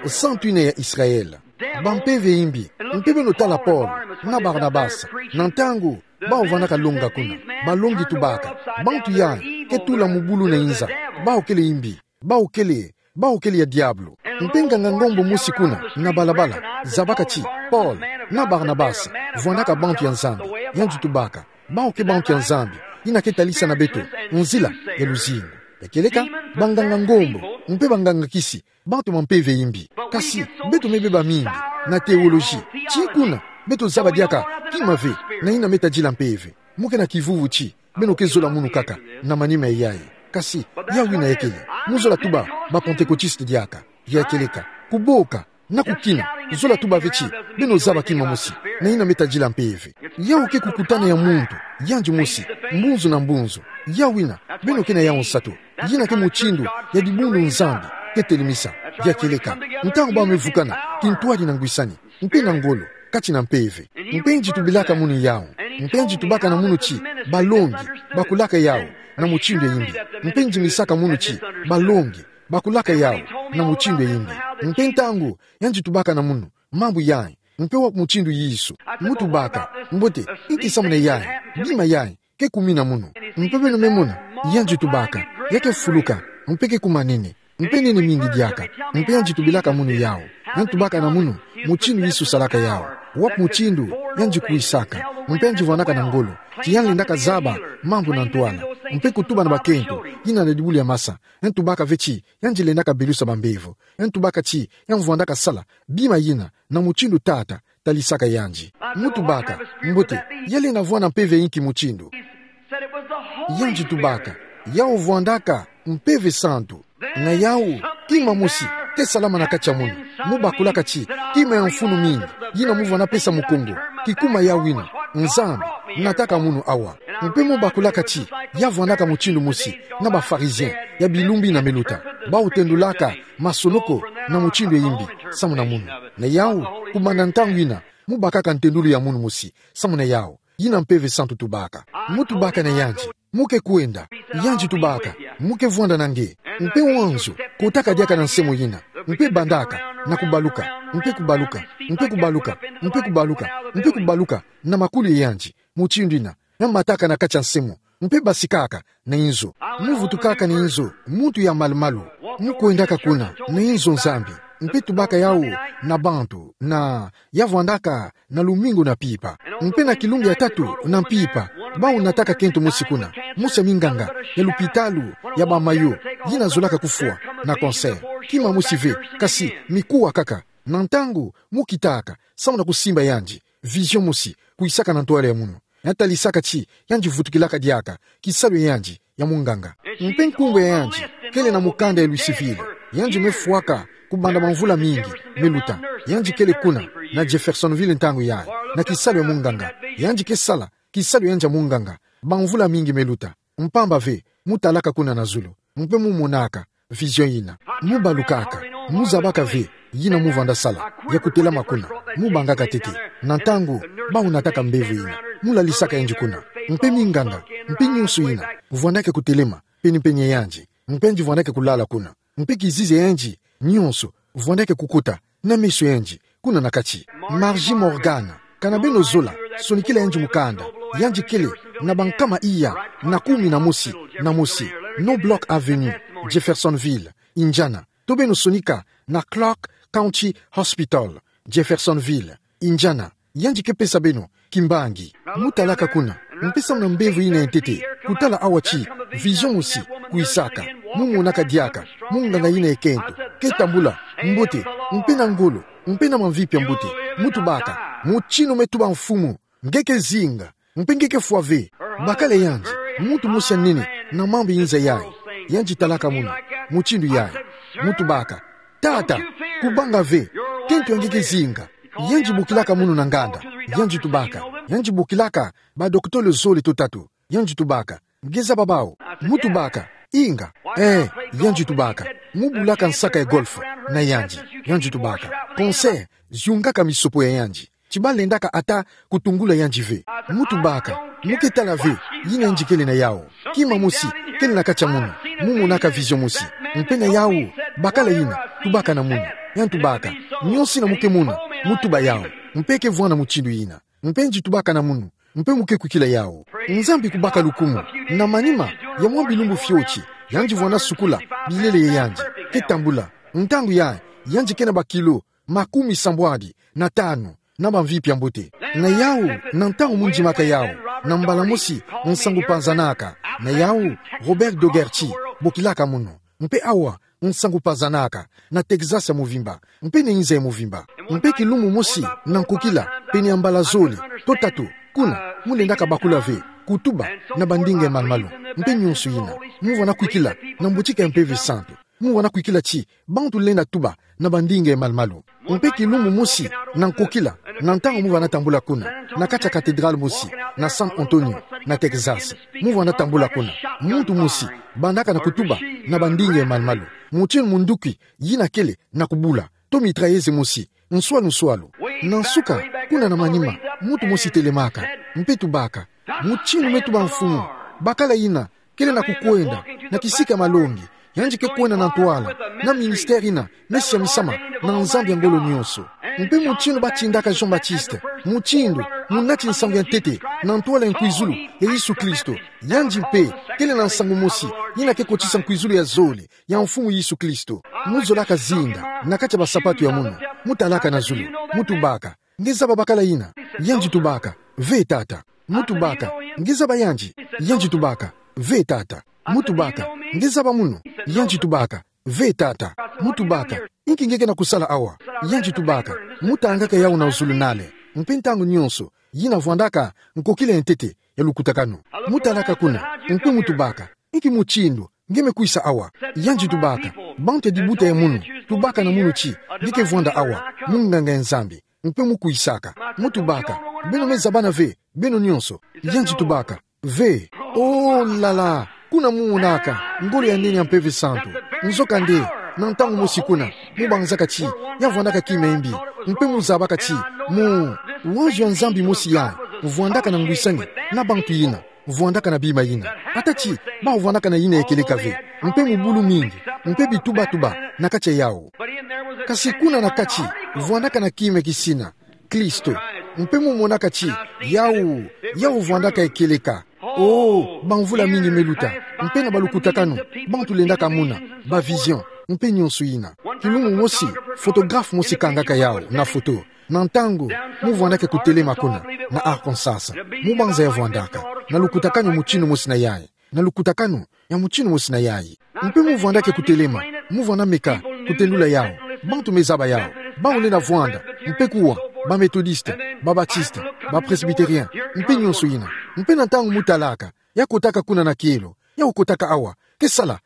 Santu yina ya Israele. Bampeve ya imbi. Mpe beno tala Paul na Barnabas, na ntangu bawu vandaka longa kuna, balongi tubaka: Bantu yayi ke tula mubulu na inza, bawu kele imbi, bawu kele, bawu kele ya diabulu. Mpe nganga ngombo mosi kuna na balabala zabaka ti Paul na Barnabas vwandaka bantu ya Nzambi, yandi tubaka: Bawu ke bantu ya Nzambi, yina ke talisa na beto nzila ya luzingu. Ya kieleka, banganga ngombo mpe banganga-kisi, bantu bampeve ya imbi. Kasi beto me beba mingi na théologie, ti kuna beto zaba diaka kima ve na yina me tadila mpeve. Mu ke na kivuvu ti beno ke zola munu kaka na manima yayi. Kasi yawu yina ya kele, mu zola tuba ba-Pentecôtiste diaka. Ya kieleka, kuboka na kukina, zola tuba ve ti beno zaba kima mosi na yina me tadila mpeve. Yawu ke kukutana ya muntu yandi mosi, mbunzu na mbunzu. Yawu yina beno ke na yawu nsatu. Yina ke mutindu ya dibundu Nzambi ke telemisa. Ya kieleka, ntangu bawu me vukana kintwadi na ngwisani, mpe na ngolo, kati na mpeve. Mpe ndi tubilaka munu yawu. Mpe ndi tubaka na munu ti balongi bakulaka yawu na mutindu ya imbi. Mpe ndi misaka munu ti balongi bakulaka yawu na mutindu ya imbi. Mpe ntangu yandi tubaka na munu mambu yayi, mpe wa mutindu Yesu, mu tubaka: Mbote, inki samu na yayi, bima yayi ke kumina munu? Mpe beno me mona, yandi tubaka: Ya ke fuluka, mpe ke kuma nene, mpe nene mingi diaka. Mpe yandi tubilaka munu yawu. Yandi tubaka na munu mutindu Yesu salaka yawu, wa mutindu yandi kwisaka, mpe yandi vwandaka na ngolo ti yandi lendaka zaba mambu na ntwala, mpe kutuba na bakento yina na dibulu ya masa. Yandi tubaka ve ti yandi lendaka belusa bambevo. Yandi tubaka ti yandi vwandaka sala bima yina na mutindu Tata talisaka yandi. Mu tubaka: Mbote, ya lenda vwanda mpeve ya inki mutindu? Yandi tubaka: Yawu vwandaka Mpeve Santu. Na yawu, kima mosi ke salama na kati ya munu. Mu bakulaka ti kima ya mfunu mingi yina mu vwanda pesa Mukongo, kikuma yawu yina: Nzambi nataka munu awa. Mpe mu bakulaka ti ya vwandaka mutindu mosi na ba-Pharisiens ya bilumbu yina me luta, bawu tendulaka masonoko na mutindu ya imbi samu na munu. Na yawu, kumana ntangu yina, mu bakaka ntendulu ya munu mosi samu na yawu, yina Mpeve Santu tubaka. Mu tubaka na yandi: Mu ke kwenda. Yandi tubaka: Mu ke vwanda na nge. Mpe wanzu kotaka diaka na nse'mo yina, mpe bandaka na kubaluka, mpe kubaluka, mpe kubaluka, mpe kubaluka, mpe kubaluka na makulu ya yandi, mutindu yina ya mataka na kati ya nse'mo, mpe basikaka na inzo. Mu vutukaka na inzo, muntu ya malu-malu, mu kwendaka kuna na inzo Nzambi, mpe tubaka yawu na bantu, na ya vwandaka na lumingu na mpimpa. Mpe na kilumbu ya tatu na mpimpa, bawu nataka kento mosi kuna, mosi ya minganga ya lupitalu ya ba Mayo, yina zolaka kufwa na cancer. Kima mosi ve, kasi mikuwa kaka. Na ntangu mu kitaka, samu na kusimba yandi, vision mosi kwisaka na ntwala ya munu, ya talisaka ti yandi vutukilaka diaka kisalu ya yandi ya munganga. Mpe nkumbu ya yandi kele na mukanda ya Louisville. Yandi me fwaka kubanda bamvula mingi me luta. Yandi kele kuna na Jeffersonville ntangu yayi, na kisalu ya munganga. Yandi ke sala kisalu ya yandi ya munganga bamvula mingi me luta. Mpamba ve, mu talaka kuna na zulu, mpe mu monaka vision yina. Mu balukaka, mu zabaka ve yina mu vwanda sala, ya kutelama kuna. Mu bangaka ntete, na ntangu bawu nataka mbevo yina, mu lalisaka yandi kuna. Mpe minganga, mpe nyonso yina, vwandaka kutelema, pene-pene yandi. Mpe yandi vwandaka kulala kuna. Mpe kizizi yandi nyonso vwandaka kukota na meso yandi, kuna na kati. Margie Morgan, kana beno zola sonikila yandi mukanda. Yandi kele na bankama iya na kumi na mosi, na mosi, Knobloch Avenue, Jeffersonville, Indiana. To beno sonika na Clark County Hospital, Jeffersonville, Indiana. Yandi ke pesa beno kimbangi. Mutalaka kuna, mpe samu na mbevo ina ya ntete, kutala awa ti vision mosi kwisaka, mu monaka diaka munganga ina ya kento, ke tambula mbote, mpe na ngolo, mpe na mamvipi ya mbote. Mutubaka: Mutinu me tuba mfumu, nge ke zinga, mpe nge ke fwa ve. Bakala yandi, muntu mosi ya nene na mambu ya inza yayi, yandi talaka munu mutindu yayi. Mutubaka: Tata, kubanga ve, kento ya nge ke zinga. Yandi bokilaka munu na nganda. Yandi tubaka, yandi bokilaka badokotolo zole to tatu. Yandi tubaka: Nge zaba bawu? Mutubaka: Inga. Eh, yandi tubaka, mu bulaka nsaka ya golf na yandi. Yandi tubaka: Cancer ziungaka misopo ya yandi, ti balendaka ata kutungula yandi ve. Mutubaka: Mu ke tala ve yina yandi kele na yawu? Kima mosi kele na kati ya munu, mu monaka vision mosi. Mpe na yawu, bakala ina, tubaka na munu. Yandi tubaka: Nyonso ina mu ke mona, mutuba yawu. Mpe ke vwanda mutindu ina. Mpe yandi tubaka na munu, mpe mu ke kwikila yawu. Nzambi kubaka lukumu. Na manima ya mwa bilumbu fioti, yandi vwanda sukula bilele ya yandi, ke tambula. Ntangu yayi, yandi ke na bakilo makumi sambwadi na tanu, na bamvipi ya mbote. Na yawu, na ntangu mu ndimaka yawu, na mbala mosi nsangu pazanaka. Na yawu, Robert Dougherty bokilaka munu. Mpe awa, nsangu pazanaka na Texas ya movimba, mpe na inza ya movimba. Mpe kilumbu mosi na nkokila, pene ya mbala zole to tatu, kuna, mu lendaka bakula ve, kutuba na bandinga ya malu-malu, mpe nyonso ina. Mu vwanda kwikila na mbotika ya Mpeve Santu. Mu vwanda kwikila ti bantu lenda tuba na bandinga ya malu-malu. Mpe kilumbu mosi na nkokila, na ntangu mu vwanda tambula kuna, na kati ya cathédrale mosi, na San Antonio, na Texas. Mu vwanda tambula kuna, muntu mosi bandaka na kutuba na bandinga ya malu-malu, mutindu munduki yina kele na kubula, to mitrailleuse mosi, nswalu-nswalu. Na nsuka, kuna na manima, muntu mosi telemaka, mpe tubaka: Mutinu me tuba mfumu, bakala ina kele na kukwenda na kisika malongi, yandi ke kwenda na ntwala, na ministère ina me siamisama na Nzambi ya ngolo nyonso. Mpe mutindu batindaka Jean-Baptiste, mutindu munati nsangu ya ntete na ntwala ya nkwizulu ya Yesu Kristo, yandi mpe kele na nsangu mosi yina ke kotisa nkwizulu ya zole ya Mfumu Yesu Kristo. Mu zolaka zinda na kati ya basapatu ya munu, mu talaka na zulu, mu tubaka: Nge zaba bakala ina? Yandi tubaka: Ve, tata. Mu tubaka: Nge zaba yandi? Yandi tubaka: Ve, tata. Mu tubaka: Nge zaba munu? Yandi tubaka: Ve, tata. Mu tubaka: Inki nge ke na kusala awa? Yandi tubaka: Mu tangaka yawu na zulunale. Mpe ntangu nyonso yina vwandaka nkokila ya ntete ya lukutakanu. Mu talaka kuna, mpe mu tubaka: Inki mutindu nge me kwisa awa? Yandi tubaka: Bantu ya dibuta ya munu tubaka na munu ti nge ke vwanda awa munganga ya Nzambi, mpe mu kwisaka. Mu tubaka: Beno me zabana ve, beno nyonso? Yandi tubaka: Ve. Oh là là! Kuna mu monaka ngolo ya nene ya Mpeve Santu. Nzokande, na ntangu mosi kuna, mu banzaka ti ya vwandaka kima ya mbi, mpe mu zabaka ti mu, wanzo ya Nzambi mosi ya vwandaka na ngwisani na bantu yina, vwandaka na bima yina. Ata ti bawu vwandaka na yina ya kieleka ve, mpe mubulu mingi, mpe bitubatuba na kati ya yawu. Kasi kuna na kati, vwandaka na kima kisina, Kristo. Mpe mu monaka ti yawu, yawu vwandaka ya kieleka. Oh, bamvula mingi me luta, mpe na balukutakanu, bantu lendaka mona ba vision, mpe nyonso yina. Kilumbu mosi, photographe mosi kangaka yawu na foto. Na ntangu mu vwandaka kutelema kuna na Arkansas, mu banza ya vwandaka na lukutakanu ya mutinu mosi na yayi, na lukutakanu ya mutinu mosi na yayi. Mpe mu vwandaka kutelema, mu vwanda meka kutendula yawu. Bantu me zaba yawu, bawu lenda vwanda, mpe kuwa, ba Methodiste, ba Batiste, ba Presbytérien, mpe nyonso yina. Mpe na ntangu mu talaka, ya kotaka kuna na kielo, ya kotaka awa, ke sala.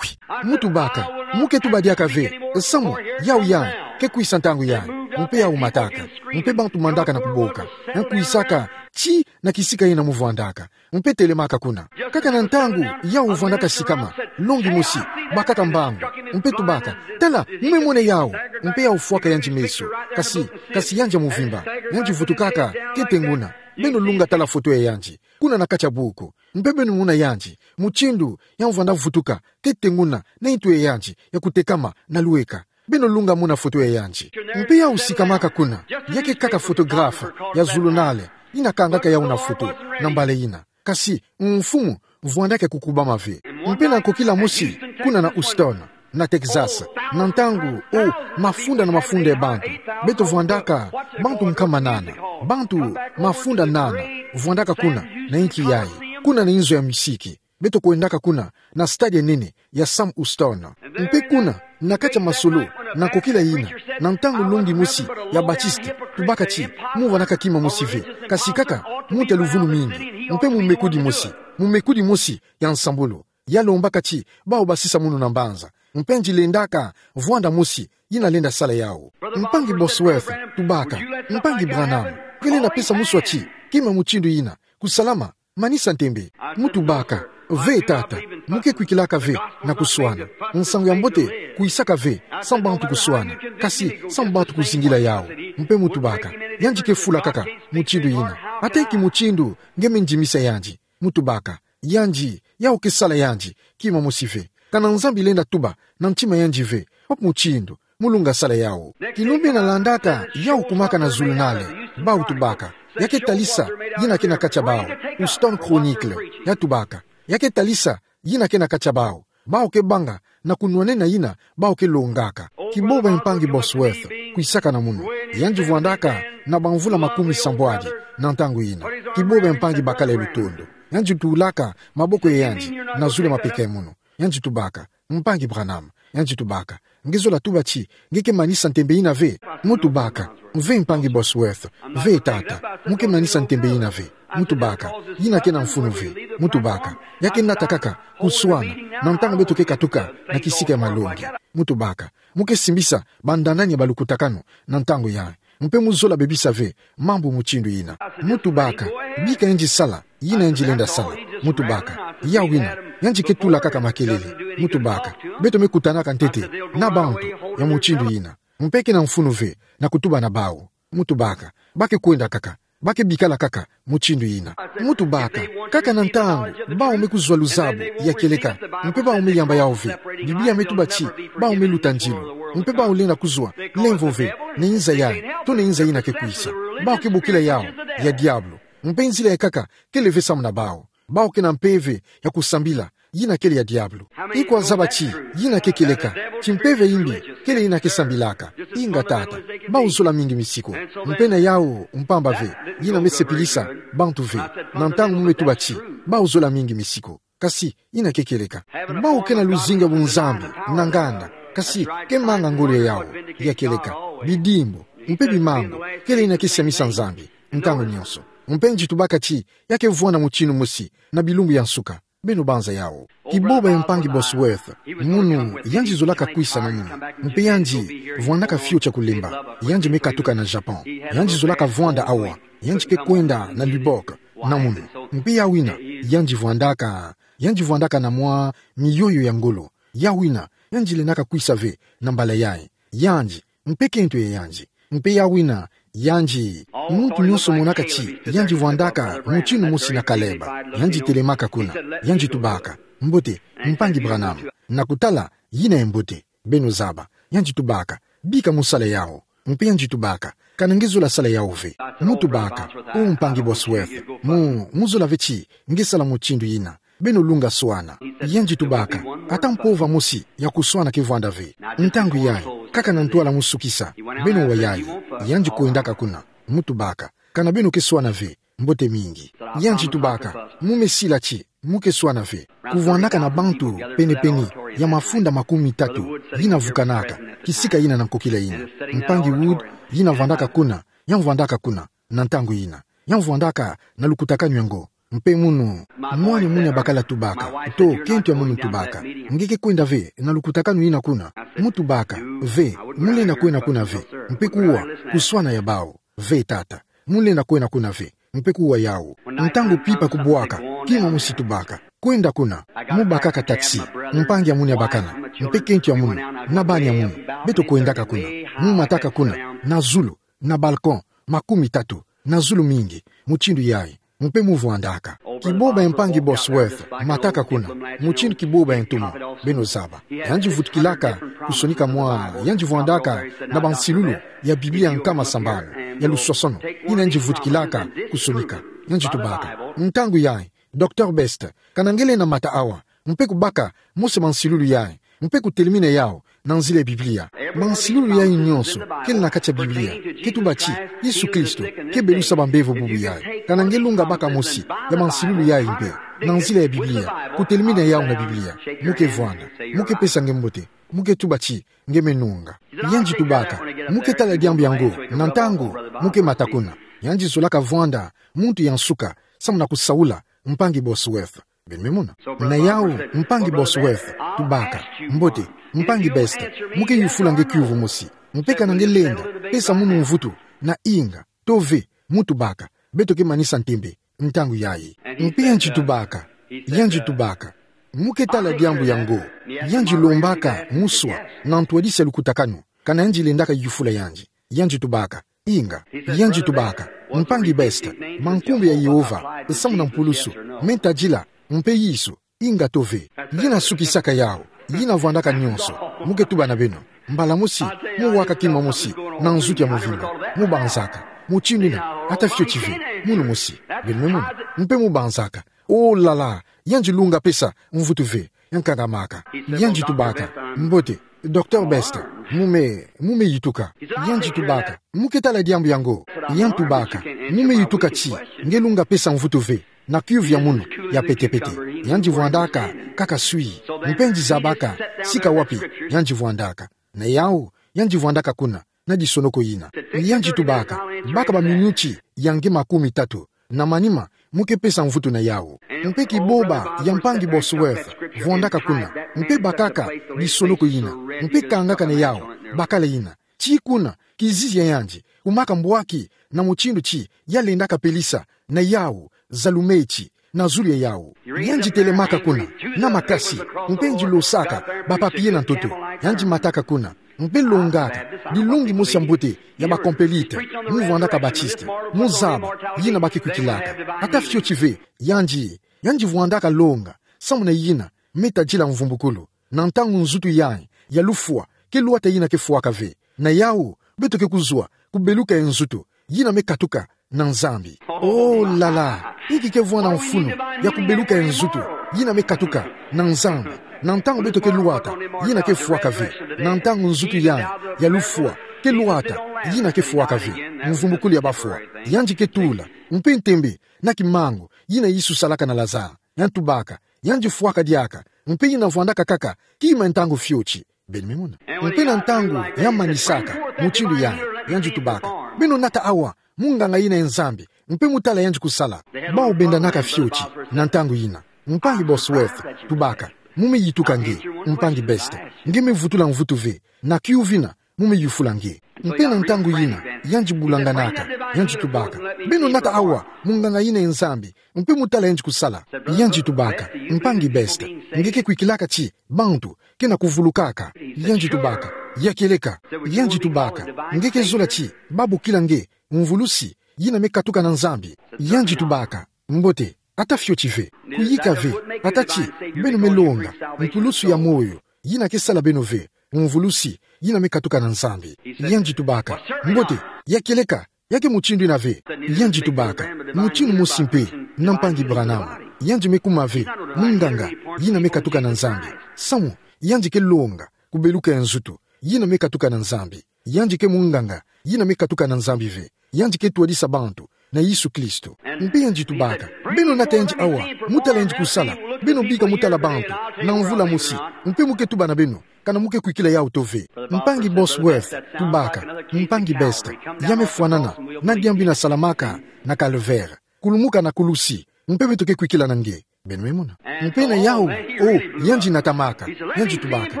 Mu tubaka: Mu ke tuba diaka ve, samu yawu yayi ke kwisa ntangu yayi. Mpe yawu mataka, mpe bantu mandaka na kuboka, ya kwisaka ti na kisika yina mu vwandaka, mpe telemaka kuna. Kaka na ntangu yawu vwandaka sikama, longi mosi, bakaka mbangu, mpe tubaka: Tala, mu me mona yawu. Mpe yawu fwaka yandi meso, kasi, kasi yandi ya muvimba, yandi vutukaka kete nguna. Beno lunga tala foto ya yandi. Kuna na kati ya buku. Mpe beno mona yandi. Mutindu ya mvwanda vutuka, kete nguna, na ntu ya yandi ya kutekama na lueka. Beno lunga mona foto ya yandi. Mpe yau sikamaka kuna, ya ke kaka photographe ya zulunale, ina kangaka yau na foto, na mbala ina. Kasi, mfumu, vwandaka ya kukubama ve. Mpe na nkokila mosi, kuna na Houston, na Texas, na ntangu, o, mafunda na mafunda ya bantu. Beto vwandaka, bantu nkama nana. Bantu, mafunda nana, vwandaka kuna, na inki yayi. Kuna na inzo ya misiki. Beto kwendaka kuna, na stade ya nene, ya Sam Houston. Mpe kuna, na kati ya masolo, na nkokila ina, na ntangu longi mosi, ya Baptiste, tubaka ti, mu vwandaka kima mosi ve, kasi kaka, muntu ya luvunu mingi, mpe mumekudi mosi, mumekudi mosi, ya nsambulu. Ya lombaka ti, bau basisa munu na mbanza. Mpe ngienda ka, vwanda mosi, ina lenda sala yau. Mpangi Bosworth, tubaka. Mpangi Branham, nge lenda pesa muswa ti, kima mutindu ina, kusalama, manisa ntembe. Mu tubaka, ve tata, mu ke kwikilaka ve, na kuswana. Nsangu ya mbote, kwisaka ve, sa bantu kuswana. Kasi, sa bantu kuzingila yau. Mpe mu tubaka. Yandi ke fula kaka, mutindu ina. Ata ki mutindu, nge me ndimisa yandi. Mu tubaka. Yandi, yau ke sala yandi, kima mosi ve. Kana Nzambi lenda tuba, na ntima yandi ve, pop mutindu, mu lunga sala yau. Kilume na landaka, yau kumaka na zulunale, bau tubaka. Ya ke talisa, ina ke na kati ya bau, Houston Chronicle, ya tubaka. Ya ke talisa, ina ke na kati ya bau. Bau ke banga, na kunwanena ina, bau ke longaka. Kiboba mpangi Bosworth, kwisaka na munu. Yandi vwandaka, na bamvula makumi sambwadi, na ntangu ina. Kiboba mpangi bakala ya lutondo. Yandi tulaka, maboko ya yandi, na zulu ya mapeka ya munu. Yandi tubaka, mpangi Branham, yandi tubaka. Nge zola tuba ti, nge ke manisa ntembe ina ve, mu tubaka. Ve mpangi Bosworth, ve tata, mu ke manisa ntembe ina ve, mu tubaka. Ina ke na mfunu ve, mu tubaka. Ya ke nata kaka, kuswana, na ntangu beto ke katuka, na kisika ya malongi, mu tubaka. Mu ke simbisa, bandanani ya balukutakanu, na ntangu ya. Mpe mu zola bebisa ve, mambu mutindu ina. Mu tubaka, bika yandi sala, ina yandi lenda sala. Mu tubaka, yau ina, yandi ke tula kaka makelele. Mu tubaka, beto me kutanaka ntete, na bantu, ya mutindu ina. Mpe ke na mfunu ve, na kutuba na bau. Mu tubaka, ba ke kwenda kaka, ba ke bikala kaka, mutindu ina. Mu tubaka, kaka na ntangu, bau me kuzwa luzabu, ya kieleka, mpe bau me yamba yau ve, Biblia me tuba ti, bau me luta ndilu, mpe bau lenda kuzwa, lemvo ve, na inza yayi, to na inza ina ke kwisa. Bau ke bokila yau, ya diabulu, mpe nzila ya nkaka, kele ve samu na bau. Bau ke na mpeve, ya kusambila, ina kele ya diabulu. Iko wazaba ti, ina ke kieleka, ti mpeve imbi, kele ina ke sambilaka. Inga tata, bau zola mingi misiku. Mpe na yau, mpamba ve, ina me sepilisa, bantu ve. Na ntangu mu me tuba ti, bau zola mingi misiku. Kasi, ina ke kieleka. Bau ke na luzingu ya bunzambi, na nganda. Kasi, ke manga ngolo ya yau, ya kieleka. Bidimbu, mpe bimangu, kele ina ke siamisa Nzambi. Ntangu nyonso. Mpe ngitu baka ti, ya ke vwanda mutindu mosi, na bilumbu ya nsuka. Beno banza yau. Kiboba ya mpangi Bosworth, munu, yandi zolaka kwisa na munu. Mpe yandi, vwandaka fiotia kulemba. Yandi me katuka na Japon. Yandi zolaka vwanda awa. Yandi ke kwenda na Lubbock, na munu. Mpe yau ina, yandi vwandaka. Yandi vwandaka na mwa, miyoyo ya ngolo. Yau ina, yandi lendaka kwisa ve, na mbala yayi. Yandi, mpe kento ya yandi. Mpe yau ina, yandi, muntu nyonso monaka ti, yandi vwandaka, mutindu mosi na Caleb. Yandi telemaka kuna, yandi tubaka. Mbote, mpangi Branham. Na kutala, ina ya mbote. Beno zaba. Yandi tubaka. Bika mu sala yau. Mpe yandi tubaka. Kana nge zola sala yau ve. Mu tubaka. O mpangi Bosworth. Mu, mu zola ve ti, nge sala mutindu ina. Beno lunga swana. Yandi tubaka. Ata mpova mosi, ya kuswana ke vwanda ve. Ntangu yayi, kaka na ntwala mu sukisa. Beno wa yayi. Yandi kwendaka kuna. Mu tubaka. Kana beno ke swana ve. Mbote mingi. Yandi tubaka. Mu me sila ti. Mu ke swana ve. Kuvwandaka na bantu, pene-pene, ya mafunda makumi tatu. Ina vukanaka. Kisika ina na nkokila ina. Mpangi Wood, ina vwandaka kuna. Ya vwandaka kuna. Na ntangu ina. Ya vwandaka, na lukutakanu yango. Mpe munu, mwana munia bakala tubaka, to, kento ya munu tubaka. Nge ke kwenda ve, na lukutakanu ina kuna. Mu tubaka, ve, mu lenda kwenda kuna ve. Mpe kuwa, kuswana ya bau. Ve tata. Mu lenda kwenda kuna ve. Mpe kuwa yau. Ntangu pipa kubwaka, kima mosi tubaka. Kwenda kuna. Mu bakaka taxi. Mpangi ya munu ya bakana. Mpe kento ya munu. Na bana ya munu. Beto kwendaka kuna. Mu mataka kuna. Na zulu. Na balcon, makumi tatu, na zulu mingi, mutindu yayi. Mpe mu vwandaka. Kiboba ya mpangi Bosworth mataka kuna, mutindu kiboba ya ntumwa, beno zaba. Yandi vutukilaka kusonika mwa, yandi vwandaka na bansilulu ya Biblia nkama sambanu, ya luswasono, yina yandi vutukilaka kusonika. Yandi tubaka. Ntangu yayi, Docteur Best, kana nge lenda mata awa, mpe kubaka mose mansilulu yayi, mpe kutelemina yawu na nzila ya Biblia. Mansilulu yayi nyonso kele na kati ya Biblia, ke tuba ti Yesu Kristo ke belusa bambevo bubu yayi. Kana nge lunga baka mosi ya mansilulu yayi mpe, na nzila ya Biblia, kutelemina yawu na Biblia, mu ke vwanda, mu ke pesa nge mbote, mu ke tuba ti nge me nunga. Yandi tubaka, mu ke tala diambu yango, na ntangu mu ke mata kuna. Yandi zolaka vwanda muntu ya nsuka, samu na kusaula mpangi Bosworth. Beno me mona. Na yawu, mpangi Bosworth tubaka. Mbote, mpangi Best, mu ke yufula nge kiuvu mosi. Mpe kana nge lenda pesa munu mvutu na inga, to ve, mu tubaka. Beto ke manisa ntembe ntangu yayi. Mpe yandi tubaka. Yandi tubaka, mu ke tala diambu yango. Yandi lombaka muswa na ntwadisi ya lukutakanu. Kana yandi lendaka yufula yandi. Yandi tubaka. Inga. Yandi tubaka. Mpangi Best, mankumbu ya Yehova, samu na mpulusu, me tadila, mpe Yesu, inga to ve. Yina sukisaka yawu, yina vwandaka nyonso. Mu ke tuba na beno. Mbala mosi, mu waka kima mosi na nzutu ya mvimba. Mu banzaka. Mutindu yina, ata fioti ve. Munu mosi. Beno me mona. Mpe mu banzaka. Oh là là, yandi lunga pesa mvutu ve. Nkangamaka. Yandi tubaka. Mbote, Docteur Best, mu me, mu me yituka. Yandi tubaka. Mu ke tala diambu yango. Yandi tubaka. Mu me yituka ti nge lunga pesa mvutu ve na kiuvu ya munu ya petepete. Yandi vwandaka kaka swi. Mpe yandi zabaka sika wapi yandi vwandaka. Na yawu, yandi vwandaka kuna na disonoko yina. Yandi tubaka, baka baminuti ya nge makumi tatu, na manima, mu ke pesa mvutu na yawu. Mpe kiboba ya mpangi Bosworth vwandaka kuna, mpe bakaka disonoko yina, mpe kangaka na yawu bakala yina. Tii kuna, kizizi ya yandi kumaka mbwaki na mutindu ti ya lendaka pelisa na yawu za lumeti na zulu ya yawu. Yandi telemaka kuna na makasi, mpe yandi losaka ba papier na ntoto. Yandi mataka kuna, mpe longaka dilongi mosi ya mbote ya ba Carmélite, mu vwandaka Baptiste, mu zaba yina ba ke kwikilaka. Ata fioti ve, yandi, yandi vwandaka longa, samu na yina me tadila mvumbukulu. Na ntangu nzutu yayi ya lufwa ke lwata, yina ke fwaka ve. Na yawu, beto ke kuzwa kubeluka ya nzutu yina me katuka na Nzambi. Oh là là, inki ke vwanda mfunu ya kubeluka ya nzutu yina me katuka na Nzambi, na ntangu beto ke lwata yina ke fwaka ve. Na ntangu nzutu yayi ya lufwa ke lwata, yina ke fwaka ve. Mvumbukulu ya bafwa, yandi ke tula, mpe ntembe na kimangu yina Yesu salaka na Lazare. Yandi tubaka, yandi fwaka diaka, mpe yina vwandaka kaka kima ntangu fioti. Beno me mona. Mpe na ntangu ya manisaka mutindu yayi, yandi tubaka, beno nata awa, munganga yina ya Nzambi, mpe mu tala yandi kusala. Bawu bendanaka fioti na ntangu yina. Mpangi Bosworth tubaka, mu me yituka nge, mpangi Best, nge me vutula mvutu ve na kiuvu yina mu me yufula nge. Mpe na ntangu yina, yandi bulanganaka, yandi tubaka, beno nata awa, munganga yina ya Nzambi, mpe mu tala yandi kusala. Yandi tubaka, mpangi Best, nge ke kwikilaka ti bantu ke na kuvulukaka. Yandi tubaka, ya kieleka. Yandi tubaka, nge ke zola ti ba bokila nge mvulusi yina me katuka na Nzambi. Yandi tubaka, mbote, ata fioti ve, kuyika ve, ata ti beno me longa mpulusu ya moyo yina ke sala beno ve mvulusi yina me katuka na Nzambi. Yandi tubaka, mbote, ya kieleka, ya ke mutindu yina ve. Yandi tubaka, mutindu mosi mpe na mpangi Branham, yandi me kuma ve munganga yina me katuka na Nzambi. Samu yandi ke longa kubeluka ya nzutu yina me katuka na Nzambi. Yandi ke munganga yina me katuka na Nzambi ve. Yandi ke twadisa bantu na Yesu Kristo. Mpe yandi tubaka, beno nata yandi awa, mu tala yandi kusala. Beno bika mu tala bantu na mvula mosi, mpe mu ke tuba na beno kana mu ke kwikila yawu to ve. Mpangi Bosworth tubaka, mpangi Best, ya me fwanana na diambu yina salamaka na Calvaire, kulumuka na kulusi, mpe beto ke kwikila na nge. Beno me mona. Mpe na yawu, oh, yandi natamaka. Yandi tubaka,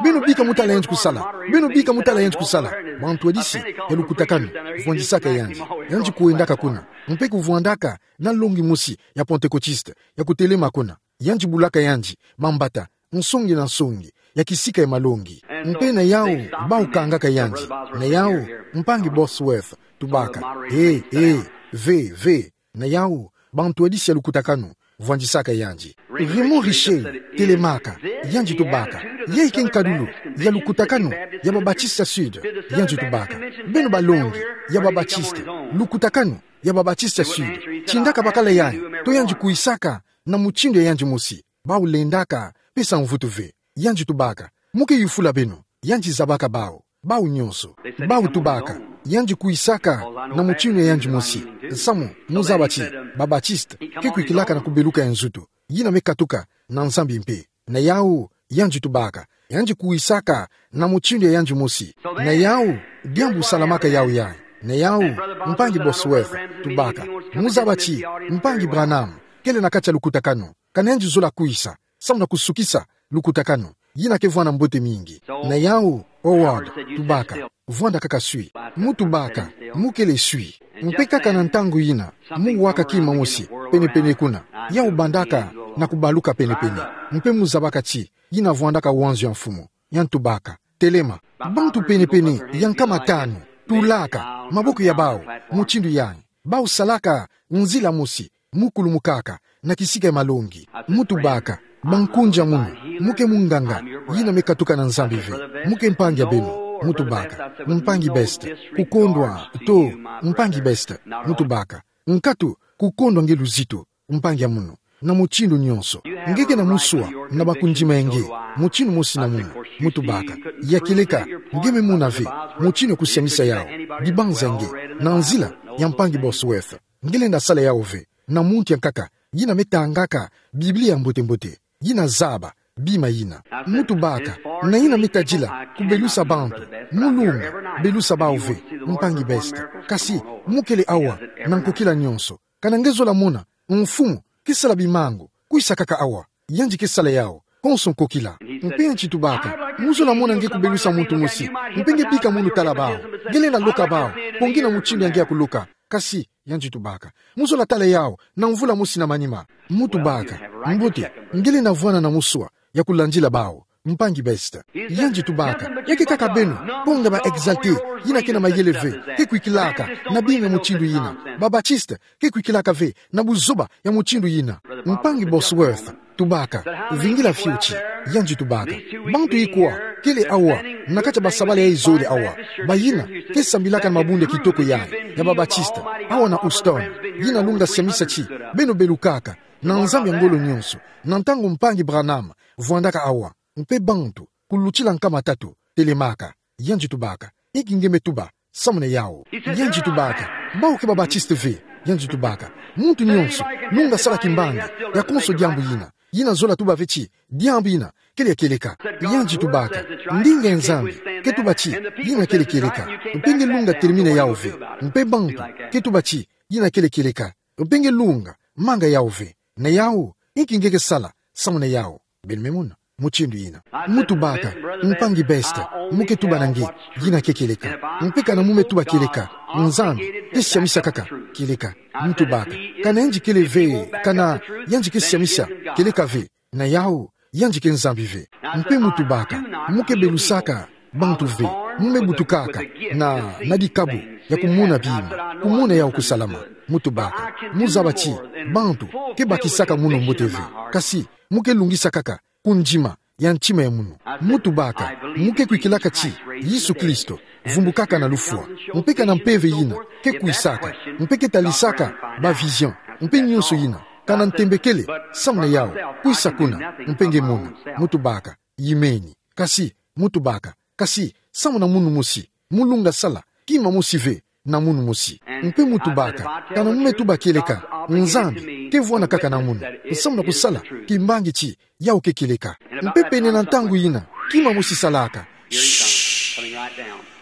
beno bika mu tala yandi kusala. Beno bika mu tala yandi kusala. Bantwadisi ya lukutakanu vwandisaka yandi. Yandi kwendaka kuna, mpe kuvwandaka na longi mosi ya Pentecôtiste ya kutelema kuna. Yandi bulaka yandi mambata nsongi na nsongi ya kisika ya malongi. Mpe na yawu, bawu kangaka yandi. Na yawu, mpangi Bosworth tubaka, eh, eh, ve, ve, Na yau, bantwadisi ya lukutakanu vwandisaka yandi. Raymond Richer telemaka, yandi tubaka: Ya ike nkadulu ya lukutakanu ya ba Batisita Sud? Yandi tubaka: Beno balongi ya ba Batisita, lukutakanu ya ba Batisita Sud, tindaka bakala yayi, to yandi kuisaka na mutindu ya yandi mosi, bau lendaka pesa mvutu ve. Yandi tubaka: Mu ke yufula beno. Yandi zabaka bau, bau nyonso. Bau tubaka: Yandi kuisaka na mutindu ya yandi mosi. Samu mu zaba ti ba Batisita ke kwikilaka na kubeluka ya nzutu, yina me katuka na Nzambi mpe. Na yau, yandi tubaka: Yandi kuisaka na mutindu ya yandi mosi. Na yau, diambu salamaka yau yayi. Na yau, mpangi Bosworth tubaka: Mu zaba ti mpangi Branham kele na kati ya lukutakanu, kana yandi zola kuisa samu na kusukisa lukutakanu yina ke vwanda mbote mingi. Na yau, Howard tubaka: Vwanda kaka swi. Mu tubaka: Mu kele swi. Mpe kaka na ntangu yina, mu waka kima mosi penepene kuna, yau bandaka na kubaluka penepene. Mpe mu zabaka ti yina vwandaka wanzo ya mfumu. Yandi tubaka: Telema. Bantu penepene ya nkama tanu tulaka maboko ya bau mutindu yayi, bau salaka nzila mosi, mu kulumukaka na kisika ya malongi. Mu tubaka: Bankunja munu, mu ke munganga yina me katuka na Nzambi ve. Mu ke mpangi ya beno. Mu tubaka: Mpangi Best, kukondwa to, mpangi Best. Mu tubaka: Nkatu, kukondwa nge luzito, mpangi ya munu, na mutindu nyonso. Nge ke na musua na bakundima ya nge mutindu mosi na munu. Mu tubaka: Ya kieleka, nge me mona ve mutindu ya kusiamisa yau, dibanza ya nge, na nzila ya mpangi Bosworth. Nge lenda sala yau ve na muntu ya nkaka yina me tangaka Biblia mbote-mbote, yina zaba bima yina. Mu tubaka: Na yina me tadila kubelusa bantu, mu lunga belusa bau ve, mpangi Best. Kasi mu kele awa na nkokila nyonso. Kana nge zola mona mfumu ke sala bimangu, kuisa kaka awa, yandi ke sala yau konso nkokila. Mpe yandi tubaka: Mu zola mona nge kubelusa muntu mosi, mpe nge bika munu tala bau, nge lenda loka bau pongi na mutindu ya nge ya kuloka. Kasi, yandi tubaka, mu zola tala yau na mvula mosi na manima. Mu tubaka: Mbote, nge lenda vwanda na musua ya kulandila bau, mpangi Best. Yandi tubaka: Ya ke kaka beno, pont ya ba Exaltés, yina ke na mayele ve, ke kwikilaka na bima ya mutindu yina. Ba Batistes ke kwikilaka ve na buzoba ya mutindu yina. Mpangi Bosworth tubaka: Vingila fioti. Yandi tubaka: Bantu ikwa kele awa na kati ya basabala ya izole awa, bayina ke sambilaka na mabundu ya kitoko yayi ya ba Batistes awa na Houston, yina lunga siamisa ti beno belukaka na Nzambi ya ngolo nyonso, na ntangu mpangi Branham vwandaka awa? Mpe bantu kulutila nkama tatu telemaka. Yandi tubaka: Inki nge me tuba samu na yau? Yandi tubaka: Bau ke ba Batistes ve. Yandi tubaka: Muntu nyonso lunga sala kimbangi ya konso diambu yina, yina zola tuba ve ti diambu yina kele ya kieleka. Yandi tubaka: Ndinga ya Nzambi ke tuba ti yina kele kieleka, mpe nge lunga termina yau ve. Mpe bantu ke tuba ti yina kele kieleka, mpe nge lunga manga yau ve. Na yau, inki nge ke sala samu na yau? Beno me mona mutindu yina. Mu tubaka: Mpangi Best, mu ke tuba na nge yina ke kieleka. Mpe kana mu me tuba kieleka, Nzambi ke siamisa kaka kieleka. Mu tubaka: Kana yandi kele ve, kana yandi ke siamisa kieleka ve, na yau, yandi ke Nzambi ve. Mpe mu tubaka: Mu ke belusaka bantu ve, mu me butukaka na, na dikabu ya kumona bima, kumona yau kusalama. Mu tubaka: Mu zaba ti bantu ke bakisaka munu mbote ve, kasi mu ke lungisa kaka kundima ya ntima ya munu. Mu tubaka: Mu ke kwikilaka ti Yesu Kristo vumbukaka na lufwa, mpe kana mpeve yina ke kuisaka, mpe ke talisaka ba vision, mpe nyonso yina, kana ntembekele samu na yau, kuisa kuna, mpe nge mona. Mu tubaka: Imeni. Kasi, mu tubaka, kasi samu na munu mosi, mu lunga sala kima mosi ve na munu mosi. Mpe mu tubaka: Kana mu me tuba kieleka, Nzambi ke vwanda kaka na munu samu na kusala kimbangi ti yau ke kieleka. Mpe pene na ntangu yina, kima mosi salaka.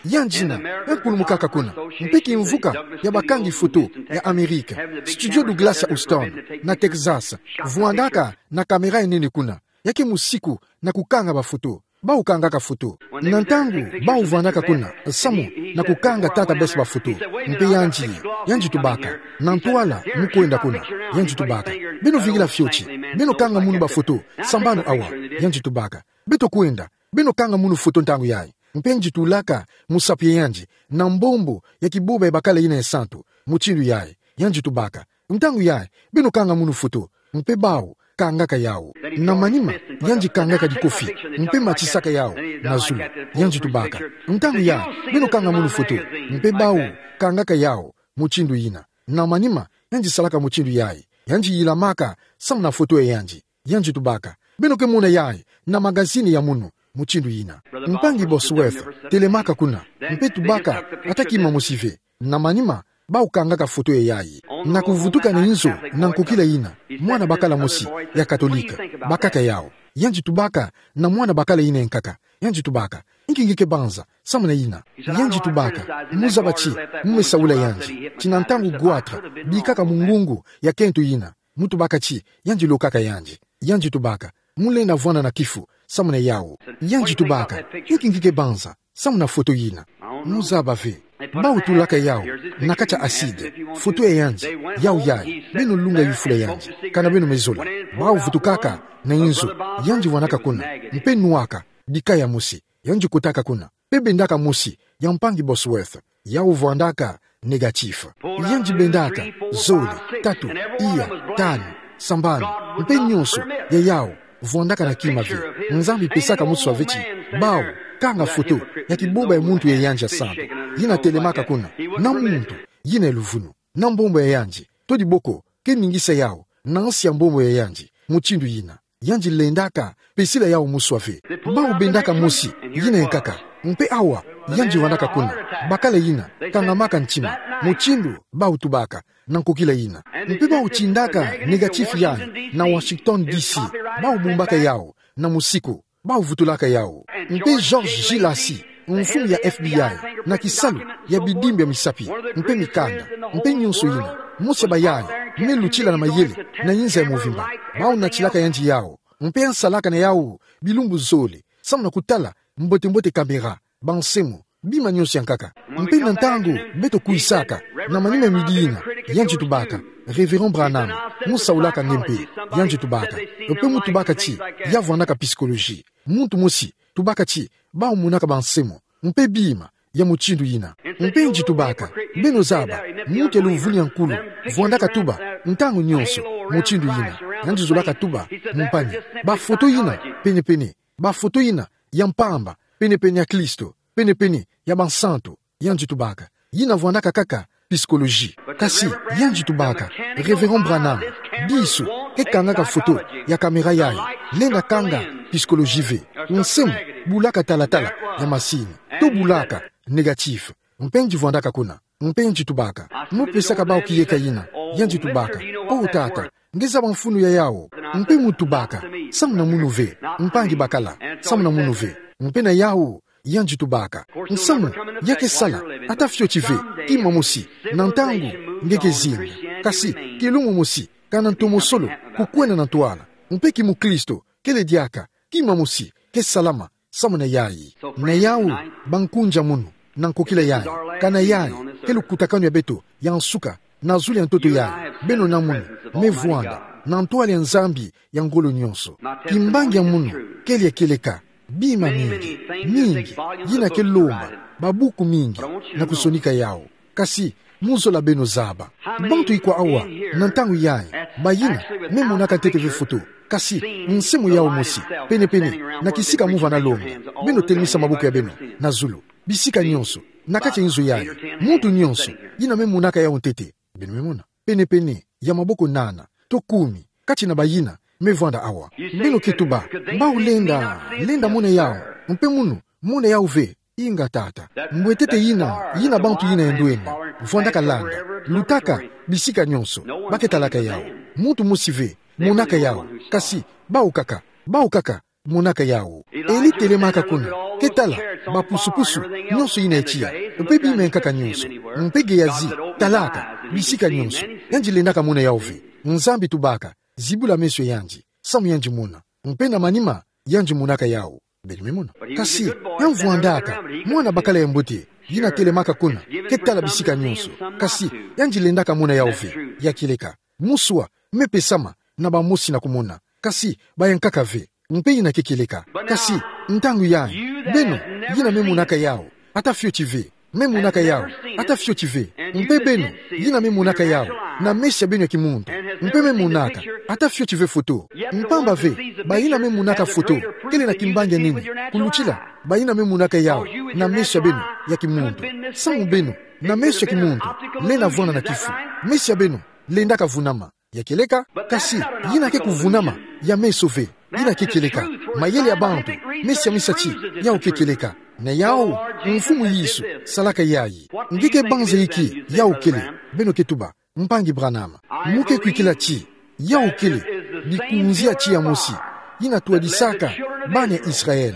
Yandi yina me kulumukaka kuna, mpe kimvuka ya bakangi foto ya Amerika, Studio Douglas ya Houston, na Texas, vwandaka na kamera ya nene kuna, ya ke musiku na kukanga bafoto. Bau kangaka foto. Na ntangu bau vwandaka kuna samu na kukanga tata Best bafoto, mpe yandi, yandi tubaka: Na ntwala mu kwenda kuna? Yandi tubaka: Beno vingila fioti, beno kanga munu bafoto, sambanu awa. Yandi tubaka: Beto kwenda, beno kanga munu foto ntangu yayi. Mpe yandi tulaka musapi ya yandi na mbombo ya kiboba ya bakala yina ya santu, mutindu yayi. Yandi tubaka: Ntangu yayi, beno kanga munu foto, mpe bau kangaka yawu. Na manima, yandi kangaka dikofi, mpe matisaka yawu na zulu. Yandi tubaka. Ntangu yayi, beno kanga munu foto, mpe bau kangaka yawu mutindu yina. Na manima, yandi salaka mutindu yayi. Yandi yilamaka samu na foto ya yandi. Yandi tubaka. Beno ke mona yayi na magazine ya munu mutindu yina. Mpangi Bosworth telemaka kuna, mpe tubaka ata kima mosi ve. Na manima, bau kangaka foto ya yayi. Na kuvutuka na inzo, na nkokila yina, mwana bakala mosi ya Katolika bakaka yawu. Yandi tubaka na mwana bakala yina ya nkaka. Yandi tubaka. Inki nge ke banza samu na yina? Yandi tubaka. Mu zaba ti mu me saula yandi. Ti na ntangu goitre bikaka mu ngungu ya kento yina. Mu tubaka ti yandi lokaka yandi. Yandi tubaka. Mu lenda vwanda na kifu samu na yawu. Yandi tubaka. Inki nge ke banza samu na foto yina? Mu zaba ve. Bau tulaka yawu na kati ya acide. Foto ya yandi, yawu yayi. Beno lunga yufula yandi, kana beno me zola. Bau vutukaka na inzo, yandi vwandaka kuna, mpe nuaka bika ya mosi. Yandi kotaka kuna, mpe bendaka mosi ya mpangi Bosworth. Yawu vwandaka négatif. Yandi bendaka zole, tatu, iya, tanu, sambanu, mpe nyonso ya yawu vwandaka na kima ve. Nzambi pesaka muswa ve ti bau kanga foto ya kibomba ya muntu ya yandi ya santu. Yina telemaka kuna, na muntu yina ya luvunu, na mbombo ya yandi, to diboko ke ningisa yawu na nsi ya mbombo ya yandi mutindu yina. Yandi lendaka pesila yawu muswa ve. Bau bendaka mosi, yina ya nkaka. Mpe awa, yandi vwandaka kuna, bakala yina kangamaka ntima, mutindu bau tubaka na nkokila yina. Mpe bau tindaka négatif yayi na Washington D C. Bau bumbaka yawu na musiku. Bau vutulaka yawu. Mpe George G. Lacy, mfumu ya F B I, na kisalu ya bidimbu ya misapi, mpe mikanda, mpe nyonso yina, mosi ya bayayi me lutila na mayele na inza ya mvimba. Bau natilaka yandi yawu, mpe nsalaka na yawu bilumbu zole samu na kutala mbote-mbote caméra, bansemo, bima nyonso ya nkaka. Mpe na ntangu beto kwisaka, na manima ya midi yina, yandi tubaka, Révérend Branham, mu saulaka nge mpe? Yandi tubaka. Mpe mu tubaka ti ya vwandaka psychologie. Muntu mosi tubaka ti bau monaka bansemo, mpe bima ya mutindu yina. Mpe yandi tubaka. Beno zaba, muntu ya luvunu ya nkulu vwandaka tuba ntangu nyonso mutindu yina. Yandi zolaka tuba mu mpani. Bafoto yina pene-pene. Bafoto yina ya mpamba pene-pene ya Kristo, pene-pene ya bansantu. Yandi tubaka. Yina vwandaka kaka psychologie. Kasi yandi tubaka, Révérend Branham, biso ke kangaka foto ya caméra yayi, lenda kanga psychologie ve. Nsemo bulaka talatala ya masini, to bulaka négatif. Mpe yandi vwandaka kuna. Mpe yandi tubaka. Mu pesaka bau kiyeka yina. Yandi tubaka. O tata, nge zaba mfunu ya yawu. Mpe mu tubaka. Samu na munu ve. Mpangi bakala. Samu na munu ve. Mpe na yawu, yandi tubaka. Nsamu ya ke sala, ata fioti ve, kima mosi, na ntangu nge ke zinga. Kasi kilumbu mosi, kana ntomosolo kukwenda na ntwala. Mpe kimukristo kele diaka, kima mosi ke salama samu na yayi. Na yawu, bankunja munu, na nkokila yayi, kana yayi ke lukutakanu ya beto ya nsuka na zulu ya ntoto yayi. Beno na munu me vwanda na ntwala ya Nzambi ya ngolo nyonso. Kimbangi ya munu kele ya kieleka. Bima mingi, mingi, yina ke lomba babuku mingi na kusonika yawu. Kasi mu zola beno zaba. Bantu ikwa awa, na ntangu yayi, bayina me monaka ntete ve foto, kasi nsemo yawu mosi, pene-pene na kisika mu vanda longa? Beno telemisa maboko ya beno na zulu, bisika nyonso, na kati ya inzo yayi. Muntu nyonso yina me monaka yawu ntete. Beno me mona. Pene-pene ya maboko nana to kumi kati na bayina me vwanda awa. Beno ke tuba, bau lenda, lenda mona yawu. Mpe munu, mona yawu ve. Inga tata. Mbwetete yina, yina bantu yina ya ndwenda vwandaka landa, lutaka bisika nyonso, ba ke talaka yawu. Muntu mosi ve monaka yawu. Kasi bau kaka, bau kaka monaka yawu. Eli telemaka kuna, ke tala bapusu-pusu nyonso yina ya tiya, mpe bima ya nkaka nyonso. Mpe Gehazi talaka bisika nyonso. Yandi lendaka mona yawu ve. Nzambi tubaka, zibula meso ya yandi, samu yandi mona. Mpe na manima, yandi monaka yawu. Beno me mona. Kasi ya mvwandaka mwana bakala ya mbote, yina telemaka kuna, ke tala bisika nyonso. Kasi yandi lendaka mona yawu ve. Ya kieleka. Muswa me pesama na bamosi na kumona, kasi ba ya nkaka ve. Mpe yina ke kieleka. Kasi ntangu yayi, beno yina me monaka yawu, ata fioti ve. Me monaka yawu, ata fioti ve. Mpe beno yina me monaka yawu, na meso ya beno ya kimuntu. Mpe me monaka, ata fioti ve foto. Mpamba ve, bayina me monaka foto kele na kimbangi ya nene, kulutila bayina me monaka yawu na meso ya beno ya kimuntu. Samu beno, na meso ya kimuntu, lenda vwanda na kifu. Meso ya beno lendaka vunama. Ya kieleka, kasi yina ke kuvunama ya meso ve, yina ke kieleka. Mayele ya bantu, meso ya misatie, yawu ke kieleka. Na yawu, Mfumu Yesu salaka yayi. Nge ke banza inki yawu kele? Beno ke tuba, Mpangi Branham, mo ke kwikila ti yawu kele bikunzia tii ya mosi yina twadisaka bana ya Israël,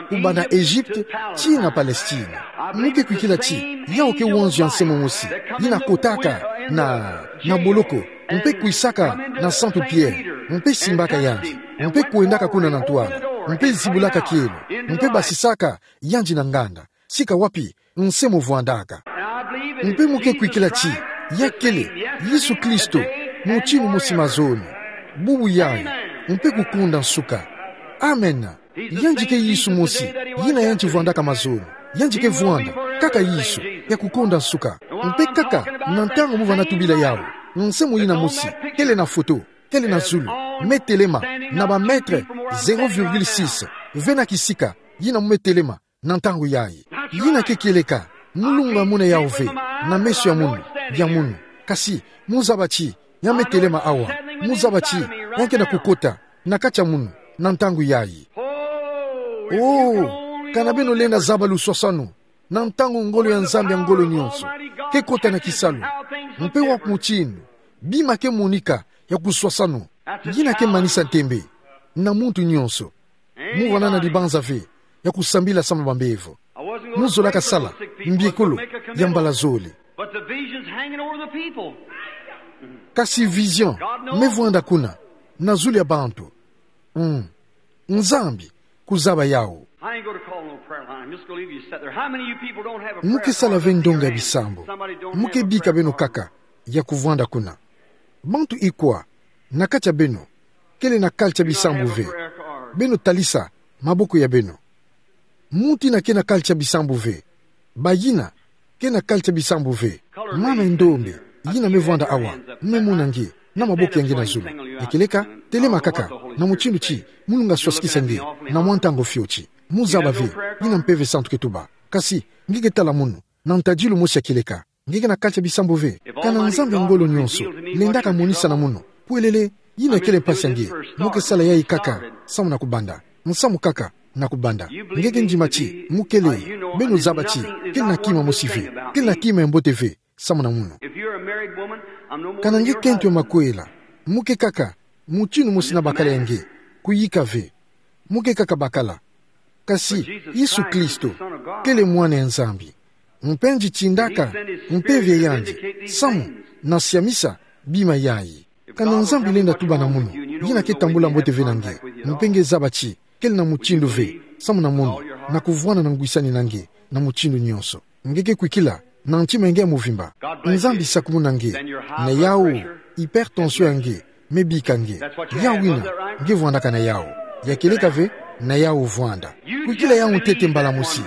kubanda Egypte tii na Palestine. Mo ke kwikila ti yawu ke wanzo ya nse momosi yina kotaka na, na boloko, mpe kwisaka na Santu Pierre, mpe simbaka yandi, mpe kwendaka kuna na ntwala, mpe zibulaka kielo, mpe basisaka yandi na nganda. Sika wapi nse mo vwandaka? Mpe mo ke kwikila ti ya kele Yesu Kristo, mutinu mosi mazono, bubu yayi, mpe kukonda nsuka. Amen. Yandi ke Yesu mosi yina yandi vwandaka mazono. Yandi ke vwanda kaka Yesu ya kukonda nsuka. Mpe kaka na ntangu mo vana tubila yawu, nse mo yina mosi, kele na foto, kele na zulu, me telema na ba mètre zéro virgule six ve na kisika, yina mo me telema na ntangu yayi. Yina ke kieleka, mo lunga mona yawu ve na meso ya munu, ya munu. Kasi mo zaba ti ya me telema awa, mo zaba ti ya ke na kukota na kati ya munu na ntangu yayi. Oh, kana beno lenda zaba luswaswanu na ntangu ngolo ya Nzambi ya ngolo nyonso ke kota na kisalu, mpe wa mutinu bima ke monika ya kuswaswanu. Yina ke manisa ntembe na muntu nyonso. Mo vana na libanza ve ya kusambila samu na bambevo. Mo zolaka sala mbiekolo ya mbala zole. But the vision's hanging over the people. Kasi vision me vwanda kuna na zulu ya bantu. Mm. Nzambi kuzaba yawu. I ain't going to call no prayer line. I'm just going to leave you sit there. How many of you people don't have a prayer card? Mo ke sala ve ndonga ya bisambu. Mo ke bika beno kaka ya kuvwanda kuna. Bantu ikwa na kati ya beno kele na carte ya bisambu ve? Beno talisa maboko ya beno. Muntu yina ke na carte ya bisambu ve? Bayina ke na carte ya bisambu ve? Mama ya ndombe yina me vwanda awa, me mona nge na maboko ya nge na zulu. Ya kieleka, telema kaka na mutindu ti mo lunga swaswakisa nge na mwa ntangu fioti. Mo zaba ve yina Mpeve Santu ke tuba. Kasi nge ke tala munu na ntadilu mosi ya kieleka. Nge ke na carte ya bisambu ve? Kana Nzambi ya ngolo nyonso lendaka monisa na munu pwelele yina kele mpasi ya nge, mo ke sala yayi kaka samu na kubanda. Nsamu kaka na kubanda. Nge ke ndima ti mo kele, beno zaba ti kele na kima mosi ve, kele na kima ya mbote ve samu na munu. Kana nge kento ya makwela, mo ke kaka mutinu mosi na bakala ya nge, kuyika ve. Mo ke kaka bakala. Kasi Yesu Kristo kele Mwana ya Nzambi. Mpe yandi tindaka Mpeve yandi samu na siamisa bima yayi. Kana Nzambi lenda tuba na munu, yina ke tambula mbote ve na nge, mpe nge zaba ti kele na mutindu ve samu na munu, na kuvwanda na ngwisani na nge na mutindu nyonso, nge ke kwikila na ntima ya nge ya muvimba. Nzambi sakumuna nge na yawu, hypertension ya nge me bika nge. Yawu yina nge vwandaka na yawu. Ya kieleka ve? Na yawu vwanda. Kwikila yawu ntete mbala mosi.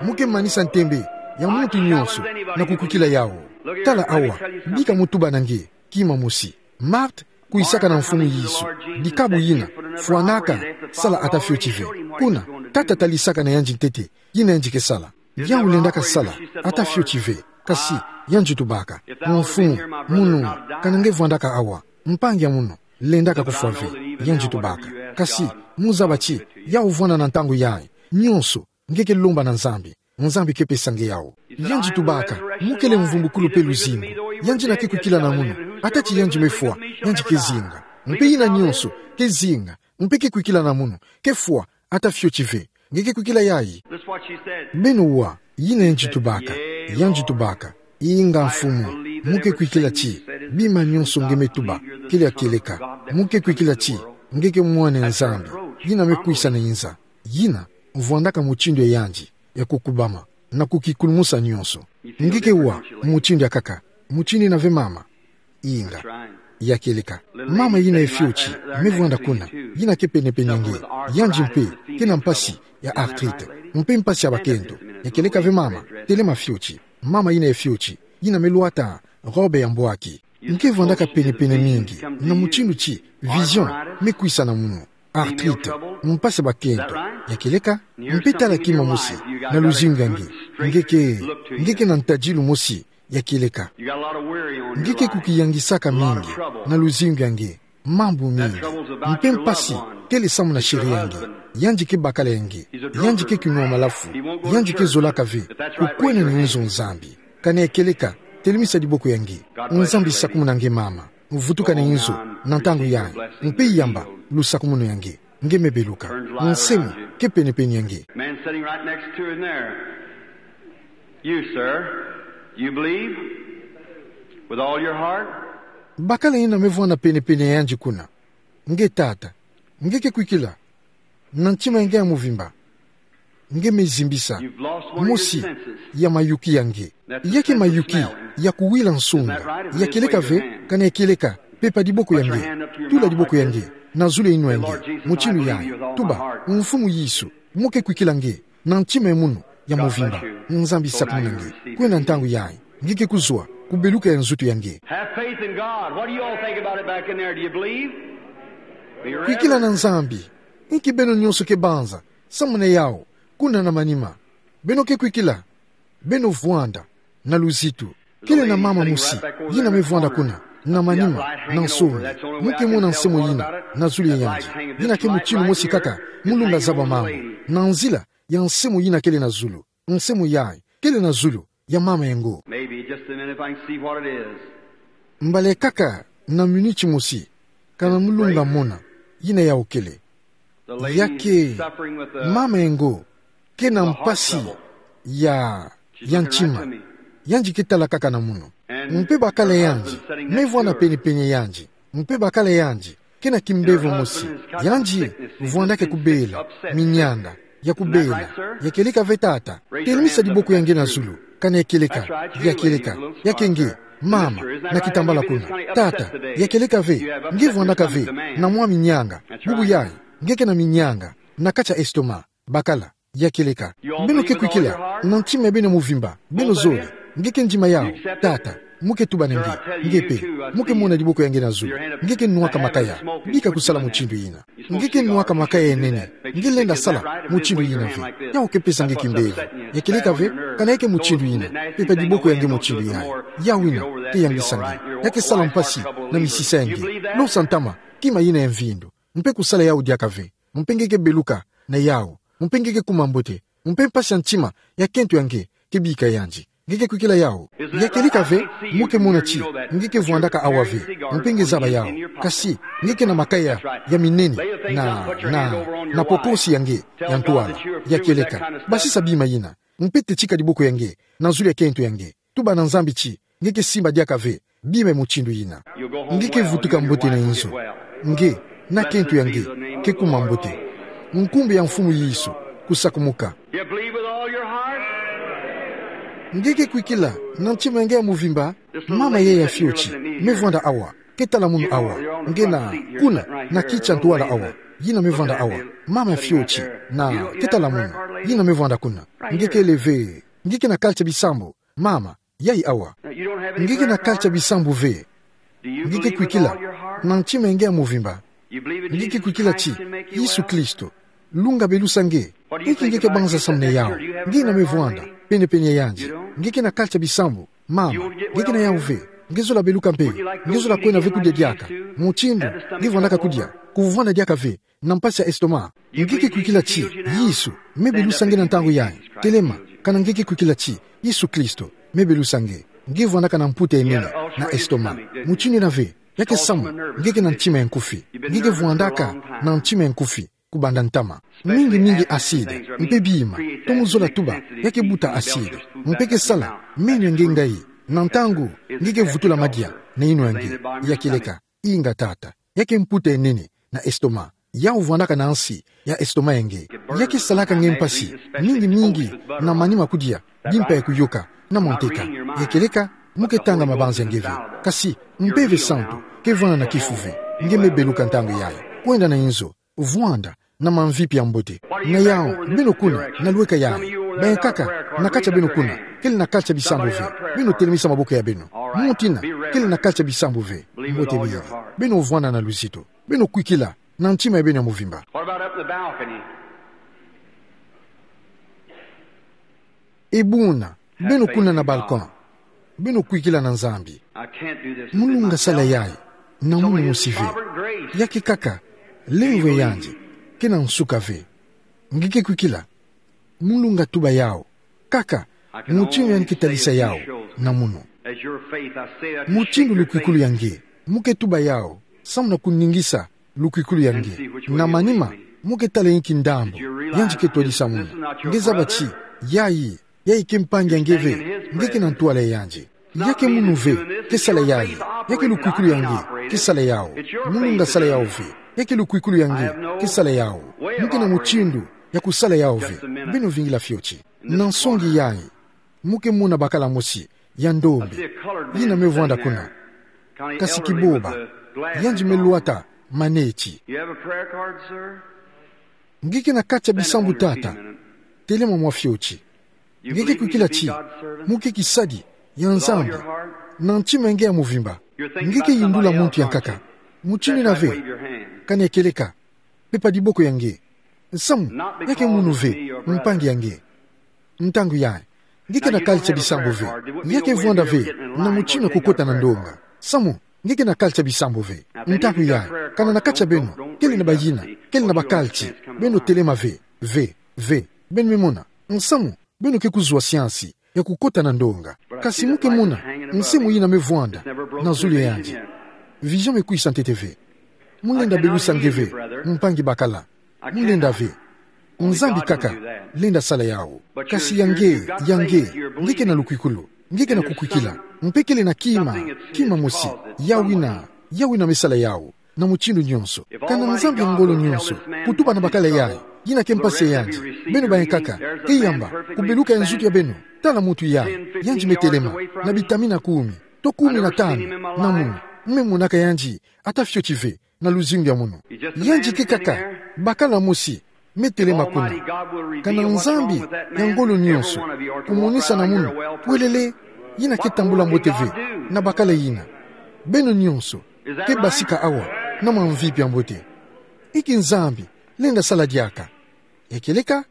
Mo ke manisa ntembe ya muntu nyonso na kukwikila yawu. Tala awa, bika mo tuba na nge kima mosi. Marthe kwisaka na Mfumu Yesu, dikabu yina fwanaka sala ata fioti ve. Kuna, tata talisaka na yandi ntete yina yandi ke sala. Yawu lendaka sala ata fioti ve. Kasi yandi tubaka: Mfumu, munu, kana nge vwandaka awa, mpangi ya munu lendaka kufwa ve. Yandi tubaka: Kasi mo zaba ti yawu vwanda na ntangu yayi. Nyonso nge ke lomba na Nzambi, Nzambi ke pesa nge yawu. Yandi tubaka: Mo kele mvumbukulu mpe luzingu. Yandi yina ke kwikila na munu, ata ti yandi me fwa, yandi ke zinga. Mpe yina nyonso ke zinga, mpe ke kwikila na munu, ke fwa ata fioti ve. Nge ke kwikila yayi? Beno wa yina yandi tubaka. Yandi tubaka: Inga Mfumu, mo ke kwikila ti bima nyonso nge me tuba kele ya kieleka? Mo ke kwikila ti nge ke Mwana ya Nzambi yina me kwisa na inza? Yina vwandaka mutindu ya yandi ya kukubama na kukikulumusa nyonso. Nge ke wa mutindu ya kaka, mutindu yina ve, mama? Inga. Ya kieleka. Mama yina ya fioti me vwanda kuna, yina ke penepene a nge, yandi mpe ke na mpasi ya arthrite mpe mpasi ya bakento. Ya kieleka ve, mama? Telema fioti. Mama yina ya fioti, yina me lwata robe ya mbwaki. Nge ke vwandaka pene-pene mingi, na mutindu ti, vision, me kwisa na munu. Arthrite, mpasi ya bakento. Ya kieleka, mpe tala kima mosi, na luzingu ya nge. Nge ke, nge ke na ntadilu mosi, ya kieleka. Nge ke kukiyangisaka mingi, na luzingu ya nge. Mambu mingi. Mpe mpasi, kele samu na sheri ya nge. Yandi ke bakala ya nge. Yandi ke kinua malafu. Yandi ke zolaka ve. Kukwena ni nzo Nzambi. Kana ya kieleka, telemisa diboko ya nge. Nzambi sakumuna nge mama. Vutuka na nzo, na ntangu yayi. Mpe yamba, lusakumunu ya nge. Nge me beluka. Nsemo, ke pene-pene ya nge. Man sitting right next to her in there. You, sir, you believe with all your heart? Bakala yina me vwanda pene-pene ya yandi kuna. Nge tata. Nge ke kwikila. Na ntima ya nge ya muvimba. Nge me zimbisa. Mosi ya mayuki ya nge. Ya ke mayuki ya kuwila nsonga. Ya kieleka ve, kana ya kieleka, pepa diboko ya nge. Tula diboko ya nge. Na zulu ya inwa ya nge. Mutindu yayi. Tuba, Mfumu Yesu. Mo ke kwikila nge. Na ntima ya munu, ya muvimba. Nzambi sakumuna nge. Kwena ntangu yayi. Nge ke kuzwa, kubeluka ya nzutu ya nge. Have faith in God. What do you all think about it back in there? Do you believe? Kwikila na Nzambi. Inki beno nyonso ke banza, samu na yawu, kuna na manima. Beno ke kwikila. Beno vwanda, na luzitu. Kele na mama mosi, yina me vwanda kuna, na manima, na nsoni. Mo ke mona nsemo yina, na zulu ya yandi. Yina ke mutindu mosi kaka, mo lunga zaba mambu. Na nzila, ya nsemo yina kele na zulu. Nsemo yayi, kele na zulu, ya mama ya ngo. Maybe just a minute if I can see what it is. Mbala kaka na miniti mosi, kana mo lunga mona, yina yawu kele. Ya ke, mama ya ngo, ke na mpasi, ya, ya ntima. Yandi ke tala kaka na munu. Mpe bakala yandi, me vwanda pene-pene ya yandi. Mpe bakala yandi, ke na kimbevo mosi, yandi, vwandaka kubela, minyanga, ya kubela, ya kieleka ve tata, telemisa diboko ya nge na zulu, kana ya kieleka, ya kieleka, ya ke nge, mama, na kitambala kuna, tata, ya kieleka ve, nge vwandaka ve, na mwa minyanga, bubu yayi, nge ke na minyanga, na kati ya estomac, bakala. Ya kieleka. Beno ke kwikila, na ntima ya beno muvimba, beno zole, nge ke ndima yawu, tata, mo ke tuba na nge, nge pe, mo ke mona diboko ya nge na zulu, nge ke nwaka makaya, bika kusala mutindu yina. Nge ke nwaka makaya ya nene, nge lenda sala, mutindu yina ve, yawu ke pesa nge kimbevo. Ya kieleka ve, kana ya ke mutindu yina, pepa diboko ya nge mutindu yayi, yawu yina, ke yangisa nge, ya ke sala mpasi, na misisa ya nge, losa ntama, kima yina ya mvindu, mpe kusala yawu diaka ve. Mpe nge ke beluka, na yawu. Mpe nge ke kuma mbote. Mpe mpasi ya ntima, ya kento ya nge, ke bika yandi. Nge ke kwikila yawu. Ya kieleka ve, mo ke mona ti, nge ke vwandaka awa ve. Mpe nge zaba yawu. Kasi, nge ke na makaya, ya minene, na, na, na pokosi ya nge, ya ntwala. Ya kieleka. Basisa bima yina. Mpe tetika diboko ya nge, na zulu ya kento ya nge. Tuba na Nzambi ti, nge ke simba diaka ve, bima mutindu yina. Nge ke vutuka mbote na inzo. Nge, na kento ya nge, ke kuma mbote. Nkumbu ya Mfumu Yesu, kusakumuka. You believe with all your heart? Nge ke kwikila, na ntima ya nge ya muvimba, mama yayi ya fioti, me vwanda awa, ke tala munu awa, nge na, kuna, na kiti ya ntwala awa, yina me vwanda awa, mama ya fioti, na, ke tala munu, yina me vwanda kuna, nge kele ve, nge ke na kalati bisambu, mama, yayi awa. Nge ke na kalati bisambu ve. Nge ke kwikila. Na ntima ya nge ya muvimba. Nge ke kwikila ti. Yesu Kristo. Lunga belusa nge. Inki nge ke banza samu na yawu. Nge na me vwanda. Pene-pene ya yandi. Nge ke na kalati bisambu. Mama. Nge ke na yawu ve. Nge zola beluka mpe. Nge zola kwenda ve kudia diaka. Mutindu. Nge vwandaka kudia. Kuvwanda diaka ve. Na mpasi ya estomac. Nge ke kwikila ti, Yesu, me belusa nge na ntangu yayi. Telema, kana nge ke kwikila ti, Yesu Kristo, me belusa nge. Nge vwandaka na mputa ya nene, na estomac. Mutindu yina ve, ya ke samu, nge ke na ntima ya nkufi. Nge ke vwandaka, na ntima ya nkufi, kubanda ntama. Mingi mingi acide, mpe bima, tomo zola tuba, ya ke buta acide. Mpe ke sala, meno ya nge ngayi, na ntangu, nge ke vutula madia, na inwa ya nge, ya kieleka. Inga tata. Ya ke mputa ya nene, na estomac. Yawu vwandaka na nsi, ya estomac ya nge. Ya ke salaka nge mpasi, mingi mingi, na manima kudia, bimpa ya kuyoka, na manteka. Ya kieleka, mo ke tanga mabanza ya nge ve. Kasi, Mpeve Santu, ke vwanda na kifu ve. Nge me beluka ntangu yayi. Kwenda na inzo, vwanda, na mamvipi ya mbote. Na yawu, beno kuna, na lweka yayi. Bayankaka, na kati ya beno kuna, kele na kalati bisambu ve. Beno telemisa maboko ya beno. Muti na, kele na kati ya bisambu ve. Mbote mingi. Beno vwanda na luzito. Beno kwikila na ntima ya beno ya mvimba. What about up in the balcony? Ebuna, beno kuna na balcon. Beno kwikila na Nzambi. I can't do this. Mulunga sala yayi na munu mosi ve. Ya ke kaka, lemvo yandi kena nsuka ve. Nge ke kwikila? Mulunga tuba yawu. Kaka, mutindu yandi ke talisa yawu na munu. Mutindu lukwikulu ya nge, mo ke tuba yawu, samu na kuningisa lukwikulu ya nge. Na manima, mo ke tala inki ndambu yandi ke twadisa munu. Nge zaba ti, yayi, yayi ke mpangi ya nge ve, nge kena ntwala ya yandi. Ya ke munu ve ke sala yayi, ya ke lukwikulu ya nge ke sala yawu. Mulunga sala yawu ve. Ya ke lukwikulu ya nge ke sala yawu. Mo kena mutindu ya kusala yawu ve. Beno vingila fioti. Na nsongi yayi, mo ke mona bakala mosi ya ndombe yina me vwanda kuna. Kasi kiboba, yandi me lwata maneti. You have a prayer card, sir? Nge kena kati ya bisambu, tata? Telema mwa fioti. Nge ke kwikila ti mo ke kisadi ya Nzambi na ntima ya nge ya mvimba? Nge ke yindula muntu ya nkaka mutindu ina ve? Kani ekeleka, pepa diboko ya nge. Nsamu, ya ke munu ve mpangi ya nge. Ntangu yayi, nge kena kati ya bisambu ve? Ya ke vwanda ve na mutindu ya kukota na ndonga? Nsamu, nge kena kati ya bisambu ve? Ntangu yayi, kana na kati ya beno kele na bayina, kele na bakati, beno telema ve, ve, ve. Beno me mona. Nsamu, beno ke kuzwa siansi ya kukota na ndonga. Kasi mo ke mona nse moyina me vwanda na zulu ya yandi. Vision me kwisa ntete ve. Mo lenda belusa nge ve, mpangi bakala. Mo lenda ve. Nzambi kaka lenda sala yawu. Kasi ya nge, ya nge, nge kena lukwikulu, nge kena kukwikila. Mpe kele na kima, kima mosi, yawu ina, yawu ina me sala yawu na mutindu nyonso. Kana Nzambi ya ngolo nyonso kutuba na bakala yayi, yina ke mpasi ya yandi, beno bayankaka, ke yamba kubeluka ya nzutu ya beno. Tala muntu yayi, yandi me telema na bitamina kumi to kumi na tanu na munu. Mo me monaka yandi ata fioti ve na luzingu ya munu. Yandi ke kaka bakala mosi me telema kuna. Kana Nzambi ya ngolo nyonso kumonisa na munu pwelele yina ke tambula mbote ve na bakala yina. Beno nyonso ke basika awa na mwa mvipi ya mbote. Inki Nzambi lenda sala diaka? Ekeleka?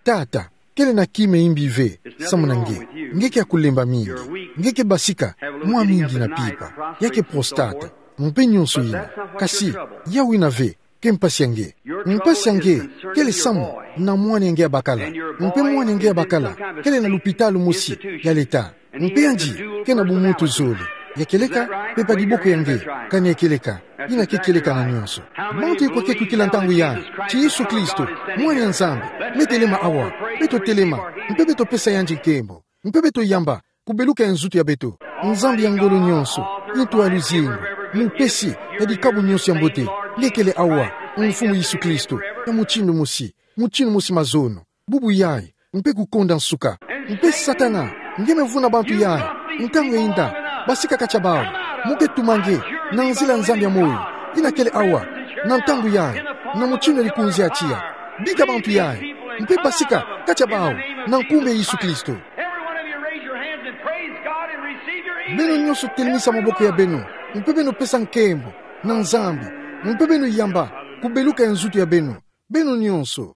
Tata, kele na kima ya mbi ve samu na nge. Nge ke ya kulemba mingi. Nge ke basika mwa mingi na pipa, ya ke prostate, mpe nyonso yina. Kasi yawu ina ve ke mpasi ya nge. Mpasi ya nge kele samu na mwana ya nge ya bakala. Mpe mwana ya nge ya bakala kele na lupitalu mosi ya leta. Mpe yandi kena bumuntu zole. Ekeleka? Pepa diboko ya nge. Kani ekeleka? Yina ke kieleka na nyonso. Bantu ikwa ke kwikila ntangu yayi ti Yesu Kristo, Mwana ya Nzambi, me telema awa? Beto telema mpe beto pesa yandi nkembo, mpe beto yamba kubeluka ya nzutu ya beto. Nzambi ya ngolo nyonso, muntu ya luzingu, mupesi ya dikabu nyonso ya mbote, nge kele awa, Mfumu Yesu Kristo, ya mutindu mosi, mutindu mosi mazono, bubu yayi, mpe kukonda nsuka. Mpe Satana, nge me vuna bantu yayi ntangu ya inda, basika kati ya bawu. Mo ke tuma nge na nzila ya Nzambi ya moyo, yina kele awa, na ntangu yayi, na mutindu ya likunzi ya tiya. Bika bantu yayi, mpe basika kati ya bawu, na nkumbu ya Yesu Kristo. Every one of you raise your hands and praise God and receive your healing. Beno nyonso telemisa maboko ya beno, mpe beno pesa nkembo na Nzambi, mpe beno yamba kubeluka ya nzutu ya beno. Beno nyonso.